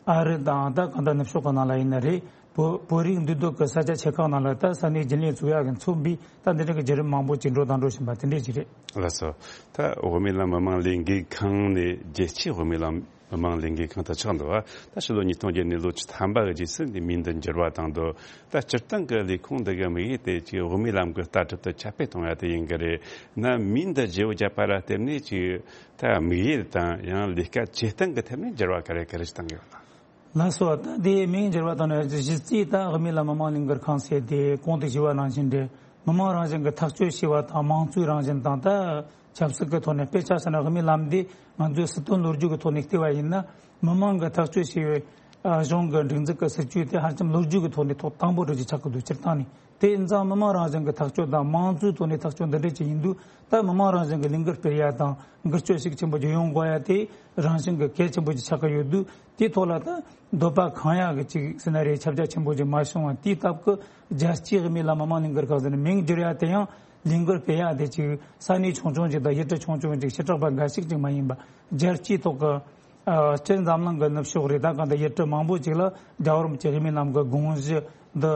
ཨ་རི་དང་ད་གང་ལྟར་ནུབ་ཕྱོགས་ཀྱི་ནང་ལ་ཡིན་ན་རེད། བོད་བོད་རིགས་འདུས་སྡོད་ཀྱི་ས་ཆ་ཆེ་ཁག་ནང་ལ་ད་ས་གནས་རྒྱུན་ལས་བཙུགས་ཡག་གི་མཚོན་པའི་ད་འདི་འདྲ་གི་བརྒྱུད་རིམ་མང་པོ་ཅིག་འགྲོ་དང་འགྲོ་བཞིན་པ་དེ་འདྲས་ཅིག་རེད། ལགས་སོ། ད་དབུ་མའི་ལམ་མི་མང་ལས་འགུལ་ཁང་ནས་རྒྱལ་སྤྱིའི་དབུ་མའི་ལམ་མི་མང་ལས་འགུལ་ཁང་དུ་ཆགས་འདུག་པ། ད་ཕྱི་ལོ་ཉིས་སྟོང་བརྒྱད་ནས་ལོ་བཅུ་ཐམ་པ་གི་རྗེས་སུ་འདི་མིང་འདི་འགྱུར་བ་བཏང་འདུག། ད་སྤྱིར་བཏང་གི་ལས་ཁུངས་འདི་གི་དམིགས་ཡུལ་དེ་ཅིག་དབུ་མའི་ལམ་གྱི་ལྟ་གྲུབ་དེ་ཁྱབ་སྤེལ་གཏོང་ཡ་དེ་ཡིན་གི་རེད། ན་མིང་འདི་བརྗེ་བོ་བརྒྱབ་པ་ལ་བརྟེན་ནས་ཅིག་ད་དམིགས་ཡུལ་དང་ཡང་ལས་ཀ་བྱེད་སྟངས་ཀྱི་ཐད་ནས་འགྱུར་བ་ག་རེ་ག་རེ་ཞིག་བཏང་གི་ཡོད་དམ། ལགས་སོ། ད་དེ་མིང་འགྱུར་བ་དང་ནི་གཞི་རྩའི་ད་དབུ་མའི་ལམ་མི་མང་ལས་འགུལ་ཁང་ཟེར་དེ་གོང་དུ་ཞུས་པ་ནང་བཞིན་རེད། མི་མང་རང་བཞིན་གྱི་ཐག་གཅོད་བྱས་པ་དང་། མང་གཙོའི་རང་བཞིན་དང་ད་ཆབ་སྲིད་ཀྱི་ཐོག་ནས། དཔེ་ཆ་བཞག་ན་དབུ་མའི་ལམ་འདི་ང་ཚོའི་སྲིད་དོན་ལོ་རྒྱུས་ཀྱི་ཐོག་ནས་བལྟས་པ་ཡིན་ན། མི་མང་གིས་ཐག་གཅོད་བྱས་པའི་ཨ་གཞུང་གི་སྒྲིག་འཛུགས་ཀྱི་སྲིད་ཇུས་དེ་ཧ་ཅང་ལོ་རྒྱུས་ཀྱི་ཐོག་ནས་ཐོག་དང་པོ་རུ་ཅིག་ཆགས་ཀྱི་འདུག། སྤྱིར་བཏང་ནས། དེ་ཡིན་ཙང་མི་མང་རང་བཞིན་གྱི་ཐག་གཅོད་དང་མང་གཙོའི་ཐོག་ནས་ཐག་གཅོད་འདི་འདྲ་ཅིག་ཡིན་དུས། ད་མི་མང་རང་བཞིན་གྱི་ལས་འགུལ་སྤེལ་ཡ་དང་འགུལ་སྐྱོད་ཤུགས་ཆེན་པོ་ཅིག་ཡོང་དགོས་ཡ་དེ་རང་བཞིན་གྱི་གལ་ཆེན་པོ་ཅིག་ཆགས་ཀྱི་ཡོད་དུས། དེའི་ཐོག་ལ་ད་འདོད་པ་ཁེངས་ཡ་གི་ཅིག་ཟེར་ན་རེད། ཁྱབ་རྒྱ་ཆེན་པོ་ཅིག་མ་བྱུང་བ་དེའི་སྟབས་ཀྱིས། རྒྱལ་སྤྱིའི་དབུ་མའི་ལམ་མི་མང་ལས་འགུལ་ཁང་ཟེར་ནས་མིང་བསྒྱུར་ཡ་དེ་ཡང་ལས་འགུལ་སྤེལ་ཡ་དེ་ཅིག་ས་གནས་ཆུང་ཆུང་ཅིག་དང་ཡུལ་གྲུ་ཆུང་ཆུང་ཅིག་བྱེ་བྲག་པ་འགའ་ཞིག་ཅིག་མ་ཡིན་པ། རྒྱལ་སྤྱིའི་ཐོག་གི་ཨ་སྤྱིར་འཛམ་གླིང་གི་ནུབ་ཕྱོགས་རེད། ད་གང་ལྟར་ཡུལ་གྲུ་མང་པོ་ཅིག་ལ་རྒྱལ་བ་རིན་པོ་ཆེ་དབུ་མའི་ལམ་གྱི་དགོངས་གཞི་འདི་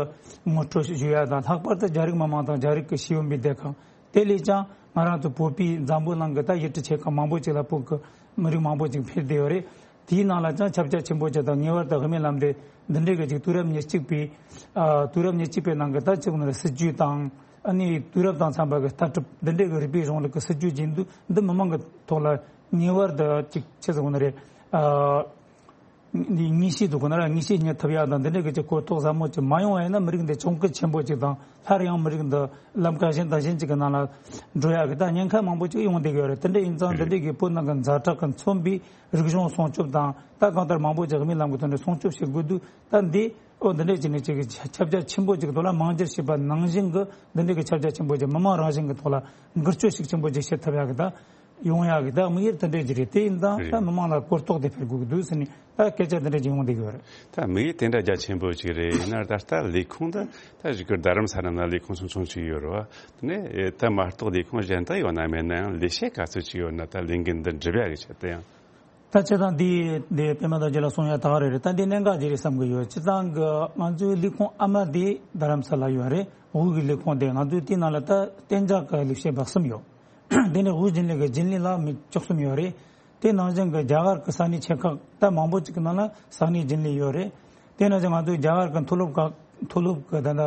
ངོ་སྤྲོད་ཞུ་ཡ་དང་། ལྷག་པར་དུ་རྒྱ་རིགས་མི་མང་དང་རྒྱ་རིགས་ཀྱི་ཤེས་ཡོན་པའི་སྡེ་ཁག། དེ་ལས་ཀྱང་ང་རང་ཚོ་བོད་པའི་འཛམ་བུ་གླིང་གི་ད་ཡུལ་གྲུ་ཆེ་ཁག་མང་པོ་ཅིག་ལ་བོད་ཀྱི་མི་རིགས་མང་པོ་ཅིག་ཕེབས་བསྡད་ཡོད་རེད། དེའི་ནང་ལ་ཀྱང་ཁྱབ་རྒྱ་ཆེན་པོ་ཅིག་དང་ངེས་པར་དུ་དབུ་མའི་ལམ་དེ་འདི་འདྲའི་གི་ཅིག་དུས་རབས་ཉེར་གཅིག་པའི་ཨ་དུས་རབས་ཉེར་གཅིག་པའི་ནང་གི་ད་ཅིག་ནི་སྲིད་ཇུས་དང་ཨ་ནི་དུས་རབས་དང་འཚམ་པ་གི་ལྟ་གྲུབ་འདི་འདྲའི་གི་རིགས་པའི་གཞུང་ལུགས་ཀྱི་སྲིད་ཇུས་ཀྱི་འདུ་འདི་མི་མང་གི་ཐོག་ལ་ངེས་པར་དུ་ཅིག་ཆི་ཟེར་དགོས་ནི་རེད། ཨ་འདི་ངེས་ཤེས་འདུག་གོ་ན་ར་ངེས་ཤེས་རྙེད་ཐུབ་ཡ་དང་འདི་འདྲའི་གི་ཅིག་གོ་རྟོགས་ཟབ་མོ་ཅིག་མ་ཡོང་བ་ཡིན་ན་མི་རིགས་འདི་གྱོང་གུད་ཆེན་པོ་ཅིག་དང་སླར་ཡང་མི་རིགས་འདི་ལམ་ཀ་གཞན་དང་གཞན་ཅིག་གི་ནང་ལ་འགྲོ་ཡ་གི་ད་ཉེན་ཁ་མང་པོ་ཅིག་ཡོང་བསྡད་ཀྱི་ཡོད་རེད། དེ་འདྲ་ཡིན་ཙང་འདི་འདྲའི་གི་བོད་ནང་གི་ཛ་དྲག་གི་མཚོན་པའི་རིག་གཞུང་སྲུང་སྐྱོབ་དང་ད་གང་ལྟར་མང་པོ་ཅིག་དབུ་མའི་ལམ་གི་ཐོག་ནས་སྲུང་སྐྱོབ་བྱེད་དགོས་དུས་ད་འདི་ཨོ་འདི་འདྲའི་ཅིག་ནས་ཅིག་ཁྱབ་རྒྱ་ཆེན་པོ་ཅིག་གི་ཐོག་ལ་མང་སྒྱུར་བྱས་པ་ནང་བཞིན་གི་འདི་འདྲའི་གི་ཁྱབ་རྒྱ་ཆེན་པོ་ཅིག་མི་མང་རང་བཞིན་གི་ཐོག་ལ་འགུལ་སྐྱོད་ཤུགས་ཆེན་པོ་ཅིག་བྱེད་ཐུབ་ཡ་གི་ད་ཡོང་ཡག་གི་ད་དམིགས་ཡུལ་དེ་འདྲ་ཅིག་རེད། དེ་ཡིན་ཙང་ད་རེད། མི་མང་ལ་གོ་རྟོགས་དེ་འཕེལ་དགོས་ཀྱི་འདུག་ཟེར་ནས་ད་སྐད་ཆ་དེ་འདྲ་ཅིག་ཡོང་བསྡད་ཀྱི་ཡོད་རེད། ད་དམིགས་ཡུལ་དེ་འདྲ་རྒྱ་ཆེན་པོ་ཅིག་རེད། ཡིན་ན་ད་ལྟ་ལས་ཁུངས་འདི་ད་གཞུག་གི་རྡ་རམ་ས་ལ་ན་ལས་ཁུངས་ཆུང་ཆུང་ཅིག་ཡོད་རེད་བ། དེ་ནས་ད་མ་གཏོགས་ལས་ཁུངས་གཞན་དག་ཡོད་ན་མེད་ན་ཡང་ལས་བྱེད་ག་ཚོད་ཅིག་ཡོད་ན་ད་ལས་འགན་འདི་འགྲུབ་ཡག་གི་ཆེད་དུ་ཡང་། ད་ཆ་ཚང་འདི་འདི་པད་མ་རྡོ་རྗེ་ལ་གསུང་ཡ་ད་ག་རེ་རེད། ད་འདི་གནད་འགག་ཅིག་རེད་བསམ་གི་ཡོད། སྤྱིར་བཏང་གི་ང་ཚོའི་ལས་ཁུངས་ཨ་མ་འདི་རྡ་རམ་ས་ལ་ཡོད་རེད། དབུས་ཀྱི་ལས་ཁུངས་དེ་ང་ཚོའི་དེའི་ནང་ལ་ད་གཏན་འཇགས་ཀྱི་ལས་བྱེད་པ་གསུམ་ཡོད། དེ་ནས་དབུས་རྒྱུན་ལས་ཀྱི་རྒྱུན་ལས་ལ་མི་བཅུ་གསུམ་ཡོད་རེད། དེ་ནང་བཞིན་གྱི་རྒྱ་གར་གྱི་ས་གནས་ཆེ་ཁག་ད་མང་པོ་ཅིག་གི་ནང་ལ་ས་གནས་རྒྱུན་ལས་ཡོད་རེད། དེ་ནང་བཞིན་ང་ཚོའི་རྒྱ་གར་གྱི་མཐོ་སློབ་ཁག་མཐོ་སློབ་ཀྱི་ད་ལྟ་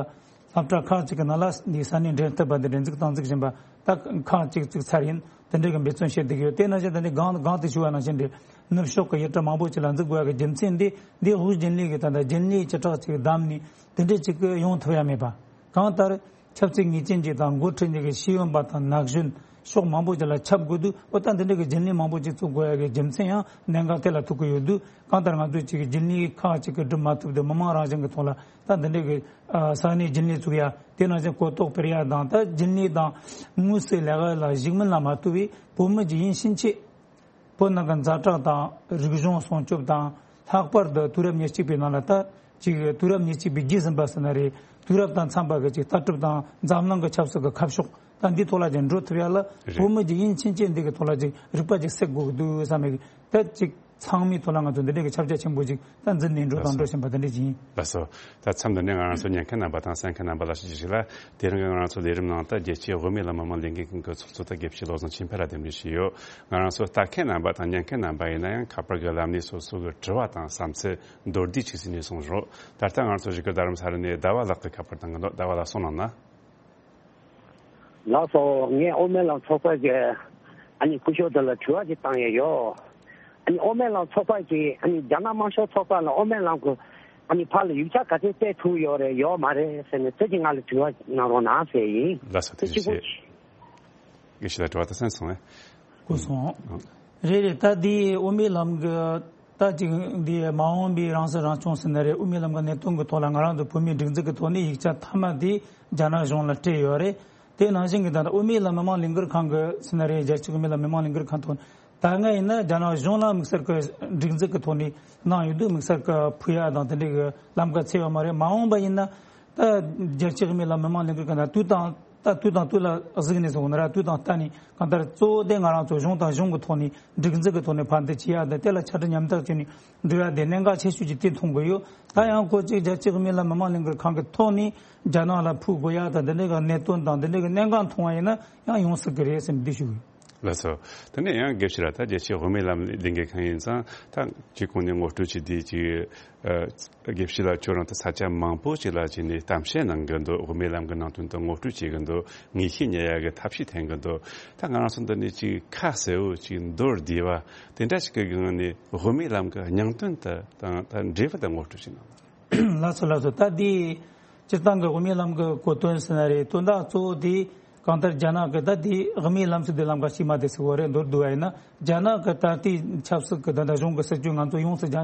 སློབ་གྲྭ་ཁག་ཅིག་གི་ནང་ལ་འདི་ས་གནས་འབྲེལ་མཐུད་པ་འདི་སྒྲིག་འཛུགས་གཏོང་འཛུགས་བཞིན་པ་ད་ཁག་ཅིག་བཙུགས་ཚར་ཡིན། དེ་འདྲའི་གི་འབད་བརྩོན་བྱེད་བསྡད་ཀྱི་ཡོད། དེ་ནང་བཞིན་ད་ནི་གང་གང་དུ་ཞུ་བ་ནང་བཞིན་འདི་ནུབ་ཕྱོགས་ཀྱི་ཡུལ་གྲུ་མང་པོ་ཅིག་ལ་འཛུགས་དགོས་ཡ་གི་རྒྱུ་མཚན་འདི་འདི་དབུས་རྒྱུན་ལས་ཀྱི་ད་ལྟ་རྒྱུན་ལས་བྱེ་བྲག་ཅིག་བདམས་ནས་དེ་འདྲའི་ཅིག་གི་ཡོང་ཐུབ་ཡ་མེད་པ། གང་ལྟར་ཆབ་སྲིད་ངེས་ཅན་ཅིག་དང་འགོ་ཁྲིད་མཁན་གྱི་ཤེས་ཡོན་པ་དང་ན་གཞོན་ཕྱོགས་མང་པོ་ཅིག་ལ་ཁྱབ་དགོས་དུས་ཨོ་ད་འདི་འདྲ་གི་རྒྱུན་ལས་མང་པོ་ཅིག་བཙུགས་དགོས་ཡ་གི་རྒྱུ་མཚན་ཡང་གནད་འགག་དེ་ལ་ཐུག་གི་ཡོད་དུས་གང་ལྟར་ང་ཚོས་ཅིག་གི་རྒྱུན་ལས་ཁག་ཅིག་གི་སྒྲུབ་མ་ཐུབ་དུས་མི་མང་རང་བཞིན་གྱི་ཐོག་ལ་ད་འདི་འདྲ་གི་ས་གནས་རྒྱུན་ལས་བཙུགས་ཡ་དེ་ནང་བཞིན་གོ་རྟོགས་སྤེལ་ཡ་དང་ད་རྒྱུན་ལས་དང་དངོས་སུ་ལས་ཀ་ལ་ཞུགས་མིན་ལ་མ་ལྟོས་པའི་བོད་མི་ཅིག་ཡིན་ཕྱིན་ཆད། བོད་ནང་གི་ཛ་དྲག་དང་རིག་གཞུང་སྲུང་སྐྱོབ་དང་ལྷག་པར་དུ་དུས་རབས་ཉེར་གཅིག་པའི་ནང་ལ་ད་ཅིག་དུས་རབས་ཉེར་གཅིག་པའི་རྗེས་ཟིན་པ་ཟེར་ན་རེད། དུས་རབས་དང་འཚམ་པ་གི་ཅིག་ལྟ་གྲུབ་དང་འཛམ་གླིང་གི་ཆབ་སྲིད་ཀྱི་ཁ་ཕྱོགས་ད་འདི་ཐོག་ལ་ཅིག་འགྲོ་ཐུབ་ཡ་ལ་རེད། བོད་མི་ཅིག་ཡིན་ཕྱིན་ཆད་འདི་གི་ཐོག་ལ་ཅིག་རིག་པ་ཅིག་གསེག་དགོས་ཀྱི་འདུག་བསམ་ཡ་གི་ད་ཅིག་ཚང་མའི་ཐོག་ལ་ང་ཚོ་འདི་འདྲའི་གི་ཁྱབ་རྒྱ་ཆེན་པོ་ཅིག་ད་འཛིན་ནས་འགྲོ་དང་འགྲོ་བཞིན་པ་འདི་འདྲ་ཅིག་ཡིན། ལགས་སོ། ད་མཚམས་འདི་ནས་ང་རང་ཚོ་ཉན་མཁན་རྣམ་པ་དང་གསན་མཁན་རྣམ་པ་ལ་ཞུ་རྒྱུ་ཞིག་ལ། དེ་རིང་གི་ང་རང་ཚོ་ལས་རིམ་ནང་དུ་རྒྱལ་སྤྱིའི་དབུ་མའི་ལམ་མི་མང་ལས་འགུལ་ཁང་གི་ཚོགས་གཙོ་དང་དགེ་བཤེས་བློ་བཟང་ཆོས་འཕེལ་ལགས་གདན་འདྲེན་ཞུས་ཡོད། ང་རང་ཚོ་ལྟ་མཁན་རྣམ་པ་དང་ཉན་མཁན་རྣམ་པ་ཡིན་ན་ཡང་ཁ་པར་གྱི་ལམ་ནས་སོ་སོ་གི་དྲི་བ་དང་བསམ་ཚུལ་མདོར་བསྡུས་ཅིག་ཟིན་ནས་གསུངས་རོགས། ད་ལྟ་ང་རང་ཚོ་བཞུགས་སྒར་རྡ་རམ་ས་ལ་ནས་ཟླ་བ་ལགས་ཀྱིས་ཁ་པར་བཏང་གི་འདུག་ཟླ་བ་ལགས་གསུངས་གནང་ན། ལགས་སོ། ངས་དབུ་མའི་ལམ་ཚོགས་པ་གི་ཨ་ནི་སྐུ་ཞབས་དེ་ལ་དྲི་བ་ཅིག་བཏང་ཡས་ཡོད། ཨ་ནི་དབུ་མའི་ལམ་ཚོགས་པ་གིས་ཨ་ནི་རྒྱ་ནག་དམར་ཤོག་ཚོགས་པ་ལ་དབུ་མའི་ལམ་གྱི་ཨ་ནི་ཕར་ལ་ཡིག་ཆ་ག་ཚོད་སྤྲད་ཐུབ་ཡོད་རེད་ཡོད་མ་རེད་ཟེར་ནས་ཁྱེད་ཀྱིས་ང་ལ་དྲི་བ་གནང་རོགས་གནང་ཟེར་ཡིན། ལགས་སོ། དེ་དེ་གཅིག་པོ། ཞེས། དགེ་བཤེས་ལགས་དྲི་བ་དེ་གསན་སོང་ངས། གོ་སོང་། རེད་རེད། ད་འདི་དབུ་མའི་ལམ་གྱི་ད་ཅིག་འདི་མ་འོངས་པའི་རང་སྲིད་རང་སྐྱོང་ཟེར་ན་རེད། དབུ་མའི་ལམ་གྱི་གནད་དོན་གྱི་ཐོག་ལ་ང་རང་ཚོ་བོད་མིའི་སྒྲིག་འཛུགས་ཀྱི་ཐོག་ནས་ཡིག་ཆ་མཐའ་མ་དེ་རྒྱ་ནག་གཞུང་ལ་སྤྲད་ཡོད་རེད། དེ་ནང་བཞིན་གྱི་ད་ལྟ་དབུ་མའི་ལམ་མི་མང་ལས་འགུལ་ཁང་གི་ཟེར་ན་རེད། རྒྱལ་སྤྱིའི་དབུ་མའི་ལམ་མི་མང་ལས་འགུལ་ཁང་ཐོག་ད་སྔ་ཡིན་ན་རྒྱ་ནག་གཞུང་ལ་དམིགས་བསལ་གྱི་སྒྲིག་འཛུགས་ཀྱི་ཐོག་ནས་གནང་ཡོད་དུས་དམིགས་བསལ་གྱི་ཕུལ་ཡ་དང་དེ་འདྲའི་གི་ལམ་ཁ་ཚད་ཡོད་མ་རེད། མ་འོངས་པ་ཡིན་ན་ད་རྒྱལ་སྤྱིའི་དབུ་མའི་ལམ་མི་མང་ལས་འགུལ་ཁང་ད་དུས་དང་ད་དུས་དང་དུས་ལ་གཟིགས་ནས་སོང་ན་ར་དུས་དང་ལྟ་ནས་གང་ལྟར་གཙོ་བོ་དེ་ང་རང་ཚོ་གཞུང་དང་གཞུང་གི་ཐོག་ནས་སྒྲིག་འཛུགས་ཀྱི་ཐོག་ནས་ཕན་བདེ་བྱེད་ཡ་དང་དེ་ལ་ཆ་འཕྲིན་ཉམ་ཐག་བྱས་ནས་འགྲོ་ཡ་དེ་གནད་འགག་ཆེ་ཤོས་ཀྱི་དེ་མཐོང་གི་ཡོད། ད་ཡང་ཁོ་གཅིག་རྒྱལ་སྤྱིའི་དབུ་མའི་ལམ་མི་མང་ལས་འགུལ་ཁང་གི་ཐོག་ནས་རྒྱ་ནག་ལ་ཕུལ་དགོས་ཡ་དང་དེ་འདྲའི་གི་གནད་དོན་དང་དེ་འདྲའི་གི་གནད་འགག་མཐོང་བ་ཡིན་ན་ཡང་ཡོང་སྲིད་གི་རེད་ཟེར་ནས་འདི་ཞུ་གི་ཡོད། ལགས་སོ། དེ་ནས་ཡང་དགེ་བཤེས་ལགས་ད་རྒྱལ་སྤྱིའི་དབུ་མའི་ལམ་ལས་འགུལ་ཁང་ཡིན་ཙང་ད་སྤྱི་ཁོངས་ནས་ངོ་སྤྲོད་བྱས་དུས་ཀྱི་ཨ་དགེ་བཤེས་ལགས་ཁྱོད་རང་ད་ས་ཆ་མང་པོ་ཅིག་ལ་ཅིག་ནས་གཏམ་བཤད་གནང་གི་འདུག་དབུ་མའི་ལམ་གྱི་ནང་དོན་དུ་ངོ་སྤྲོད་བྱེད་ཀྱི་འདུག་ངེས་ཤེས་རྙེད་ཡ་གི་ཐབས་ཤེས་འཐེན་གྱི་འདུག་ད་ང་རང་ཚོ་འདི་ནས་ཅིག་ཁ་གསལ་བོ་ཅིག་མདོར་བསྡུས་པ་དེ་འདྲ་ཞིག་གི་སྒང་ནས་དབུ་མའི་ལམ་གྱི་སྙིང་དོན་དུ་དང་ད་འབྲེལ་བ་དང་ངོ་སྤྲོད་ཅིག་གནང་། ལགས་སོ་ལགས་སོ། ད་འདི་སྤྱིར་བཏང་གི་དབུ་མའི་ལམ་གྱི་གོ་དོན་ཟེར་ན་རེད། དོན་དག་གཙོ་བོ་དེ་གང་ལྟར་རྒྱ་ནག་གི་ད་འདི་དབུ་མའི་ལམ་ཟེར་དུས་ལམ་ཁ་ཕྱི་མ་དེ་ཟེར་བ་རེད། མདོར་བསྡུ་བ་ཡིན་ན་རྒྱ་ནག་གི་ད་ལྟའི་ཆབ་སྲིད་ཀྱི་ད་ལྟ་གཞུང་གི་སྲིད་བྱུས་ང་ཚོ་ཡོངས་སུ་རྒྱ་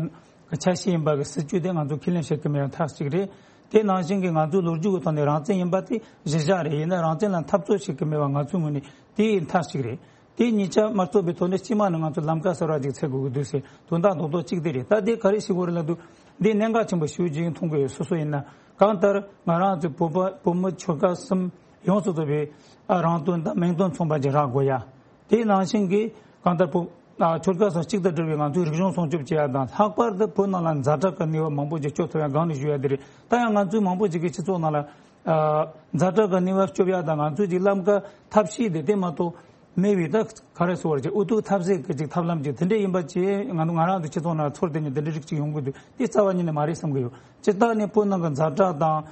གི་ཆ་ཤས་ཡིན་པ་གི་སྲིད་བྱུས་དེ་ང་ཚོ་ཁས་ལེན་བྱེད་ཀྱི་མེད་པ་མཐའ་གཅིག་རེད། དེ་ནང་བཞིན་གྱི་ང་ཚོའི་ལོ་རྒྱུས་ཀྱི་ཐོག་ནས་རང་བཙན་ཡིན་པ་དེ་གཞི་བཞག་རེད། ཡིན་ན་རང་བཙན་ལ་འཐབ་རྩོད་བྱེད་ཀྱི་མེད་པ་ང་ཚོའི་ངོས་ནས་དེ་མཐའ་གཅིག་རེད། དེ་གཉིས་ཆ་མ་གཏོགས་པའི་ཐོག་ནས་སྤྱི་དམངས་ནི་ང་ཚོ་ལམ་ཀ་གསར་བ་ཅིག་འཚོལ་དགོས་ཀྱི་འདུག་ཟེར་དོན་དག་རྡོག་རྡོག་གཅིག་དེ་རེད། ད་དེ་ག་རེ་ཞིག་དགོས་རེད་ལབ་དུས་འདི་གནད་འགག་ཆེན་པོ་ཞེ་པོ་ཅིག་མཐོང་གི་ཡོད། སོ་སོ་ཡིན་ན་གང་ལྟར་ང་རང་ཚོའི་བོད་པ་བོད་མི་ཆོལ་ཁ་གསུམ་ཡོངས་སུ་རྫོགས་པའི་ཨ་རང་དོན་དང་མིང་དོན་མཚུངས་པ་ཅིག་རག་དགོས་ཡ། དེ་ནང་བཞིན་གྱི་གང་ལྟར་བོད་ཨ་ཆོལ་ཁ་གསུམ་གཅིག་ཏུ་སྒྲིལ་བའི་ང་ཚོའི་རིག་གཞུང་སྲུང་སྐྱོབ་བྱེད་ཡ་དང་ལྷག་པར་དུ་བོད་ནང་ལ་ཛ་དྲག་གི་ནུས་པ་མང་པོ་ཅིག་སྤྱོད་ཐུབ་ཡ་སྒང་ནས་ཞུ་ཡ་དེ་རེད། ད་ཡང་ང་ཚོའི་མང་པོ་ཅིག་གི་སྤྱི་ཚོགས་ནང་ལ་ཨ་ཛ་དྲག་གི་ནུས་པ་སྤྱོད་ཡ་དང་ང་ཚོའི་ཅིག་ལམ་ཀ་ཐབས་ཤེས་དེ་དེ་མ་གཏོགས། མེད་པའི་ད་ག་རེ་ཟེར་བ་ཅིག་ཨུ་ཐུག་ཐབས་ཟད་ཀྱི་ཅིག་ཐབས་ལམ་ཅིག་དེ་འདྲ་ཡིན་པ་ཅིག་ང་ང་རང་ཚོ་སྤྱི་ཚོགས་ནང་ཚོར་དེ་ནི་དེ་འདྲ་རིགས་ཅིག་ཡོང་གི་འདུག་དེ་རྩ་བ་ཉིད་ནས་མ་རེད་བསམ་གི་ཡོད། སྤྱིར་བཏང་ནས་བོད་ནང་གི་ཛ་དྲག་དང་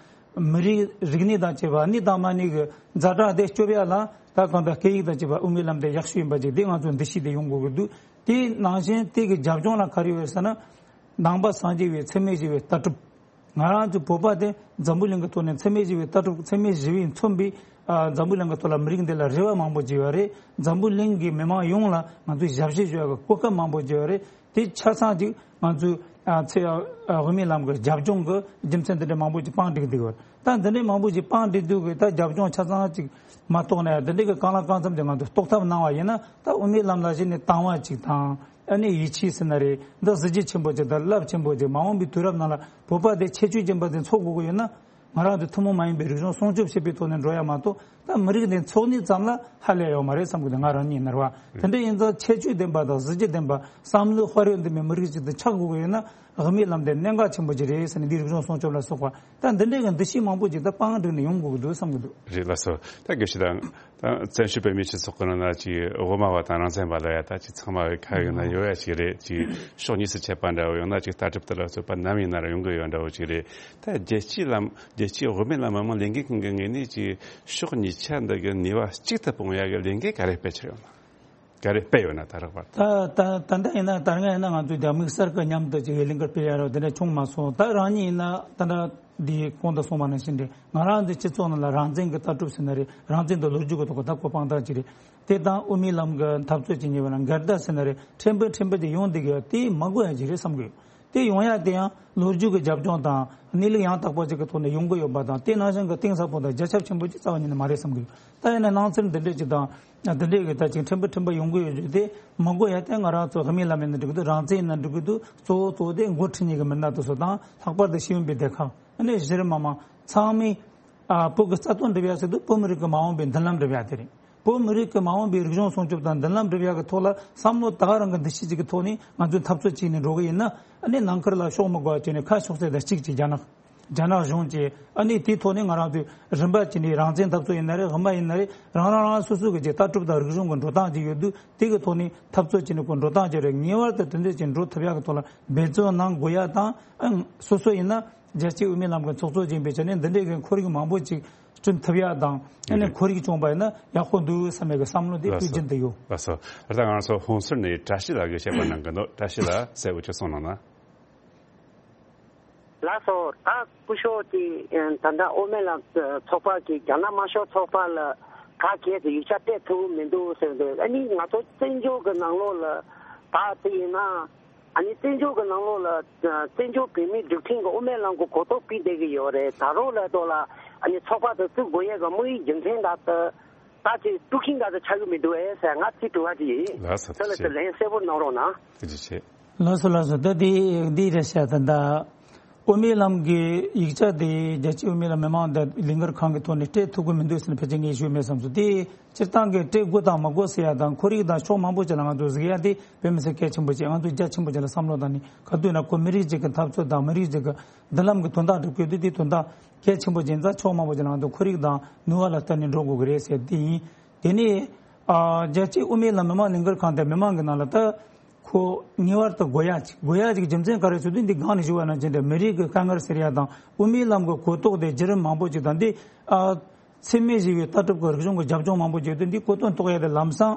མི་རིགས་རིག་གནས་དང་བཅས་པ་གནས་དང་མ་གནས་ཀྱི་ཛ་དྲག་དེ་སྐྱོབ་ཡ་ལ་ད་གང་ལྟར་སྐད་ཡིག་དང་བཅས་པ་དབུ་མའི་ལམ་དེ་ཡག་ཤོས་ཡིན་པ་ཅིག་དེ་ང་ཚོ་འདུ་ཤེས་དེ་ཡོང་དགོས་ཀྱི་འདུག་དེ་ནང་བཞིན་དེ་གི་རྒྱབ་ལྗོངས་ལ་ག་རེ་ཡོད་ཟེར་ན། ནང་པ་སངས་རྒྱས་པའི་འཚེ་མེད་ཞི་བའི་ལྟ་གྲུབ། ང་རང་ཚོ་བོད་པ་དེ་འཛམ་བུ་གླིང་གི་ཐོག་ནས་འཚེ་མེད་ཞི་བའི་ལྟ་གྲུབ་འཚེ་མེད་ཞི་བས་མཚོན་པའི་ཨ་འཛམ་བུ་གླིང་གི་ཐོག་ལ་མི་རིགས་འདི་ལ་རེ་བ་མང་པོ་བྱས་པ་རེད། འཛམ་བུ་གླིང་གི་མི་མང་ཡོངས་ལ་ང་ཚོས་ཞབས་ཕྱི་ཞུ་ཡག་གི་གོ་སྐབས་མང་པོ་བྱས་པ་རེད། དེ་ཆ་ཚང་ཅིག་ང་ཚོས་ཨ་ཚེ་ཨ་དབུ་མའི་ལམ་གྱི་རྒྱབ་ལྗོངས་ཀྱི་རྒྱུ་མཚན་འདི་འདྲ་མང་པོ་ཅིག་སྤངས་འགྲིག་འདུག་བར་ད་འདི་འདྲ་མང་པོ་ཅིག་སྤངས་འགྲིག་འདུག་གི་ད་རྒྱབ་ལྗོངས་ཆ་ཚང་ཅིག་མ་རྟོགས་ན་ཡང་འདི་འདྲ་གི་གང་ལ་གང་འཚམ་དེ་ང་ཚོས་རྟོགས་ཐབས་གནང་བ་ཡིན་ན་ད་དབུ་མའི་ལམ་ལ་གཞི་ནས་དང་བ་ཅིག་དང་། ཨ་ནི་ཡིད་ཆེས་ཟེར་ན་རེད། འདི་གཟི་བརྗིད་ཆེན་པོ་ཅིག་དང་རླབས་ཆེན་པོ་ཅིག་མ་འོངས་པའི་དུས་རབས་ནང་ལ་བོད་པ་དེ་ཁྱད་ཆོས་ཅན་པ་ཅིག་འཚོ་དགོས་ཀྱི་ཡོད་ན། ང་རང་ཚོ་ཐུན་མོང་མ་ཡིན་པའི་རིག་གཞུང་སྲུང་སྐྱོབ་བྱེད་པའི་ཐོག་ནས་འགྲོ་ཡ་མ་གཏོགས་ད་མི་རིགས་དེ་འཚོ་གནས་ཙམ་ལ་ཧ་ལས་ཡོད་མ་རེད་བསམ་གི་འདུག་ང་རང་ཉིད་ནར་བ་དེ་འདྲ་ཡིན་ཙང་ཁྱད་ཆོས་ལྡན་པ་དང་གཟི་བརྗིད་ལྡན་པ་བསམ་བློའི་དཔལ་ཡོན་ལྡན་པའི་མི་རིགས་ཅིག་ཏུ་ཆགས་དགོས་ཀྱི་ཡོད་ན་དབུ་མའི་ལམ་དེ་གནད་འགག་ཆེན་པོ་ཅིག་རེད་ཟེར་ནས་འདིའི་རིག་གཞུང་སྲུང་སྐྱོབ་ལ་སོགས་པ་ད་འདི་འདྲའི་གི་འདུ་ཤེས་མང་པོ་ཅིག་ད་སྤང་བསྒྲིགས་ནས་ཡོང་དགོས་ཀྱི་འདུག་བསམ་གི་འདུག་རེད་ལགས་སོ། ད་དགེ་བཤེས་དང་། ད་བཙན་བྱོལ་བོད་མིའི་སྤྱི་ཚོགས་ཀྱི་ནང་ན་ཅིག་དབུ་མ་པ་དང་རང་བཙན་པ་ལབ་ཡ་ད་ཅིག་ཚང་མ་གི་ཁ་ཡོད་ན་ཡོད་ཡ་ཅིག་རེད། ཅིག་ཕྱོགས་གཉིས་སུ་ཆད་པ་འདྲ་བོ་ཡང་ན་ཅིག་ལྟ་གྲུབ་དེ་ལ་སོགས་པ་ནམ་ཡིན་ན་ར་ཡོང་གི་ཡོད་འདྲ་བོ་ཅིག་རེད། ད་རྒྱལ་སྤྱིའི་ལམ་རྒྱལ་སྤྱིའི་དབུ་མའི་ལམ་མི་མང་ལས་འགུལ་ཁང་གི་ངོས་ནས་ཅིག་ཕྱོགས་གཉིས་ཆ་འདི་གི་ནུས་པ་གཅིག་ཏུ་སྤུངས་ཡ་གི་ལས་འགུལ་ག་རེ་སྤེལ་ཕྱིར་ཡོང་ན། ག་རེ་སྤེལ་ཡོད་ན་ད་རག་པར། ད་ད་ད་ལྟ་ཡིན་ན་ད་སྔ་ཡིན་ན་ང་ཚོས་རྒྱ་དམིགས་བསལ་གྱི་མཉམ་དུ་ཅིག་ལས་འགུལ་སྤེལ་ཡ་རོགས་དེ་འདྲ་བྱུང་མ་སོང་། ད་རང་ཉིད་ཡིན་ན་ད་ལྟ་འདི་གོང་དུ་གསུངས་པ་ནང་བཞིན་རེད། ང་རང་ཚོའི་སྤྱི་ཚོགས་ནང་ལ་རང་བཙན་གྱི་ལྟ་གྲུབ་ཟེར་ན་རེད། རང་བཙན་དང་ལོ་རྒྱུས་ཀྱི་ཐོག་གི་ད་གོ་འཕང་དག་ཅིག་རེད། དེ་དང་དབུ་མའི་ལམ་གྱི་འཐབ་རྩོད་ཅིག་ཉེ་བ་ན་འགལ་ཟླ་ཟེར་ན་རེད། ཕྲན་བུ་ཕྲན་བུ་དེ་ཡོང་བསྡད་ཀྱི་ཡོད། དེ་མ་དགོས་ཡ་ཅིག་རེད་བསམ་གྱི་ཡོད། དེ་ཡོང་ཡ་དེ་ཡང་ལོ་རྒྱུས་ཀྱི་རྒྱབ་ལྗོངས་དང་གནས་ལུགས་ཡང་དག་པ་ཅིག་གི་ཐོག་ནས་ཡོང་གི་ཡོད་པ་དང་དེ་ནང་བཞིན་གྱི་གཏིང་ཟབ་པོ་དང་རྒྱ་ཁྱབ་ཆེན་པོ་ཅིག་རྩ་བ་ཉིད་ནས་མ་རེད་བསམ་གྱི་ཡོད། ད་ཡིན་ན་སྣང་ཚུལ་འདི་འདྲས་ཅིག་དང་འདི་འདྲས་ཀྱི་ད་ཅིག་ཕྲན་བུ་ཕྲན་བུ་ཡོང་གི་ཡོད་རྒྱུ་དེ་མ་དགོས་ཡ་དེ་ང་རང་ཚོ་དབུ་མའི་ལམ་ཡིན་ན་འགྲིག་གི་འདུག་རང་བཙན་ཡིན་ན་འགྲིག་གི་འདུག་གཙོ་བོ་གཙོ་བོ་དེ་འགོ་ཁྲིད་མཁན་གྱི་མི་སྣ་དེ་ཚོ་དང་ལྷག་པར་དུ་ཤེས་ཡོན་པའི་སྡེ་ཁག་ཨ་ནི་གཞི་རིམ་མི་མང་ཚང་མས་ཨ་བོད་ཀྱི་རྩ་དོན་སྒྲུབ་ཡ་ཟེར་དུས་བོད་མི་རིགས་ཀྱི་མ་འོངས་པའི་མདུན་ལམ་སྒྲུབ་ཡ་དེ་རེད། བོད་མི་རིགས་ཀྱི་མ་འོངས་པའི་རིག་གཞུང་སྲུང་སྐྱོབ་དང་མདུན་ལམ་སྒྲུབ་ཡག་གི་ཐོག་ལ་བསམ་བློ་ད་ག་རང་གི་འདུ་ཤེས་ཅིག་གི་ཐོག་ནས་ང་ཚོས་འཐབ་རྩོད་བྱས་ནས་འགྲོ་གི་ཡིན་ན་ཨ་ནི་ནང་ཁུལ་ལ་ཕྱོགས་མི་དགོས་པ་བྱས་ནས་ཁ་ཕྱོགས་ཚད་དང་གཅིག་ཅིག་རྒྱ་ནག་རྒྱ་ནག་གཞུང་གིས་ཨ་ནི་དེའི་ཐོག་ནས་ང་རང་ཚོས་རིམ་པ་བྱས་ནས་རང་བཙན་འཐབ་རྩོད་ཡིན་ན་རེད། དབུ་མ་ཡིན་ན་རེད། རང་རང་རང་སོ་སོ་གི་ཅིག་ལྟ་གྲུབ་དང་རིག་གཞུང་གི་འགྲོ་སྟངས་ཅིག་ཡོད་དུས་དེ་གི་ཐོག་ནས་འཐབ་རྩོད་བྱས་ནས་ཁོ་འགྲོ་སྟངས་ཅིག་རེད། ངེས་པར་དུ་དེ་འདྲ་ཅིག་འགྲོ་ཐུབ་ཡག་གི་ཐོག་ལ་འབད་བརྩོན་གནང་དགོས་ཡ་དང་ཨ་སོ་སོ་ཡིན་ན་རྒྱལ་སྤྱིའི་དབུ་མའི་ལམ་གྱི་ཚོགས་གཙོ་ཡིན་པའི་ཆ་ནས་འདི་འདྲའི་གི་ཁོར་ཡུག་མང་པོ་ཅིག་བསྐྲུན་ཐུབ་ཡག་དང་ཨ་ནི་ཁོར་ཡུག་བྱུང་བ་ཡིན་ན་ཡག་པོ་འདུག་བསམ་ཡག་གི་བསམ་བློ་དེ་ལགས་སོ། དུས་རྒྱུན་དུ་ཡོད། ལགས་སོ། ད་ལྟ་ང་ཚོ་ཧོན་སུར་ནས་བཀྲ་ཤིས་ལགས་ཀྱིས་བཤད་པ་གནང་གི་འདུག་བཀྲ་ཤིས་ལགས་གསལ་བོ་ཅིག་གསུང་གནང་ན། ལགས་སོ། ད་སྐུ་ཞབས་ཀྱིས་ད་ལྟ་དབུ་མའི་ལམ་ཚོགས་པ་གིས་རྒྱ་ནག་དམར་ཤོག་ཚོགས་པ་ལ་ག་གལ་ཏེ་ཡིག་ཆ་སྤྲད་ཐུབ་མི་འདུག་ཟེར་འདུག་ཨ་ནི་ང་ཚོ་བཙན་བྱོལ་གྱི་ནང་ལོགས་ལ་ད་དེ་ཡིན་ན། ཨ་ནི་བཙན་བྱོལ་གྱི་ནང་ལོགས་ལ་བཙན་བྱོལ་བོད་མིའི་སྒྲིག་ཁྲིམས་ཀྱི་དབུ་མའི་ལམ་གྱི་གོ་རྟོགས་སྤེལ་བསྡད་ཀྱི་ཡོད་རེད། ད་རུང་ལ་ཐོག་ལ་ཨ་ནི་ཚོགས་པ་དེ་བཙུགས་དགོས་ཡས་ཀྱི་དམིགས་ཡུལ་རྒྱུ་མཚན་དག་ཏུ་ད་ཅིག་དཀྲུག་ཤིང་དག་ཏུ་ཆགས་ཀྱི་མི་འདུག་ཨེ་ཟེར་ང་ཚིག་དྲི་བ་ཅིག་ཡིན། ལགས་སོ། དེ་ལ་ཐུགས་རྗེ་ཆེ། ལན་གསལ་པོ་གནང་རོགས་གནང་། ཐུགས་རྗེ་ཆེ། ལགས་སོ་ལགས་སོ། ད་དེ་འདི་རེད་ཤག་ད་ད། དབུ་མའི་ལམ་གྱི་ཡིག་ཆ་དེ་རྒྱལ་སྤྱིའི་དབུ་མའི་ལམ་མི་མང་དང་ལས་འགུལ་ཁང་གི་ཐོག་ནས་སྤྲད་ཐུབ་ཀྱི་མི་འདུག་ཟེར་ནས་ཕལ་ཆེར་ངས་ཞུས་མེད་བསམ་སོང་། དེ་སྤྱིར་བཏང་གི་སྤྲད་དགོས་དང་མ་དགོས་ཟེར་ཡ་དང་ཁོར་ཡུག་དང་ཕྱོགས་མང་པོ་ཅིག་ལ་ང་ཚོ་གཟིགས་ཡ་དེ་དཔེ་མི་སྲིད་གལ་ཆེན་པོ་ཅིག་ང་ཚོ་རྒྱ་ཆེན་པོ་ཅིག་ལ་བསམ་བློ་བཏང་ནས་ག་དུས་ན་ཁོ་མི་རིགས་ཅིག་གི་འཐབ་རྩོད་དང་མི་རིགས་ཅིག་གི་མདུན་ལམ་གྱི་དོན་དག་སྒྲུབ་དགོས་དུས་དེ་དོན་དག་གལ་ཆེན་པོ་ཅིག་ཡིན་ཙང་ཕྱོགས་མང་པོ་ཅིག་ལ་ང་ཚོ་ཁོར་ཡུག་དང་ནུས་པ་ལ་བརྟེན་ནས་འགྲོ་དགོས་ཀྱི་རེད་ཟེར་དེ་ཡིན། དེ་ནས་ཨ་རྒྱལ་སྤྱིའི་དབུ་མའི་ལམ་མི་མང་ལས་འགུལ་ཁང་དེ་མི་མང་གི་ནང་ལ་ད། ཁོ་ངེས་པར་དུ་དགོས་ཡ་ཅིག་དགོས་ཡ་ཅིག་རྒྱུ་མཚན་ག་རེ་ཟེར་དུས་འདི་སྒང་ནས་ཞུ་བ་ནང་བཞིན་རེད། མི་རིགས་ཀྱི་དཀའ་ངལ་སེལ་ཡ་དང་དབུ་མའི་ལམ་གྱི་གོ་རྟོགས་དེ་བརྒྱུད་རིམ་མང་པོ་ཅིག་དང་འདི་ཨ་འཚེ་མེད་ཞི་བའི་ལྟ་གྲུབ་ཀྱི་རིག་གཞུང་གི་རྒྱབ་ལྗོངས་མང་པོ་ཅིག་དེ་འདི་གོ་རྟོགས་རྟོགས་ཡ་དེ་ལམ་སང་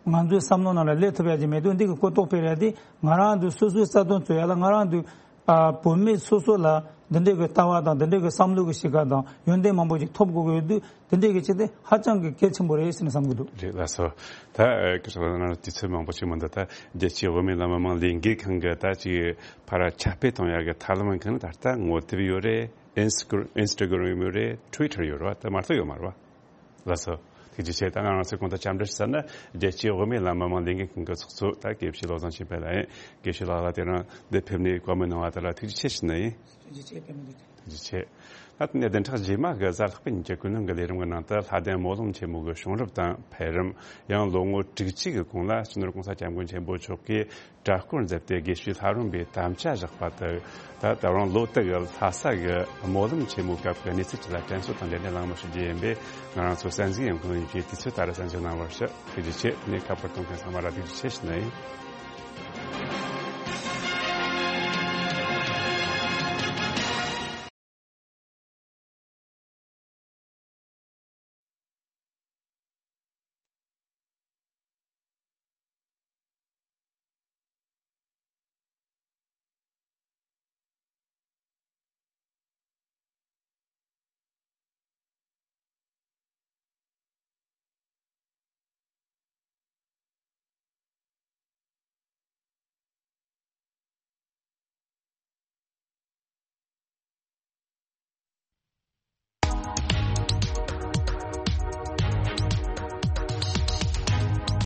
ང་ཚོའི་བསམ་བློ་ནང་ལ་སླེབས་ཐུབ་ཡ་ཅིག་མེད་དུས་འདི་གི་གོ་རྟོགས་སྤེལ་ཡ་དེ་ང་རང་ཚོའི་སོ་སོའི་རྩ་དོན་རྩོད་ཡ་ལ་ང་རང་ཚོའི་ཨ་བོད་མི་སོ་སོ་ལ་འདི་འདྲའི་གི་ལྟ་བ་དང་འདི་འདྲའི་གི་བསམ་བློ་གི་གཤིས་ཀ་དང་ཡོན་ཏན་མང་པོ་ཅིག་ཐོབ་དགོས་ཀྱི་ཡོད་དུས། དེ་འདྲའི་གི་ཆེད་དེ་ཧ་ཅང་གི་གལ་ཆེན་པོ་རེད་ཟེར་ནས་བསམ་གྱི་འདུག་རེད་ལགས་སོ། ད་ཨ་སྐུ་ཞབས་ལགས་ནང་དུས་ཚོད་མང་པོ་ཞིག་མི་འདུག་ད་རྒྱལ་སྤྱིའི་དབུ་མའི་ལམ་མི་མང་ལས་འགུལ་ཁང་གི་ད་ཅིག་ཕར་ཁྱབ་སྤེལ་གཏོང་ཡག་གི་ཐབས་ལམ་གང་ད་ལྟ་ངོ་དེབ་ཡོད་རེད། ཨིན་སི་ཀྲ་ཨིན་སི་ཀྲ་གྷ་རམ་ཡོད་རེད། ཊུ་ཝི་ཊར་ཡོད་རེད་བ། ད་མ་གཏོགས་ཡོད་མ་རེད་བ། ལགས་སོ། ཐུགས་རྗེ་ཆེ། ད་ང་རང་ཚོའི་གོང་དུ་འཆམ་མཐུན་ཞུ་ས་ན་རྒྱལ་སྤྱིའི་དབུ་མའི་ལམ་མི་མང་ལས་འགུལ་ཁང་གི་ཚོགས་གཙོ་ད་དགེ་བཤེས་བློ་བཟང་ཆོས་འཕེལ་ལགས་ཡིན། དགེ་བཤེས་ལགས་ལ་དེ་རིང་འདིར་ཕེབས་ནས་བཀའ་མོལ་གནང་བ་དེ་ལ་ཐུགས་རྗེ་ཆེ་ཞུ་ནི་ཡིན། ཐུགས་རྗེ་ཆེ། བཀའ་མོལ་དེ། ཐུགས་རྗེ་ཆེ། ད་ཐེངས་བདུན་ཕྲག་རྗེས་མ་གི་གཟའ་ལྷག་པའི་ཉིན་གྱི་ཀུན་སློང་གི་ལས་རིམ་གྱི་ནང་དུ་ལྷ་ལྡན་སྨོན་ལམ་ཆེན་མོ་གི་བྱུང་རབས་དང་འཕེལ་རིམ། ཡང་ལོ་ངོ་དྲུག་ཅུ་གི་གོང་ལ་སྤྱི་ནོར་༸གོང་ས་༸སྐྱབས་མགོན་ཆེན་པོ་མཆོག་གིས་གྲྭ་སྐོར་མཛད་དེ་དགེ་བཤེས་ལྷ་རམས་པའི་དམ་བཅའ་བཞག་པ་དང་། ད་ད་རུང་ལོ་དེ་གི་ལྷ་ས་གི་སྨོན་ལམ་ཆེན་མོའི་སྐབས་ཀྱི་གནས་ཚུལ་བཅས་ལ་དྲན་གསོ་དང་འབྲེལ་ནས་གླེང་མོལ་ཞུ་རྒྱུ་ཡིན་པས། ང་རང་ཚོ་གསན་གཟིགས་ཡོད་མཁན་ཡོངས་ཀྱིས་དུས་ཚོད་ལྟར་གསན་གཟིགས་གནང་བར་ཞུ། ཐུགས་རྗེ་ཆེ། དེ་ནས་ཁ་པར་གཏོང་མཁན་ཚང་མ་ལ་ཐུགས་རྗེ་ཆེ་ཞུ་ནི་ཡིན།